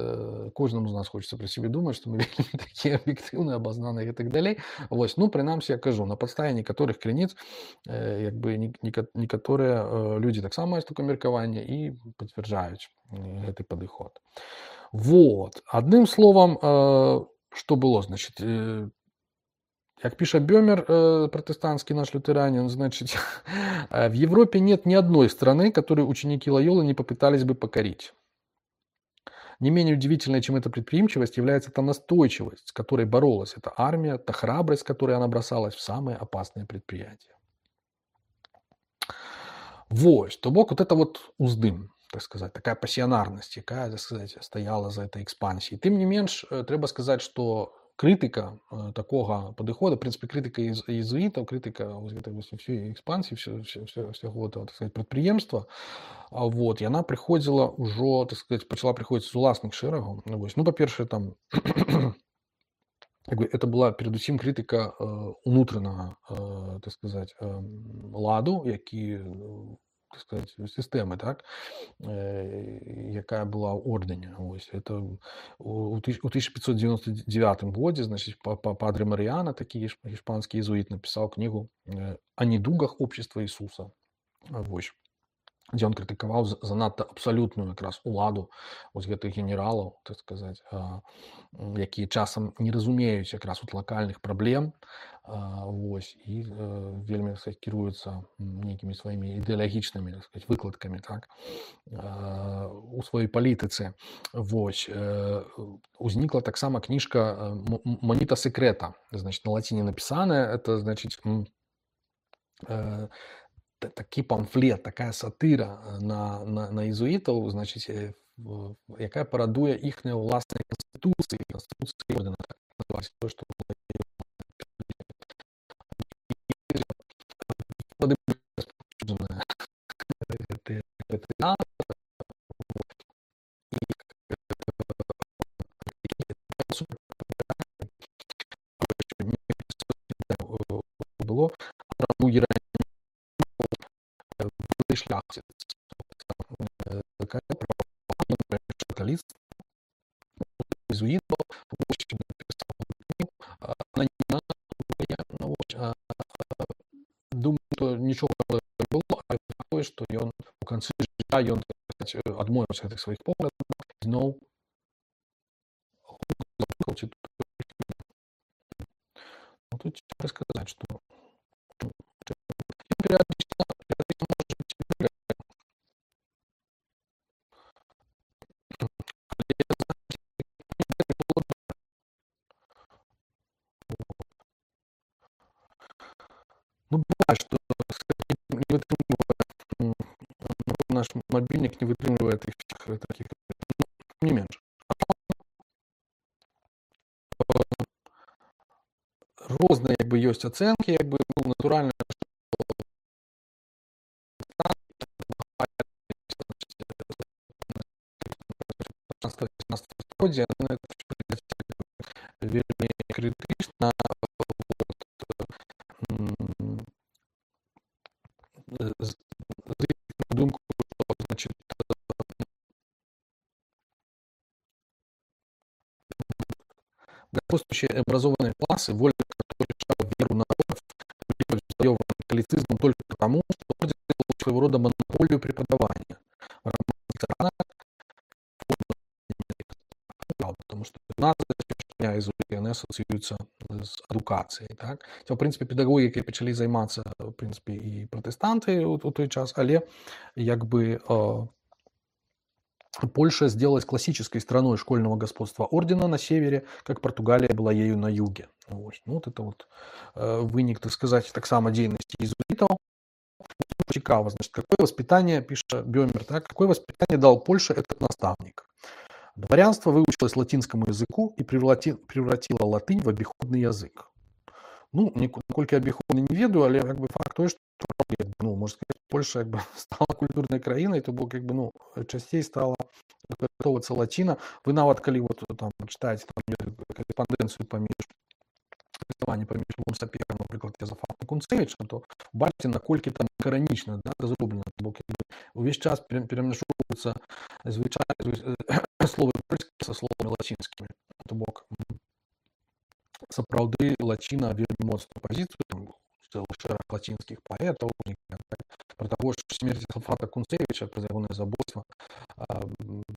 Кожнаму з нас хочется про себе думать, что мы вельмі такие объективные, обознанные и так далее. Вот. Ну, принамсі, я кажу, на подставе некоторых крыніц, як бы, некоторые люди таксама маюць такое меркаванне и подтверждаюць гэты падыход. Вот. Одним словом, что было, значит, как пишет Бёмер, э, протестантский наш лютеранин, значит, в Европе нет ни одной страны, которую ученики Лойолы не попытались бы покорить. Не менее удивительной, чем эта предприимчивость, является та настойчивость, с которой боролась эта армия, та храбрость, с которой она бросалась в самые опасные предприятия. Вот, то бок вот это вот уздым, так сказать, такая пассионарность, якая, так сказать, стояла за этой экспансией. Тем не менш, треба сказать, что крытыка такога падыхода, в прынцыпе, крытыка езуітаў, крытыка ўсёй экспансіі, ўсяго так сказать, прадпрыемства, вот, яна прыходзіла ўжо, так сказать, пачала прыходзіць з уласных шэрагаў. Ну, па-першае, там, это была перадусім крытыка унутранага, так сказать, ладу, які, так сказать, сістэмы, так, якая была ў ордэне. Ось, это у тысяча пятьсот девяносто девятом годзе, значит, Падре Маріяна, такі іспанскі езуіт, напісаў кнігу «О недугах общества Ісуса». Вось, дзе ён крытыкаваў занадта абсалютную якраз уладу вось гэтых генералаў, так сказать, якія часам не разумеюць якраз вот лакальных праблем, вось, і вельмі, так сказать, кіруюцца нейкімі сваімі ідэалагічнымі, так сказать, выкладкамі, так, у сваёй палітыцы. Вось, узнікла таксама кніжка «Моніта секрета», значит, на лаціне напісаная, это, значит, такі памфлет, такая сатыра на, на, на езуітаў, значит, якая парадуе іхныя ўласныя канстытуцыі, канстытуцыі ордэна, так называлася, то, што супер было, ну, Єремія шляхтець, католист, иезуитов, думаю, что ничего не было, а такое, что ён у канцы жыцця ён адмовіўся ад гэтых сваіх поглядаў, зноў ну, тут цяжка сказаць, што перыядычна ну, бывает, что не вытрымлівае, наш мобильник не вытрымлівае тых всех таких, не менш. Розныя як бы ёсць ацэнкі, як бы ну, натуральна, стагоддзя вельмі крытычна думку, значит, господствующие образованные классы, воля которых решала веру народов, завоеванных католицизмом только потому, что орден делал своего рода монополию преподавания. Потому что иезуіты, яны асацыююцца з адукацыяй. Так? В прынцыпе, педагогікай пачалі займацца в прынцыпе, і пратэстанты у, у той час, але як бы э, Польша сделалась классической страной школьного господства ордена на севере, как Португалия была ею на юге. Вот, ну, вот это вот э, вынік, так сказать, так само деятельности иезуитов. Цікаво, значит, какое воспитание, пишет Бёмер, так, какое воспитание дал Польше этот наставник? Дворянство выучилось латинскому языку и превратило латынь в обиходный язык. Ну, наколькі я обиходный не ведаю, але как бы факт той, что ну, можно сказать, Польша как бы стала культурной краиной, то бок как бы ну часцей стала выкарыстоўвацца лаціна. Вы нават калі вот там читаете там, корреспонденцию паміж паміж Львом Саперам, напрыклад, Язафатам Кунцевічам, то бачыце, наколькі там каранічна, да, зроблена, бок увесь час перамяшоўваюцца звычайныя словы польскія са словамі лацінскімі. То бок сапраўды лаціна вельмі моцную пазіцыю, там цэлы шэраг лацінскіх паэтаў, про того, что смерть Язафата Кунцевича, про ягонае забойства,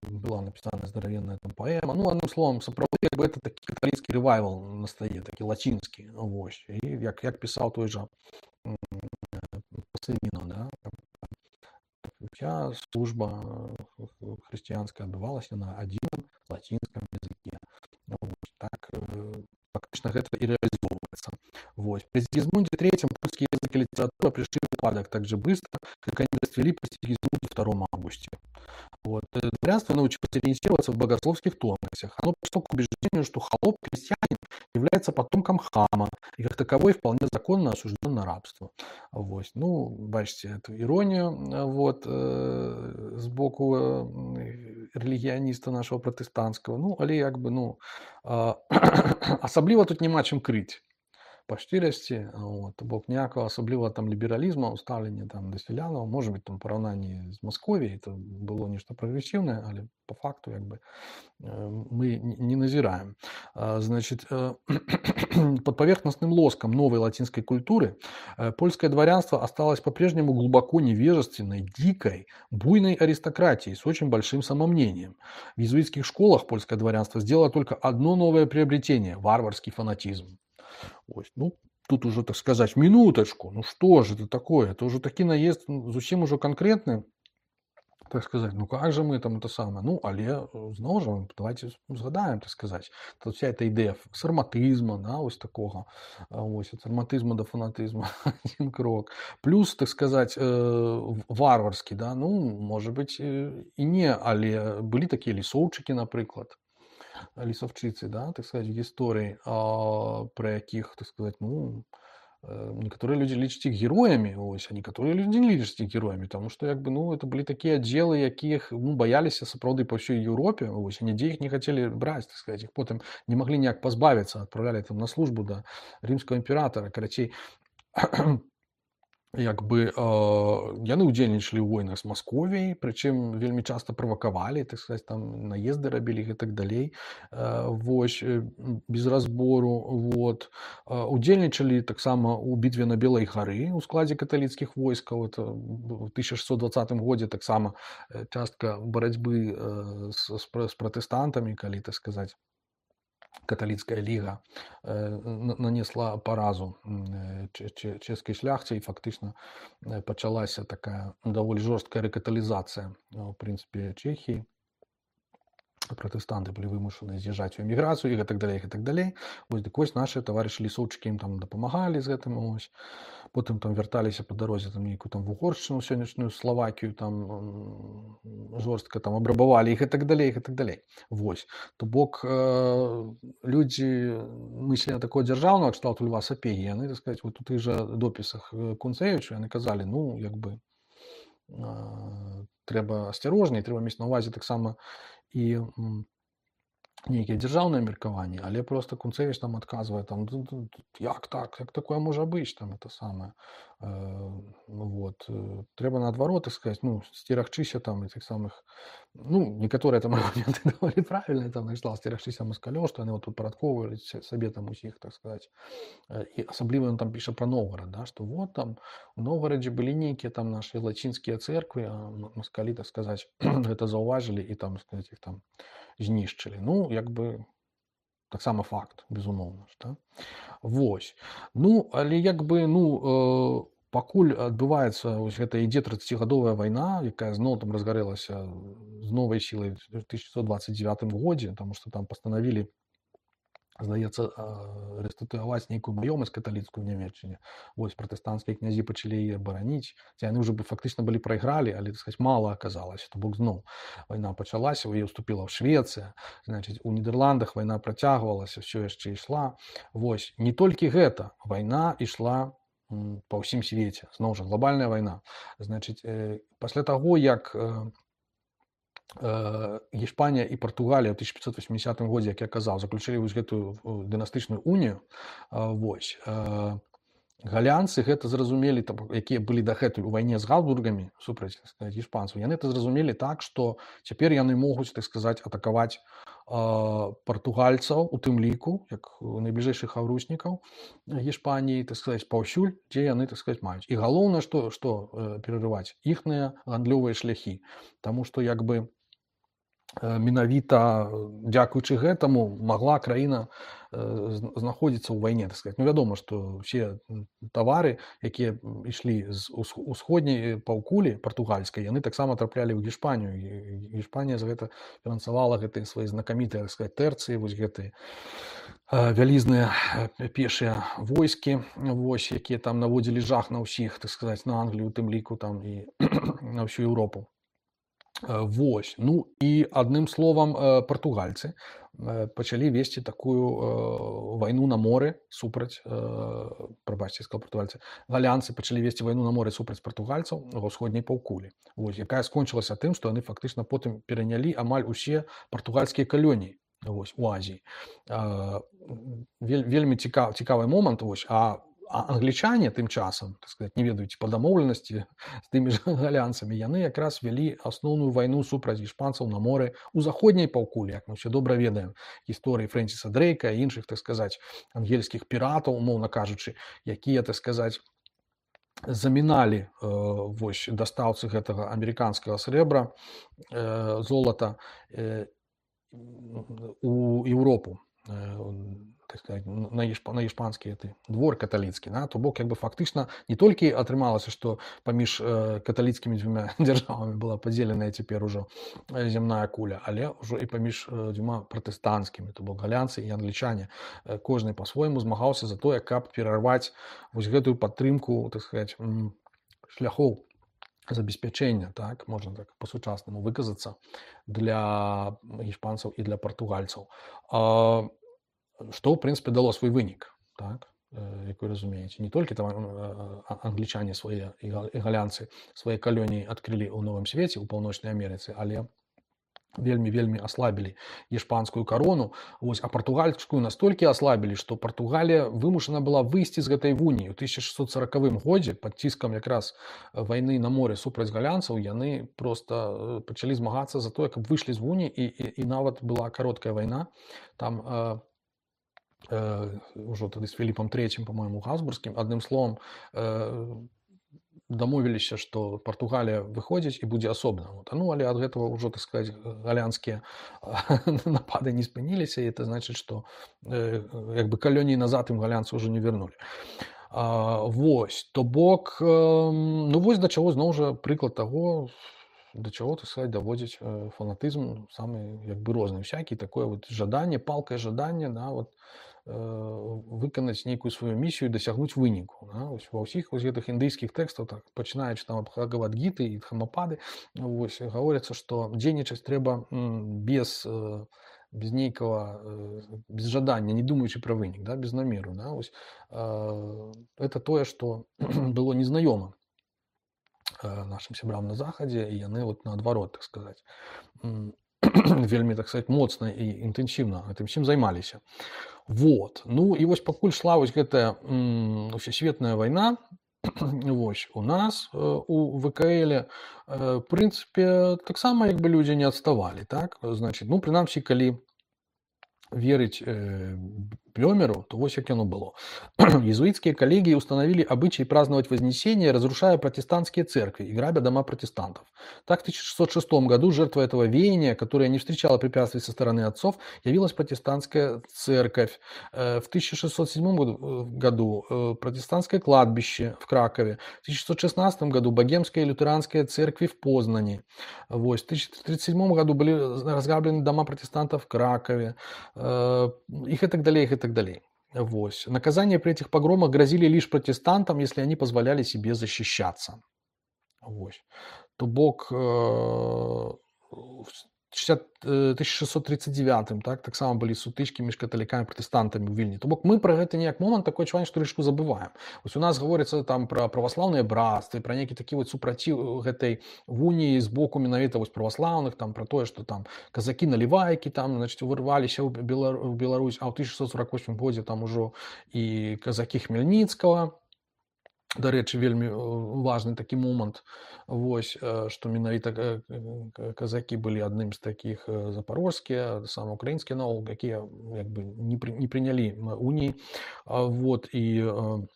была написана здоровенная там поэма. Ну, одним словом, сапраўды как бы это такі каталіцкі рэвайвал настае, такі лацінскі. Вось. І як, як пісаў той жа Пасымінаў, да? Вся служба хрысціянская адбывалася на адзіным лацінскім языке. Вось. Так фактично гэта і реализовывается. Вот. При Сигизмунде третьем польский язык и литература пришли в упадок так же быстро, как они расцвели при Сигизмунде втором августе. Вот. Дворянство научилось ориентироваться в богословских тонкостях. Оно пришло к убеждению, что холоп-крестьянин является потомком хама и как таковой вполне законно осужден на рабство. Вот. Ну, бачите эту иронию вот, э, сбоку э, религиониста нашего протестантского. Ну, але як бы, ну, э, асабліва тут няма чым крыць. Па шчырасці, вот, бок ніякага асаблівага там лібералізму ў стаўленні там да сялянаў, можа быць там параўнанні з Масковіяй, это было нешта прагрэсіўнае, але по факту як бы мы не назираем. Значит, под поверхностным лоском новой латинской культуры польское дворянство осталось по-прежнему глубоко невежественной, дикой, буйной аристократией с очень большим самомнением. В иезуитских школах польское дворянство сделало только одно новое приобретение – варварский фанатизм. Ось, ну, тут уже, так сказать, минуточку, ну что же это такое? Это уже таки наезд, ну, зусім уже конкретный, так сказать, ну как же мы там это самое? Ну, але, зноў жа, давайте згадаем, так сказать, тут вся эта идея сарматизма, да, ось такого, ось, от сарматизма до фанатизма, один крок. Плюс, так сказать, варварский, да, ну, может быть, и не, але были такие лісоўчыкі, напрыклад, лісовчыцы, да, так сказать, в гісторыі, а, про якіх, так сказать, ну, некаторыя людзі лічаць іх героямі, ось, а некаторыя людзі не лічаць іх героямі, таму што як бы ну это былі такія аддзелы, якіх ну баяліся сапраўды па ўсёй Еўропе, ось, і нідзе іх не хацелі браць, так сказаць, іх потым не маглі ніяк пазбавіцца, адпраўлялі там на службу да рымскага імператара, карацей. Як бы э, яны ўдзельнічалі ў войнах з Масковіяй, прычым вельмі часта правакавалі, так сказаць, там наезды рабілі і так далей, э, вось, без разбору, вот. Э, удзельнічалі таксама ў бітве на Белай гары ў складзе каталіцкіх войскаў, это ў тысяча шэсцьсот дваццатым годзе таксама частка барацьбы э, з, з пратэстантамі, калі, так сказаць, каталіцкая ліга нанесла паразу чэшскай шляхце, і фактычна пачалася такая даволі жорсткая рэкаталізацыя ў прынцыпе Чэхіі. Пратэстанты былі вымушаны з'язджаць у эміграцыю і так далей, і так далей. Вось, дык вось нашы таварышы лісоўчыкі ім там дапамагалі з гэтым, ось. Потым там вярталіся па дарозе там нейкую там вугоршчыну, сённяшнюю Славакію, там жорстка там абрабавалі іх і так далей, і так далей. Вось. То бок э, людзі мыслення такого дзяржаўнага кшталту Льва Сапегі, яны, так сказаць, вот у тых жа допісах Кунцэвіча яны казалі, ну, як бы э, трэба асцярожней, трэба мець на ўвазе таксама і нейкія дзяржаўныя меркаванні, але просто Кунцэвіч там адказвае, там, як так, як такое можа быць, там, это самае. Э, вот. Трэба наадварот, так сказаць, ну, сцерагчыся там і тых самых, ну, некаторыя там аргументы даволі правільныя, там, знайшла сцерагчыся маскалёў, што яны вот тут парадковвалі сабе там усіх, так сказаць. І асабліва ён там піша пра Новгарад, да, што вот там у Новгарадзе былі нейкія там нашы лацінскія цэрквы, а маскалі, так сказаць, гэта заўважылі і там, сказаць, іх там знішчылі. Ну, як бы таксама факт, безумоўна, да? Вось. Ну, але як бы, ну, э, пакуль адбываецца вось гэта ідзе трыццацігадовая вайна, якая зноў там разгарэлася з новай сілай у тысяча сямсот дваццаць дзевятым годзе, таму што там пастанавілі, здаецца, рэстытуяваць нейкую маёмасць каталіцкую ў Нямецчыне. Вось, пратэстанцкія князі пачалі яе бараніць. Яны ўжо фактычна былі прайгралі, але, так сказаць, мала аказалася. То бок зноў вайна пачалася, у яе ўступіла Швецыя, значыць, у Нідерландах вайна працягвалася, ўсё яшчэ ішла. Вось, не толькі гэта, вайна ішла па ўсім свеце. Зноў жа, глобальная вайна. Значыць, пасля таго, як Іспанія і Партугалія ў тысяча пятьсот восьмидесятым годзе, як я казаў, заключылі вось гэтую дынастычную унію, вось, галянцы гэта зразумелі, якія былі дагэтуль у вайне з габсбургамі супраць, так сказаць, іспанцаў, яны это зразумелі так, што цяпер яны могуць, так сказаць, атакаваць партугальцаў, у тым ліку, як найбліжэйшых хаўруснікаў Іспаніі, так сказаць, паўсюль, дзе яны, так сказаць, маюць. І галоўнае, што, што перарываць іхныя гандлёвыя шляхі, таму што як бы менавіта дзякуючы гэтаму магла краіна знаходзіцца ў вайне, так сказаць. Ну, вядома, што ўсе тавары, якія ішлі з усходняй паўкулі партугальскай, яны таксама траплялі ў Іспанію. Іспанія за гэта фінансавала гэтыя свае знакамітыя, так сказаць, тэрцыі, вось гэтыя вялізныя пешыя войскі, вось, якія там наводзілі жах на ўсіх, так сказаць, на Англію, у тым ліку там і на ўсю Еўропу. Вось. Ну і адным словам, партугальцы пачалі весці такую вайну на моры супраць, прабачце, сказаў партугальцы, галянцы пачалі весці вайну на моры супраць партугальцаў ва ўсходняй паўкулі. Вось, якая скончылася тым, што яны фактычна потым перанялі амаль усе партугальскія калоніі, вось, у Азіі. Вельмі цікавы, цікавы момант, вось, а А англічане тым часам, так сказаць, не ведаюць па дамоўленасці з тымі ж галянцамі, яны якраз вялі асноўную вайну супраць іспанцаў на моры ў заходняй паўкулі, як мы ўсе добра ведаем гісторыі Фрэнсіса Дрейка і іншых, так сказаць, ангельскіх піратаў, умоўна кажучы, якія, так сказаць, заміналі э, вось, дастаўцы гэтага амерыканскага срэбра, э, золата э, у Еўропу. Э, так сказать, на, ешпа, на іспанскі двор каталіцкі, да? То бок як бы фактычна не толькі атрымалася, што паміж э, каталіцкімі дзвюма дзяржавамі была падзеленая цяпер ужо зямная куля, але ўжо і паміж э, дзвюма пратэстанцкімі, то бок галянцы і англічане. Э, кожны па-свойму змагаўся за тое, каб перарваць вось гэтую падтрымку, так сказать, шляхоў забеспячэння, так, можна так па-сучаснаму выказацца, для іспанцаў і для партугальцаў. А, што, ў прынцыпе, дало свой вынік. Так? як вы разумееце, не толькі там англічане свае і галянцы свае калоніі адкрылі ў Новым свеце ў Паўночнай Амерыцы, але вельмі вельмі аслабілі іспанскую карону. Вось, а партугальскую настолькі аслабілі, што Партугалія вымушана была выйсці з гэтай вуніі. У тысяча шэсцьсот саракавым годзе пад ціскам якраз вайны на моры супраць галянцаў яны проста пачалі змагацца за тое, каб выйшлі з вуніі, і, і, і нават была кароткая вайна там э, э, ўжо тады з Філіпам трэцім, по-моему, Габсбургскім. Адным словам, э, дамовіліся, што Партугалія выходзіць і будзе асобна. Вот. Ну, але ад гэтага ўжо, так сказаць, галянскія напады не спыніліся, і это значыць, што э, як бы калоніі назад ім галянцы ўжо не вярнулі. А, вось, то бок, э, ну вось да чаго зноў жа прыклад таго, да чаго, так сказаць, даводзіць э, фанатызм самы як бы розны всякі, такое вот жаданне, палкае жаданне, да, вот, э, выканаць нейкую сваю місію і дасягнуць выніку. Да? Ось, ва ўсіх вось гэтых індыйскіх тэкстаў, так, пачынаючы там ад Бхагавад-гіты і Дхамапады, вось, гаворыцца, што дзейнічаць трэба м, без, э, без нейкага, э, без жадання, не думаючы пра вынік, да? Без намеру. Да? Ось, э, это тое, што было незнаёма нашим сябрам на захадзе, і яны вот наадварот, так сказаць, вельмі, так сказаць, моцна і інтэнсіўна гэтым всім займаліся. Вот. Ну і вось пакуль шла вось гэтая усесветная вайна, вось, у нас у ВКЛ, в прынцыпе, таксама як бы людзі не адставалі, так? Значит, ну, прынамсі, калі верить э, Блёмеру, то вот как оно было. Иезуитские коллегии установили обычай праздновать Вознесение, разрушая протестантские церкви и грабя дома протестантов. Так в тысяча шестьсот шестом году жертвой этого веяния, которое не встречало препятствий со стороны отцов, явилась протестантская церковь. В тысяча шестьсот седьмом году протестантское кладбище в Кракове. В тысяча шестьсот шестнадцатом году богемская и лютеранская церкви в Познани. В тысяча девятьсот тридцать седьмом году были разграблены дома протестантов в Кракове. Их и так далее, их и так далее. Вот. Наказания при этих погромах грозили лишь протестантам, если они позволяли себе защищаться. Вот. То бок э, тысяча шестьсот тридцать девятым, так, так само былі сутычкі між каталікамі і пратэстантамі ў Вільні. То бок мы пра гэта неяк момант такое адчуванне, што рэшку забываем. Вось у нас гаворыцца там пра праваслаўныя брацтвы, пра нейкі такі вот супраціў гэтай вуніі з боку менавіта вось праваслаўных, там пра тое, што там казакі-налівайкі там, значит, вырваліся ў Беларусь, а ў тысяча шестьсот сорок восьмым годзе там ужо і казакі Хмельніцкага. Дарэчы, вельмі важны такі момант, вось, што менавіта казакі былі адным з такіх запорожскія, сам украінскія наогул, якія як бы не, пры, не прынялі уніі, вот, і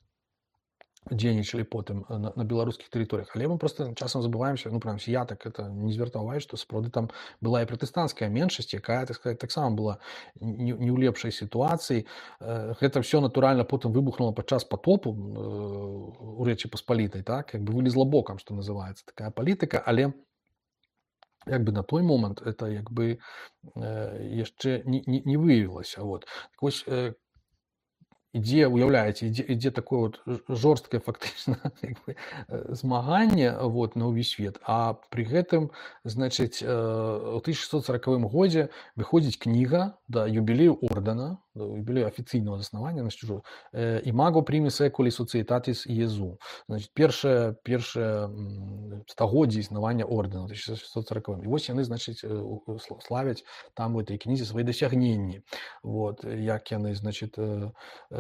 дзейнічалі потым на, на беларускіх тэрыторыях. Але мы просто часам забываемся, ну, прынамсі, я так это не звяртаў увагу, што сапраўды там была і пратэстанцкая меншасць, якая, так сказаць, таксама была не, не ў лепшай сітуацыі. Гэта ўсё натуральна потым выбухнула падчас потопу у Рэчы Паспалітай, так, як бы вылезла бокам, што называецца, такая палітыка, але як бы на той момант это як бы яшчэ не, не, не выявілася. Вот. Так вось, ідзе, уяўляеце, ідзе, ідзе такое вот жорсткае фактычна змаганне вот, на ўвесь свет, а пры гэтым, значыць, у тысяча шестьсот сорокавым годзе выходзіць кніга да юбілею ордэна, да юбілею афіцыйнага заснавання, значит, ужо «Imago primis seculi societatis Iesu». Значит, першае, першае стагоддзе існавання ордэна, тысяча шестьсот сорокавым. І вось яны, значыць, славяць там у этой кнізе свои досягнения. Вот, як яны, значит,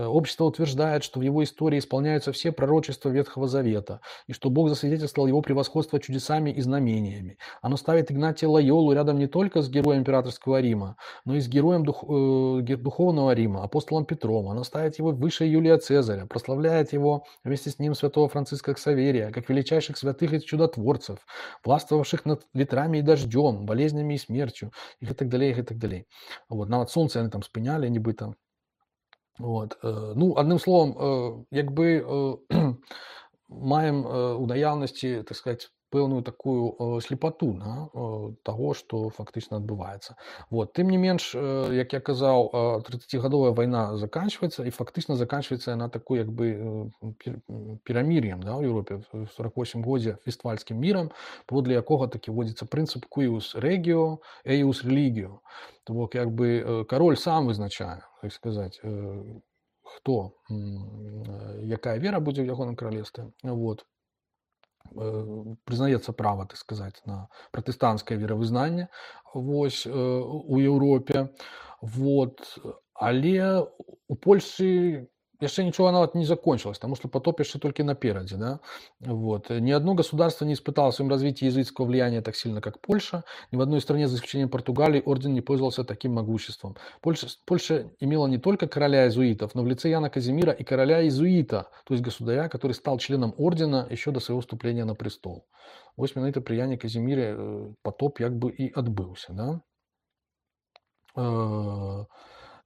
общество утверждает, что в его истории исполняются все пророчества Ветхого Завета, и что Бог засвидетельствовал его превосходство чудесами и знамениями. Оно ставит Игнатия Лойолу рядом не только с героем императорского Рима, но и с героем дух, э, духовного Рима, апостолом Петром. Оно ставит его выше Юлия Цезаря, прославляет его вместе с ним святого Франциска Ксаверия, как величайших святых и чудотворцев, властвовавших над ветрами и дождем, болезнями и смертью, и так далее, и так далее. Вот, нават солнце они там спыняли, нібыта. Вот. Ну, адным словом, як бы маем у наяўнасці, так сказать, пэўную такую слепату, да, таго, што фактычна адбываецца. Вот. Тым не менш, як я казаў, тридцатигадовая вайна заканчивается, і фактычна заканчивается яна такой як бы перамір'ем, да, ў Еўропе в сорок восьмым годзе вестфальскім мірам, паводле якога такі вводзіцца прынцып cuius regio, eius religio. То бок як бы кароль сам вызначае, так сказаць, хто, якая вера будзе ў ягоным каралевстве, вот, прызнаецца права, так сказаць, на пратэстанцкае веравызнанне, вось, у Еўропе, вот, але у Польшы яшчэ нічога нават не закончилось, потому что потоп яшчэ толькі наперадзе, да, вот. Ни одно государство не испытало в своем развитии языческого влияния так сильно, как Польша. Ни в одной стране, за исключением Португалии, орден не пользовался таким могуществом. Польша, Польша имела не только короля иезуитов, но в лице Яна Казимира и короля иезуита, то есть государя, который стал членом ордена еще до своего вступления на престол. Вось менавіта пры Яне Казимире потоп як бы и отбылся, да.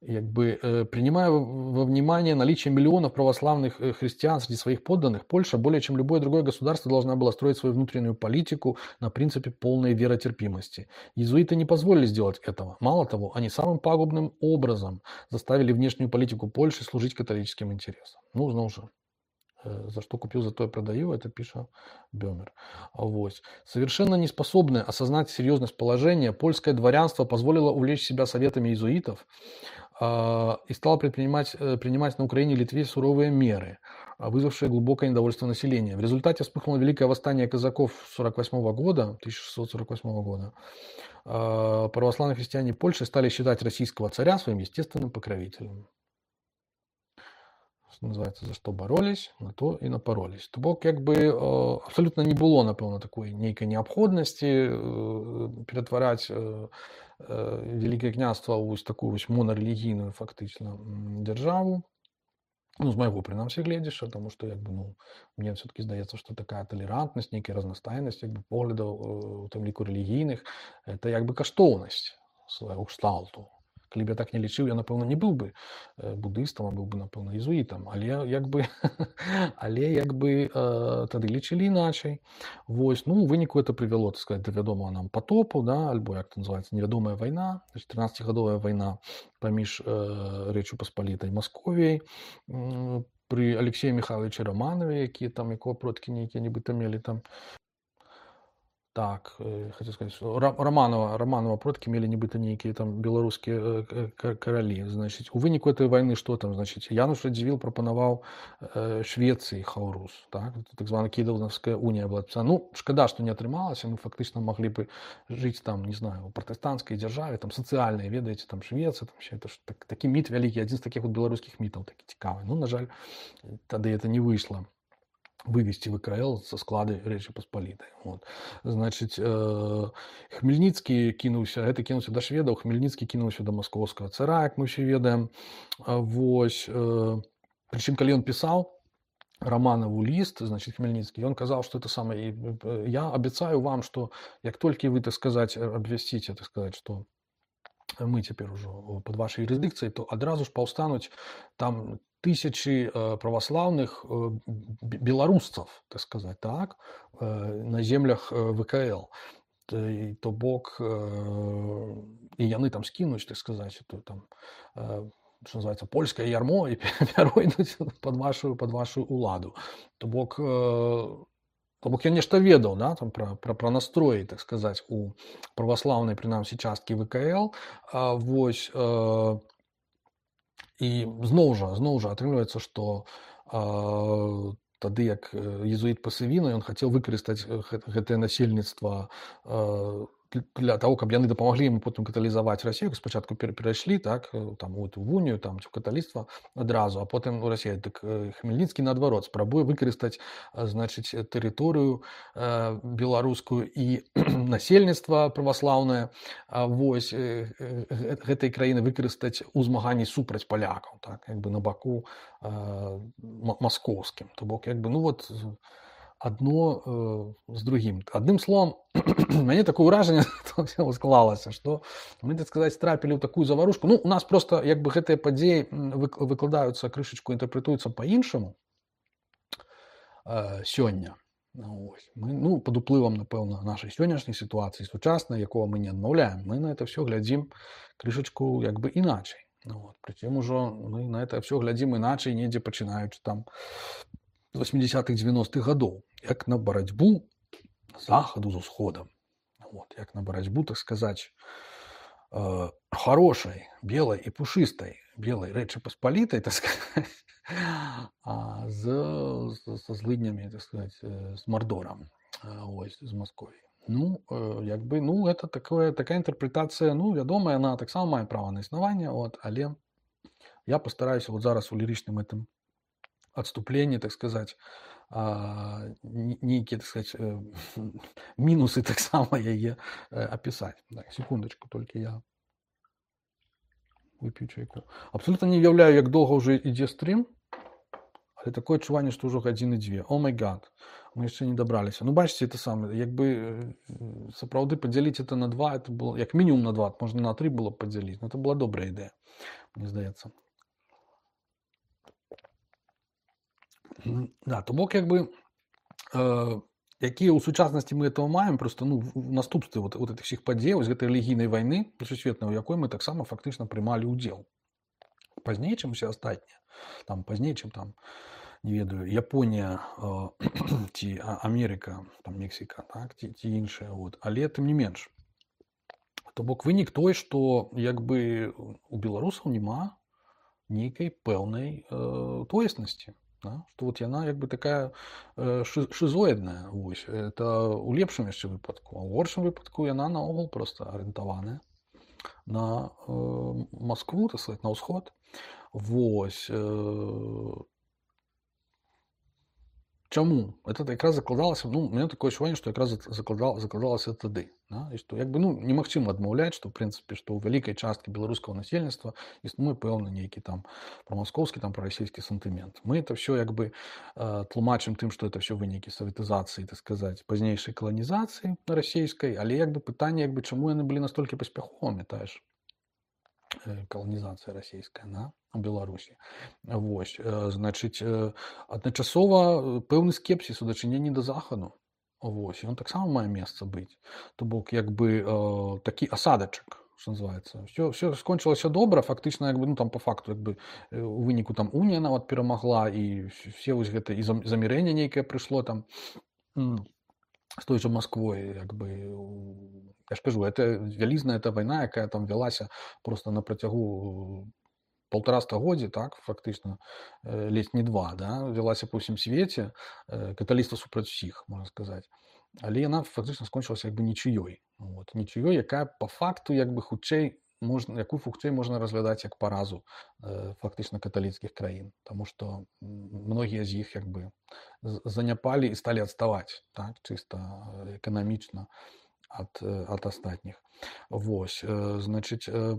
Как бы, принимая во внимание наличие миллионов православных христиан среди своих подданных, Польша более чем любое другое государство должна была строить свою внутреннюю политику на принципе полной веротерпимости. Иезуиты не позволили сделать этого. Мало того, они самым пагубным образом заставили внешнюю политику Польши служить католическим интересам. Ну, знову же, за что купил, за то и продаю, это пишет Бёмер. Вот. Совершенно неспособное осознать серьезность положения, польское дворянство позволило увлечь себя советами иезуитов э, и стало предпринимать, э, принимать на Украине и Литве суровые меры, вызвавшие глубокое недовольство населения. В результате вспыхнуло великое восстание казаков сорок восьмого года, тысяча шестьсот сорок восьмого года. Э, православные христиане Польши стали считать российского царя своим естественным покровителем. Называется, за что боролись, на то и напоролись. То бок, як бы, абсолютно не было, напевно, такої нейкай неабходнасці ператвараць Великое княства ў такую вось монорелігійную фактычна дзяржаву. Ну, з майго прынамсі гледзяша, тому што, як бы, ну, мне все-таки здаецца, што такая талерантнасць, нейкая разнастайнасць, як бы, поглядаў, у тым ліку рэлігійных, это як бы каштоўнасць свайго кшталту. Калі б я так не лічыў, я, напэўна, не быў бы буддыстам, а быў бы, напэўна, езуітам. Але як бы, але як бы тады лічылі іначай. Вось, ну, у выніку это прывяло, так сказать, да вядомага нам потопу, да, альбо, як это называецца, невядомая вайна, трынаццацігадовая вайна паміж Рэччу Паспалітай Масковіяй пры Алексеі Михайловичы Романове, якія там, якого продкі нейкія нібыта мелі там. Так, хочу сказать, Романова, Романова продки мели нібыта нейкія там беларускія каралі. Значит, у выніку этой войны что там, значит, Януш Радзівіл прапанаваў Швеции Хаурус, так, так званая Кіўдаўская уния была. Ну, шкада, что не атрымалася, мы фактично могли бы жить там, не знаю, у протестантской державе, там социальные, ведаете, там Швеция, там все это так, такі міт вялікі, один з таких вот беларускіх мітаў, такі цікавы. Ну, на жаль, тады это не вышло. Вывести ВКЛ со склады Речи Посполитой. Вот. Значит, э, Хмельницкий кинулся, это кинулся до шведов, Хмельницкий кинулся до московского цара, как мы все ведаем. Вось, э, причем, когда он писал Романову лист, значит, Хмельницкий, он сказал, что это самое, я обещаю вам, что как только вы, так сказать, обвестите, так сказать, что мы теперь уже под вашей юрисдикцией, то одразу ж повстануть там тысячи православных белорусцев, так сказать, так, на землях ВКЛ. То, то бок, и яны там скинуть, так сказать, то там, что называется, польское ярмо, и перейдут под вашу, под вашу уладу. То бок, то бок я нешта ведаў, да, там про, про, про настроі, так сказать, у православнай, прынамсі, часткі ВКЛ. А, вось, э, і зноў жа, зноў жа атрымліваецца, што э, тады як езуіт Пасавіна, ён хацеў выкарыстаць гэтае насельніцтва э, для того, каб яны дапамаглі ему потым каталізаваць Расію. Спачатку перайшлі, так, там, у эту унію, там, ці каталіцтва адразу, а потым у Расію. Так Хмельніцкі, наадварот, спрабуе выкарыстаць, значыць, тэрыторыю э, беларускую і насельніцтва праваслаўнае, вось, э, гэтай краіны выкарыстаць у змаганні супраць палякаў, так, як бы на баку э, маскоўскім. То бок, як бы, ну вот, одно э, з другим. Одним словом, мне такое ўражанне склалася, што мы, так сказать, трапілі ў такую заварушку. Ну, у нас просто, як бы, гэтыя падзеі выкладаюцца, крышачку інтэрпрэтуюцца па-іншаму э, сёння. Ну, мы, ну, пад уплывам, напэўна, нашай сённяшняй сітуацыі сучаснай, якого мы не адмаўляем, мы на это все глядзім крышачку, як бы, іначай. Ну, вот. Причем ужо мы на это все глядзім іначай, недзе пачынаючы там восьмидесятых девяностых годов, як на борьбу заходу з усходом. Вот, як на борьбу, так сказать, э, хорошей, белой и пушистой, белой Речи Посполитой, так сказать, а з, з, со злыднями, так сказать, с Мордором, ось, з Московией. Ну, як бы, ну, это такое, такая інтерпретація, ну, вядома, яна таксама мае права на існаванне, от, але я постараюся вот зараз у лірычным этом отступлении, так сказать, нейкія, так сказать, мінусы таксама яе опісаць. Так, секундочку, толькі я вып'ю чайку. Абсолютно не уяўляю, як доўга ўжо ідзе стрим, але такое адчуванне, што ўжо гадзіны дзве. О май гад, мы яшчэ не дабраліся. Ну, бачыце, это самае, як бы сапраўды падзяліць это на два, это было, як мінімум на два, можна на тры было б падзяліць, но это была добрая ідэя, мне здаецца. Да, то бок, як бы, э, якія ў сучаснасці мы этого маем, просто, ну, в наступстве вот, вот этих всех падзеяў, з гэтай рэлігійнай вайны сусветнай, у якой мы таксама фактычна прымалі ўдзел. Пазней, чым усе астатнія. Там пазней, чым там, не ведаю, Японія э, ці Амерыка, там Мексіка, так, ці, ці іншыя, вот. Але тым не менш. То бок вынік той, што як бы у беларусаў няма нейкай пэўнай э, тоеснасці. Да? Што вот яна як бы такая э, шизоідная, вось. Это у лепшым яшчэ выпадку, а ў горшым выпадку яна наогул просто арыентаваная на э, Москву, так сказать, на ўсход. Вось. Э, Чаму? Это якраз закладалася, ну, у меня такое адчуванне, што якраз закладал, закладалася тады. Да? І што, як бы, ну, немагчыма адмаўляць, што, ў прынцыпе, што ў вялікай часткі беларускага насельніцтва існуе пэўны нейкі там прамаскоўскі, там прарасійскі сантымент. Мы это все як бы э, тлумачым тым, што это все вынікі саветызацыі, так сказаць, пазнейшай каланізацыі расійскай, але як бы пытанне, як бы, чаму яны былі настолькі паспяховымі, тая ж каланізацыя расійская, да? У Беларусі. Вось, значыць, адначасова пэўны скепсіс у дачыненні да захаду. Вось, ён таксама мае месца быць. То бок, як бы, такі асадачак, што называецца. Все, все скончылася добра, фактычна, як бы, ну, там, па факту, як бы, у выніку там унія нават перамагла, і все вось гэта, і замірэнне нейкае прыйшло там з той жа Москвой, як бы, я ж кажу, это вялізная эта вайна, якая там вялася просто на працягу полтора стагоддзя, так, фактычна, ледзь не два, да, вялася па ўсім свеце, каталіцтва супраць усіх, можна сказаць. Але яна фактычна скончылася як бы нічыёй. Вот, нічыёй, якая па факту як бы хутчэй можна, якую хутчэй можна разглядаць як паразу э, фактычна каталіцкіх краін, таму што многія з іх як бы заняпалі і сталі адставаць, так, чыста эканамічна ад, ад астатніх. Вось, э, значыць, э,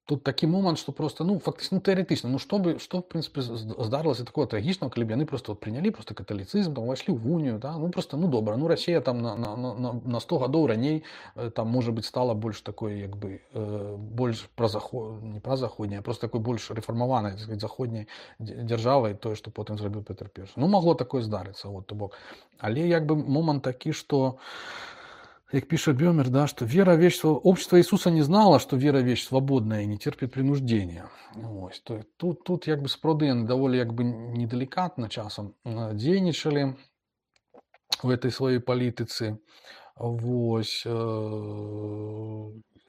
тут такі момант, што просто, ну, фактычна, ну, тэарэтычна, ну, што бы, што, в прынцыпе, здарылася такого трагічнага, калі б яны просто вот прынялі просто каталіцызм, там, увайшлі ў унію, да, ну, просто, ну, добра, ну, Расія там на, на, на, на сто гадоў раней, там, можа быць, стала больш такой, як бы, э, больш празаход... не празаходняй, а просто такой больш рэфармаванай, так сказать, заходняй дзяржавай, тое, што потым зрабіў Петр Першы. Ну, магло такое здарыцца, вот, то бок. Але, як бы, момант такі, што как пишет Бёмер, да, что вера вещь, общество Иисуса не знало, что вера вещь свободная и не терпит принуждения. Вот. Тут, тут як бы справді доволі як бы неделикатно часом дзейнічалі в этой своей політиці. Вось, я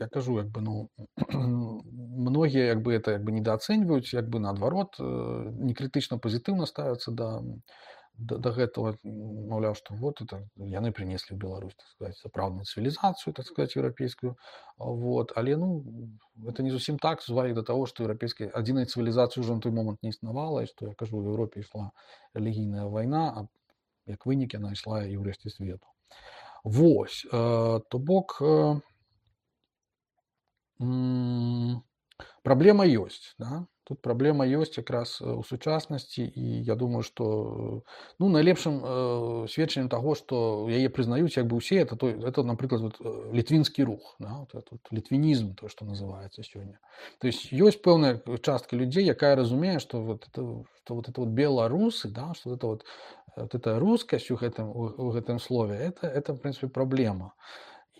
кажу, як бы, ну, многие як бы это як бы недооценивают, як бы наоборот, некритично позитивно ставятся до до, до гэтага, маўляў, што вот это яны принесли в Беларусь, так сказать, сапраўдную цивилизацию, так сказать, европейскую, вот, але, ну, это не зусім так, звали до того, что европейская адзінай цивилизации уже на той момент не існавала, и что, я кажу, в Европе ішла релігійная война, а як вынік яна ішла і ў рэшце свету. Вось, э, то бок, э, м- праблема ёсць, да? Тут праблема ёсць якраз у сучаснасці, і я думаю, што, ну, найлепшым э, сведчаннем таго, што яе прызнаюць як бы ўсе, это, той, это напрыклад, вот, літвінскі рух, да? Вот этот літвінізм, то, што называецца сёння. То есть ёсць пэўная частка людзей, якая разумее, што вот это, што вот это вот беларусы, да? Што это вот, вот эта рускасць у гэтым, у гэтым слове, это, это, в прынцыпе, праблема.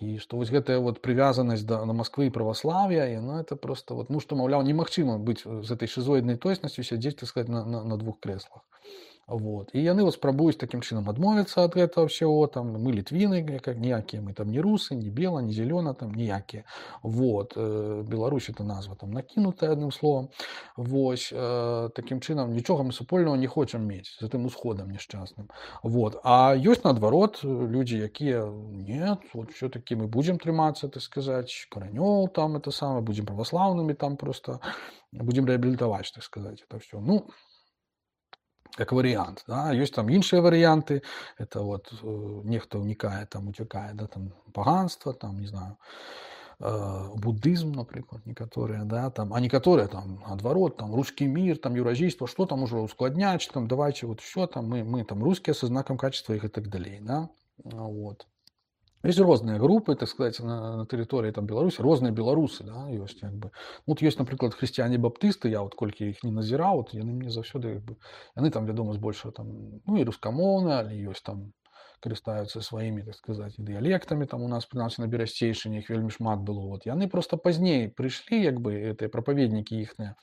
І што вось гэтая вот прывязанасць да, на Москвы і праваслав'я, і, ну, это просто, вот, ну, што, маўляў, немагчыма быць з этой шизоіднай тоеснасцю сядзець, так сказать, на, на, на двух крэслах. Вот. І яны вот спрабуюць такім чынам адмовіцца ад гэтага ўсяго, там мы літвіны, как ніякія, мы там не русы, не бела, не зелёна, там ніякія. Вот. Э, Беларусь это назва там накінутая адным словам. Вось э, такім чынам нічога мы супольнага не хочам мець з гэтым усходам няшчасным. Вот. А ёсць наадварот людзі, якія нет, вот все-таки мы будзем трымацца, так сказаць, каранёў там это самае, будзем праваслаўнымі там просто будзем рэабілітаваць, так сказаць, это все. Ну, как вариант, да, есть там іншыя варианты, это вот э, нехто ўнікае, там уцякае, да, там паганства, там, не знаю, э, буддызм, напрыклад, некаторыя, да, там, а некаторыя там адварот, там русский мир, там еўразійства, что там уже ускладняць, там давайте вот все, там мы, мы там русские со знаком качества их и так далее, да, вот. Есть розныя групы, так сказать, на, на тэрыторыі там Беларусі, розныя беларусы, да, ёсць як бы. Вот ёсць, напрыклад, хрысціяне-баптысты, я вот колькі іх не назіраў, вот яны мне заўсёды як бы, яны там, вядома, збольшага там, ну і рускамоўныя, але ёсць там карыстаюцца сваімі, так сказаць, дыялектамі, там у нас, прынамсі, на Берасцейшчыне іх вельмі шмат было. Вот. Яны просто пазней прыйшлі, як бы, гэтыя прапаведнікі іхныя,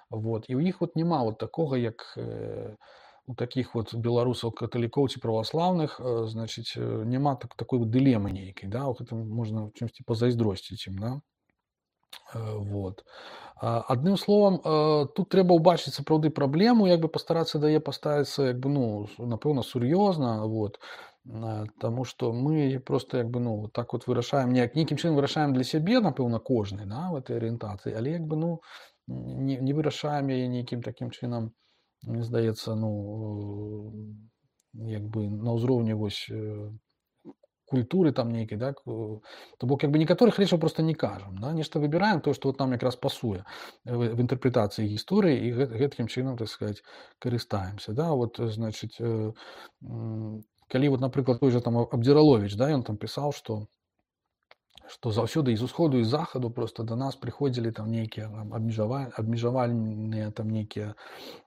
вот, і ў іх вот няма вот такога, як э, у таких вот беларусаў каталікоў ці праваслаўных, значыць, няма так, такой вот дылемы нейкай, да, вот это можна чымсьці пазайздросціць ім, да. Вот. Адным словам, тут трэба ўбачыць сапраўды праблему, як бы пастарацца да яе паставіцца, як бы, ну, напэўна, сур'ёзна, вот, таму што мы просто, як бы, ну, так вот вырашаем, неяк, нейкім чынам вырашаем для сябе, напэўна, кожны, да, в этой арыентацыі, але, як бы, ну, не, не вырашаем яе нейкім такім чынам, мне здаецца, ну, як бы на ўзроўні вось культуры там нейкай, да, то бок як бы некаторых рэчаў просто не кажам, да, нешта выбіраем то, што вот нам якраз пасуе в інтэрпрэтацыі гісторыі і гэткім чынам, так сказаць, карыстаемся, да, вот, значыць, калі вот, напрыклад, той жа там Абдзіраловіч, да, ён там пісаў, што што заўсёды з усходу і з захаду просто до нас прыходзілі там нейкія абмежавальныя там нейкія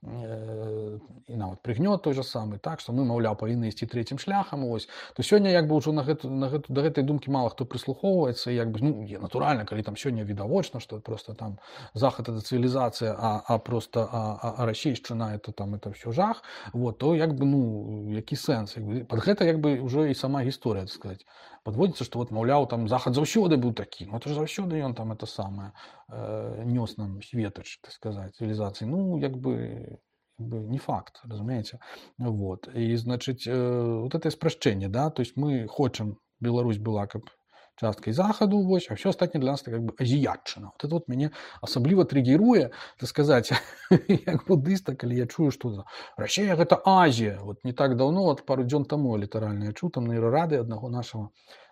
э, і нават прыгнёт той же самы, так, што мы, маўляў, павінны ісці трэцім шляхам, ось. То сёння як бы ўжо на гэту, на гэту, да гэтай думкі мала хто прыслухоўваецца, як бы, ну, натуральна, калі там сёння відавочна, што просто там захад это цывілізацыя, а, а просто а, а, а расейшчына это там это все жах, вот, то як бы, ну, які сэнс, як бы, пад гэта як бы ўжо і сама гісторыя, так сказаць, подводится, что вот, маўляў, там захад заўсёды быў такі, ну это ж заўсёды ён там это самае э, нёс нам светач, так сказать, цивилизации. Ну, як бы, як бы не факт, разумеете. Вот. И, значит, э, вот это спрашчэнне, да, то есть мы хочам, Беларусь была как часткай захаду, вось, а все астатняе для нас это как бы азіятчына. Вот это вот мяне асабліва триггеруе, так сказать, як буддыста, калі я чую, што Расія гэта Азія. Вот не так давно, вот пару дзён таму літаральна я чуў там на рады аднаго нашага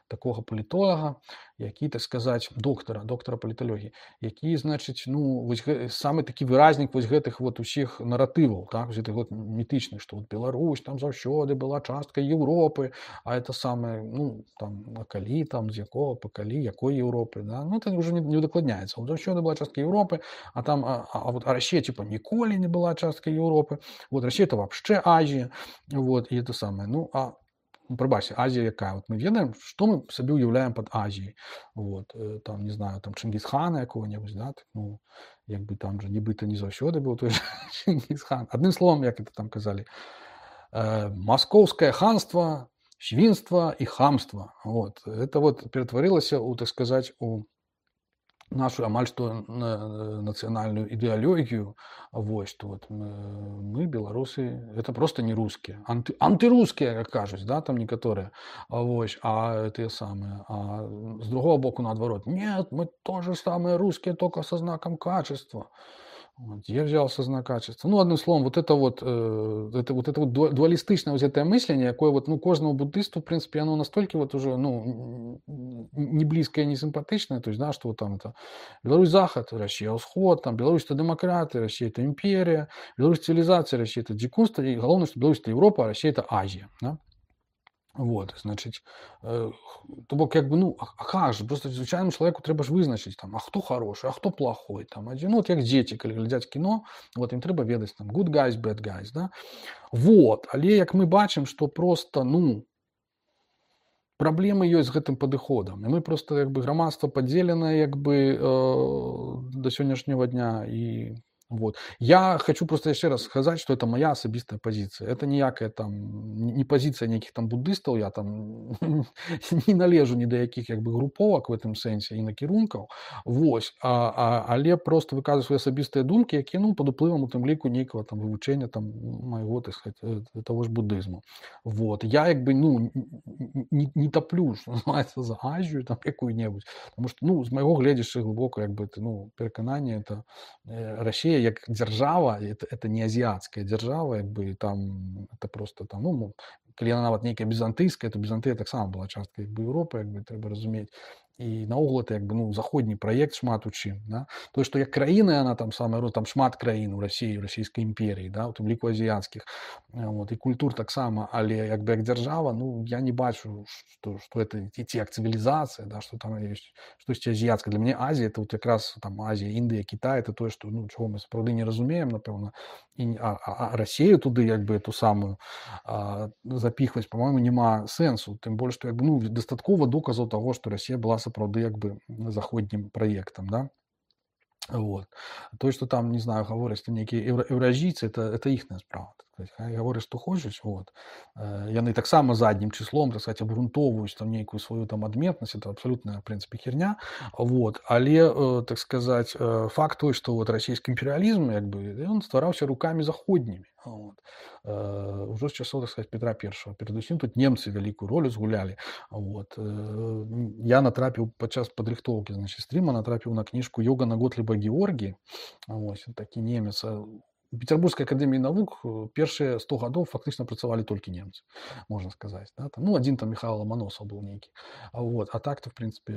такого палітолага, які, так сказаць, доктара, доктара паліталогіі, які, значыць, ну, вось самы такі выразнік вось гэтых вот усіх наратываў, так, гэтых вот мітычных, што вот Беларусь там заўсёды была часткай Еўропы, а это самае, ну, там, а калі, там, з якога, па калі, якой Еўропы, да, ну, это уже не, не удакладняецца. Вот заўсёды была часткай Еўропы, а там, а, а вот а Расія, типа, ніколі не была часткай Еўропы, вот Расія это вообще Азія, вот, і это самае, ну, а прабачце, Азія якая? Вот мы ведаем, што мы сабе ўяўляем пад Азіяй. Вот, там, не знаю, там Чынгізхана якого-небудзь, да, так, ну, як бы там же нібыта не заўсёды быў той же Чынгізхан. Адным словом, як это там казалі, э, маскоўскае ханства, свінства і хамства. Вот, это вот ператварылася у, так сказаць, у нашу амаль што нацыянальную ідэалогію, вось, што вот мы, мы, беларусы, это просто не рускія, анты, антырускія, як кажуць, да, там некаторыя, вось, а тыя самыя, а з другого боку наадварот, нет, мы тоже самые русские, только со знаком качества. Вот, я взялся знак качества. Ну, одним словом, вот это вот, э, это, вот это вот дуалистичное вот это мышление, якое вот, ну, кожному буддисту, в принципе, оно настолько вот уже, ну, не близкое, не симпатичное, то есть, да, что вот там это Беларусь Захад, Россия Усход, там Беларусь это демократы, Россия это империя, Беларусь цивилизация, Россия это дикунство, и главное, что Беларусь это Европа, а Россия это Азия, да. Вот, значить, э, то бок, як бы, ну, а, а как же, просто звычайному человеку трэба ж вызначыць, там, а хто хороший, а хто плохой, там, адзін, ну, вот як дзеці, калі глядзяць кіно, вот, ім трэба ведаць, там, good guys, bad guys, да, вот, але, як мы бачым, што просто, ну, праблемы ёсць з гэтым падыходам, і мы просто, як бы, грамадства падзеленае, як бы, э, да сённяшняга дня, і Вот. Я хочу просто еще раз сказать, что это моя особистая позиция. Это ніякая там не позиция неких там буддистов, я там не належу ні до яких як бы груповок в этом сенсе і накірункаў. Вось. А, а, але просто выказываю свои особистые думки, які ну под уплывам у тым ліку нейкага там вывучэння там майго, так сказать, того ж буддызму. Вот. Я як бы ну не, не топлю, что называется, за Азію там якую-небудзь, потому что ну з майго гледзяшча глубоко як бы ну перакананне это Россия як держава, это, это не азиатская держава, як бы там это просто там ну калі яна нават нейкая візантыйская, то Візантыя таксама была часткай як бы Еўропы, як бы трэба разумець. І наогул это як бы ну заходні праект шмат у чым, да? То што як краіна яна там самая там шмат краін у России, у расійскай імперіі, да, у тым ліку азіяцкіх, вот, і культур таксама, але як бы як дзяржава, ну я не бачу, што, што это ці як цывілізацыя, да, што там ёсць штосьці азіяцкае. Для мяне Азія это вот якраз там Азія, Індыя, Кітай, это тое, што ну чаго мы сапраўды не разумеем, напэўна, і а, а, а Расію туды як бы эту самую а, запихваць, по-моему, няма сэнсу, тым больш што як бы ну дастаткова доказаў таго, што Расія была сапраўды як бы заходнім праектам, да. Вот. То, что там, не знаю, говорят, что некие евро, евразийцы, это, это их справа. Хай говорят, что хочешь, вот. Яны так само задним числом, так сказать, обґрунтовуюць там некую свою там адметнасць, это абсолютная, в принципе, херня. Вот. Але, так сказать, факт той, что вот российский империализм, як бы, он ствараўся руками заходнімі. Вот. Уже с часов, так сказать, Петра Первого. Передусім тут немцы великую роль згулялі. Вот. Я натрапіў падчас падрыхтоўкі, значит, стріма, натрапіў на книжку Йогана Готлиба Георгий. Вот. Такі немец. У Петербургской академии наук первые сто годов фактично працавали только немцы, можно сказать. Да? Там, ну, один там Михаил Ломоносов был некий. Вот. А так-то, в принципе,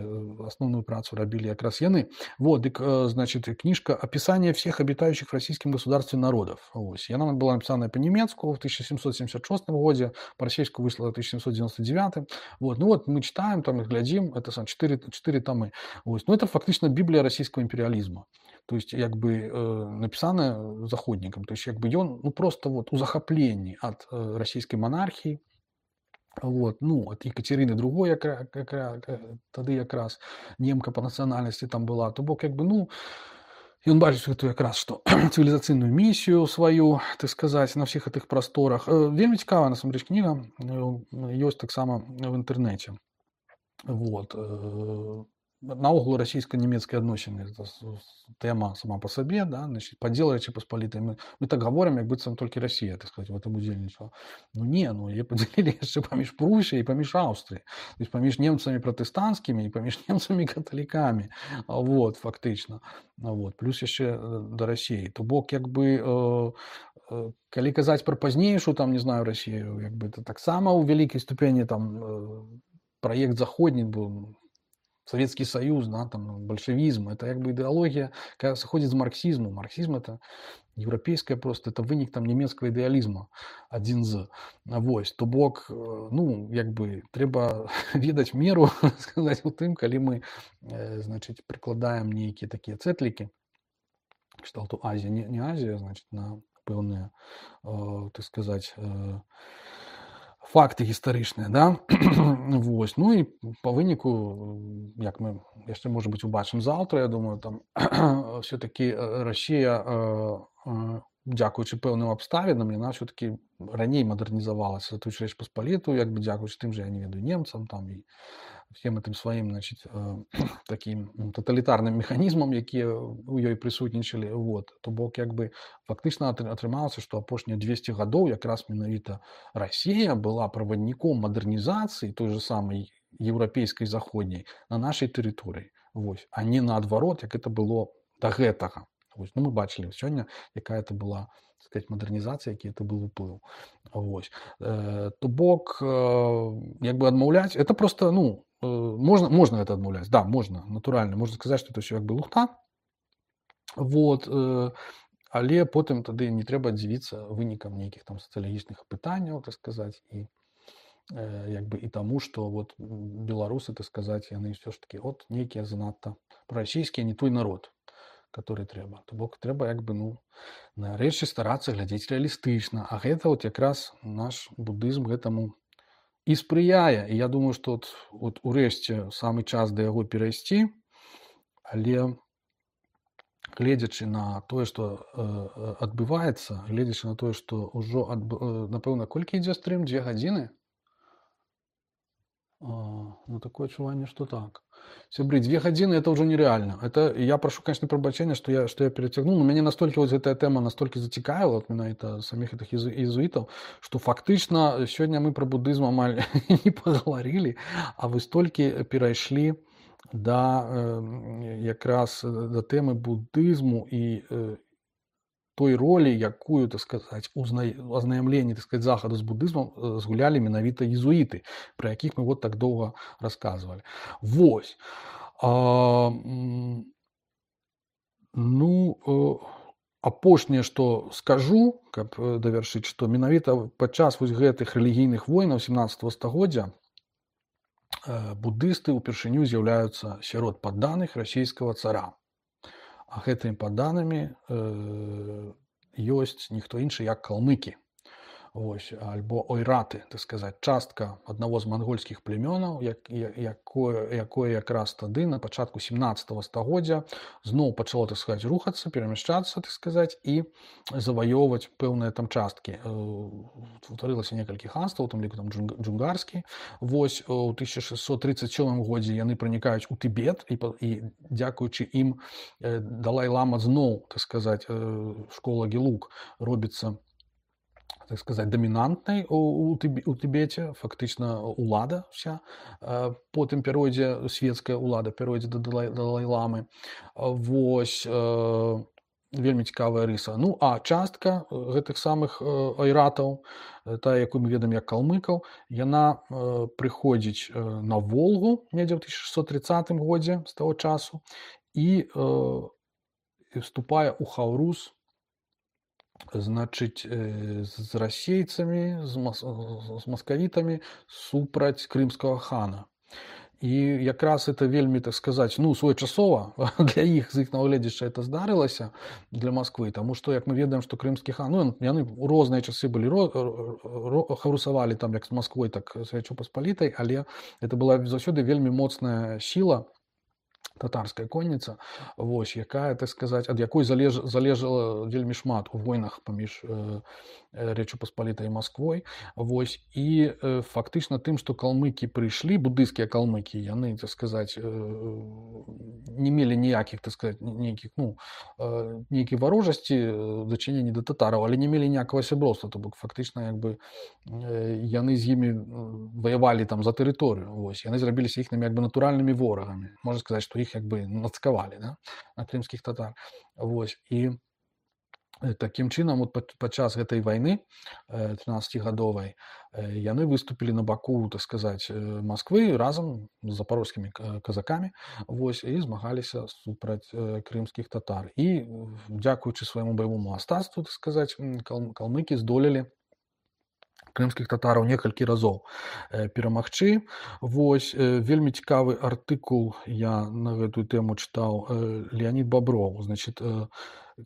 основную працу робили как раз яны. Вот, дык, значит, книжка «Описание всех обитающих в российском государстве народов». Вот. Яна была написана по-немецку в тысяча семьсот семьдесят шестом году, по-российски вышла в тысяча семьсот девяносто девятом. Вот. Ну вот мы читаем, там, глядим, это сам, четыре, четыре томы. Вот. Ну это фактично Библия российского империализма. То есть, як бы, э, написано заходникам, то есть, як бы, ён, ну, просто вот у захапленні от э, российской монархии, вот, ну, от Екатерины другой, як, як, як, тады якраз немка по национальности там была, то бок, як бы, ну, ён бачыць гэту якраз, што цывілізацыйную місію сваю, так сказаць, на всех этих просторах. Э, вельмі цікавая, насамрэч, кніга, ёсць таксама в інтэрнэце. Вот. Э, наогул российско-немецкие адносіны, это тема сама по себе, да, значит, подел Речи Посполитой. Мы, мы так говорим, як быццам толькі Россия, так сказать, в этом удзельнічала. Ну не, ну яе поделили яшчэ паміж Прусіяй і паміж Аўстрыяй, то есть паміж немцами протестантскими и паміж немцами католиками, вот, фактично. Вот. Плюс яшчэ до России. То бок, як бы, э, э, калі казаць про пазнейшую, там, не знаю, Россию, як бы, это таксама у великой ступени там э, проект заходний был, Советский Союз, да, там, большевизм, это как бы идеология, которая сходит с марксизма. Марксизм это европейская просто, это вынік там немецкого идеализма, один з. Вось, то бок, ну, як бы, трэба ведаць меру, сказать, у тым, калі мы, значит, прикладаем нейкія такія цэтлікі, кшталту Азия, не, не Азия, значит, на пэўныя, э, так сказать, э, факты гістарычныя, да? Вось. Ну і по выніку, як мы яшчэ, можа быць, убачым заўтра, я думаю, там все-таки Россия, дзякуючы пэўным абставінам, яна все-таки раней мадэрнізавалася, тую ж Рэч Паспалітую, як бы дзякуючы тым же, я не ведаю, немцам там і всем этим своим, значит, таким тоталітарным механізмам, якія у ёй прысутнічалі. Вот. То бок, як бы, фактычна атрымалася, што апошнія двести гадоў якраз менавіта Россия была правадніком мадэрнізацыі той же самой еўрапейскай заходняй на нашай тэрыторыі. Вось. А не наадварот, як это было да гэтага. Вось. Ну, мы бачылі сёння, якая это была, так сказать, мадэрнізацыя, які это был уплыў. Вось. Э, то бок, э, як бы адмаўляць, это просто, ну, э, можна, можна это адмаўляць, да, можна, натуральна, можна сказаць, што это ўсё як бы лухта. Вот. Э, але потым тады не трэба дзівіцца вынікам нейкіх там сацыялагічных пытанняў, так сказаць, і э, як бы і таму, што вот беларусы, так сказаць, яны ўсё ж такі от нейкія занадта прарасійскія, не той народ, который трэба. То бок трэба, як бы, ну, на рэчы старацца глядзець рэалістычна. А гэта вот якраз наш буддызм гэтаму і спрыяе. І я думаю, што от, от урэшце самы час да яго перайсці, але гледзячы на тое, што э, адбываецца, гледзячы на тое, што ўжо адб... э, напэўна, колькі ідзе стрым? Дзве гадзіны? А, ну, такое адчуванне, што так. Сябры, две гадзіны это ўжо нереально. Это я прашу, конечно, прабачэння, што я, што я перацягнуў, но мяне настолькі вот гэтая тэма настолькі зацікавіла, от менавіта саміх гэтых езуітаў, што фактычна сёння мы пра будызм амаль не пагаварылі, а вы столькі перайшлі да э, якраз да тэмы будызму і э, той ролі, якую, так сказаць, азнаямленні, так сказаць, захаду з будызмам згулялі менавіта езуіты, пра якіх мы вот так доўга расказвалі. Вось. А, ну, апошняе, што скажу, каб давяршыць, што менавіта падчас вось гэтых рэлігійных войнаў сямнаццатага стагоддзя будысты ўпершыню з'яўляюцца сярод падданых расійскага цара. А гэтымі падданымі э, ёсць ніхто іншы, як калмыкі. Вось, альбо ойраты, так сказаць, частка аднаго з мангольскіх племёнаў, як, якое, якое якраз тады на пачатку сямнаццатага стагоддзя зноў пачало, так сказаць, рухацца, перамяшчацца, так сказаць, і заваёўваць пэўныя там часткі. Утварылася некалькі ханстваў, у тым ліку там джунгарскі. Вось у тысяча шэсцьсот трыццаць сёмым годзе яны пранікаюць у Тыбет, і, і дзякуючы ім Далай-лама зноў, так сказаць, школа Гелук робіцца, так сказать, доминантной у, у, Тиб, у Тибете, фактично улада вся, по тым перыодзе светская улада, перыодзе да Далай-ламы. Вось, вельмі цікавая рыса. Ну, а частка гэтых самых айратаў, тая, якую мы ведаем як калмыкаў, яна прыходзіць на Волгу недзе ў тысяча шэсцьсот трыццатым годзе з таго часу і вступае ў Хаўрус, значыць, з расейцамі, з, мас... з маскавітамі супраць крымскага хана. І якраз это вельмі, так сказаць, ну, своечасова для іх, з іх нагледзяча, это здарылася для Масквы, таму што, як мы ведаем, што крымскі хан, ну, яны ў розныя часы былі, ро... ро... хаврусавалі там як з Масквой, так з Рэчы Паспалітай, але это была заўсёды вельмі моцная сіла, татарская конніца, вось, якая, так сказаць, ад якой залеж, залежала вельмі шмат у войнах паміж э, Рэчы Паспалітай і Масквой. Вось, і э, фактычна тым, што калмыкі прыйшлі, будыйскія калмыкі, яны, так сказаць, э, не мелі ніякіх, так сказаць, нейкіх, ну, э, нейкай варожасці дачынення да татараў, але не мелі ніякага сяброўства, то бок фактычна, як бы, э, яны з імі ваявалі там за тэрыторыю, вось, яны зрабіліся іхнымі, як бы, натуральнымі ворагамі. Можна сказаць, што іх, як бы, нацкавалі, да, на крымскіх татар. Вось, і такім чынам, от падчас гэтай вайны трынаццацігадовай яны выступілі на баку, так сказаць, Масквы разам з запорожскімі казакамі, вось, і змагаліся супраць крымскіх татар. І дзякуючы свайму баявому мастацтву, так сказаць, калмыкі здолелі крымскіх татараў некалькі разоў перамагчы. Вось, вельмі цікавы артыкул я на гэтую тэму чытаў Леонид Бобров, значит,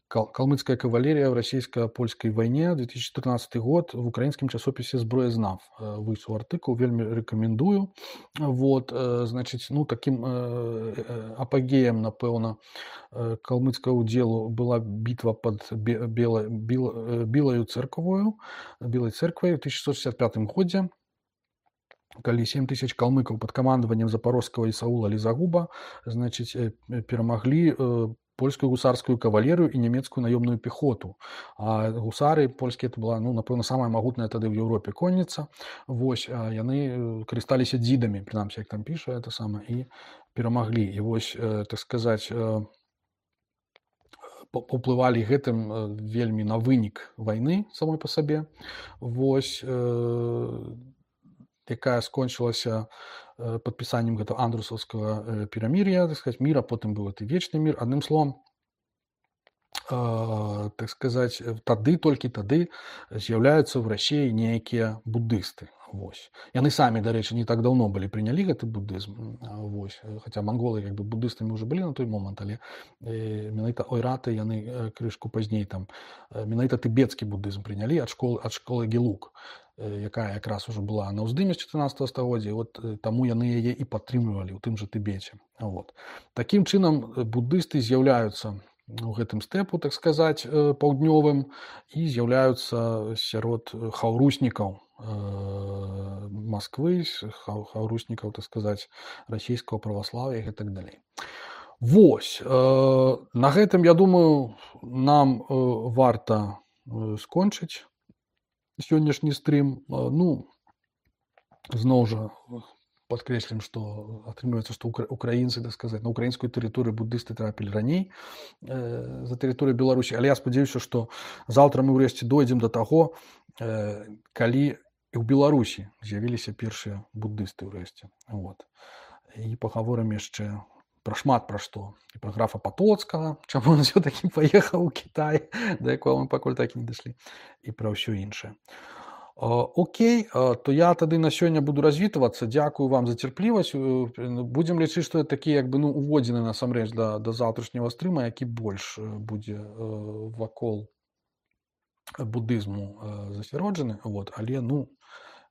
«Калмыцкая кавалерия в российско-польской войне», две тысячи четырнадцатый год, в украинском часописе «Зброезнав». Выйшаў артыкул, вельмі рэкамендую. Вот, значит, ну, таким апогеем, напэўна, калмыцкага удзелу была битва под Белой, Белою церквою, Белой церквой в тысяча шестьсот шестьдесят пятым годзе, калі сем тысяч калмыкаў под камандаваннем запорожскага Ісаула Лізагуба, значит, перамаглі польскую гусарскую кавалерыю і нямецкую наёмную пехоту. А гусары польскія, это была, ну, напэўна, самая магутная тады ў Еўропе конніца. Вось, яны карысталіся дзідамі, прынамсі, як там піша, это самае, і перамаглі. І вось, так сказаць, паўплывалі гэтым вельмі на вынік вайны самой па сабе. Вось, якая скончылася падпісаннем гэтага андрусаўскага перамір'я, так сказаць, міра, потым быў гэты вечны мір. Адным словам, э, так сказаць, тады, толькі тады з'яўляюцца ў Расіі нейкія будысты. Вось. Яны самі, дарэчы, не так даўно былі прынялі гэты будызм. Вось. Хаця манголы, як бы, будыстамі ўжо былі на той момант, але э, менавіта ойраты яны крышку пазней там, менавіта тыбецкі будызм прынялі ад школы, ад школы Гелук, якая якраз ужо была на ўздыме з чатырнаццатага стагоддзя, от таму яны яе і падтрымлівалі ў тым жа Тыбеце. Вот. Такім чынам будысты з'яўляюцца у гэтым стэпу, так сказаць, э, паўднёвым і з'яўляюцца сярод хаўруснікаў э, Масквы, с- хаў- хаўруснікаў, так сказаць, расійскага праваслаўя і гэтак далей. Вось, э, на гэтым, я думаю, нам э, варта э, скончыць сённяшні стрым. Э, Ну, зноў жа падкрэслім, што атрымліваецца, што укра- украінцы, так сказаць, на украінскую тэрыторыю буддысты трапілі раней э, за тэрыторыю Беларусі, але я спадзяюся, што заўтра мы ўрэшце дойдзем да таго, э, калі і ў Беларусі з'явіліся першыя буддысты ўрэшце. Вот. І пагаворым яшчэ пра шмат пра што. І пра графа Патоцкага, чаму ён ўсё-такі паехаў у Кітай, да якога мы пакуль так і не дашлі, і пра ўсё іншае. Э, Окей, э, то я тады на сёння буду развітвацца. Дзякую вам за цярплівасць. Э, Будзем лічыць, што это такі як бы ну уводзіны насамрэч да, да заўтрашняга стрыма, які больш э, будзе э, вакол буддызму э, засяроджаны. Вот. Але ну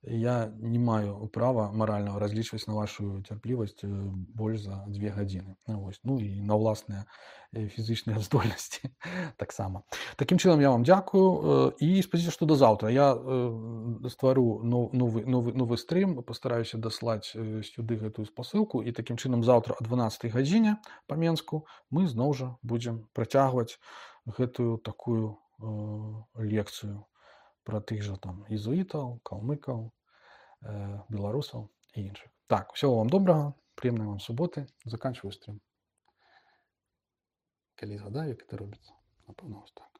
я не маю права маральнага разлічваць на вашу цярплівасць э, больш за дзве гадзіны. Ну, вось. Ну і на ўласныя э, фізычныя здольнасці таксама. Такім чынам я вам дзякую э, і спадзяюся, што да заўтра я э, ствару но- новы, новы, новы стрым, пастараюся даслаць э, сюды гэтую спасылку і такім чынам заўтра о дванаццатай гадзіне па Менску мы зноў жа будзем працягваць гэтую такую э, лекцыю пра тых жа там езуітаў, калмыкаў, э, беларусаў і іншых. Так, усього вам добрага, прыемнай вам суботы. Заканчваю стрым. Калі згадаю, як гэта робіцца. Напэўна, вось так.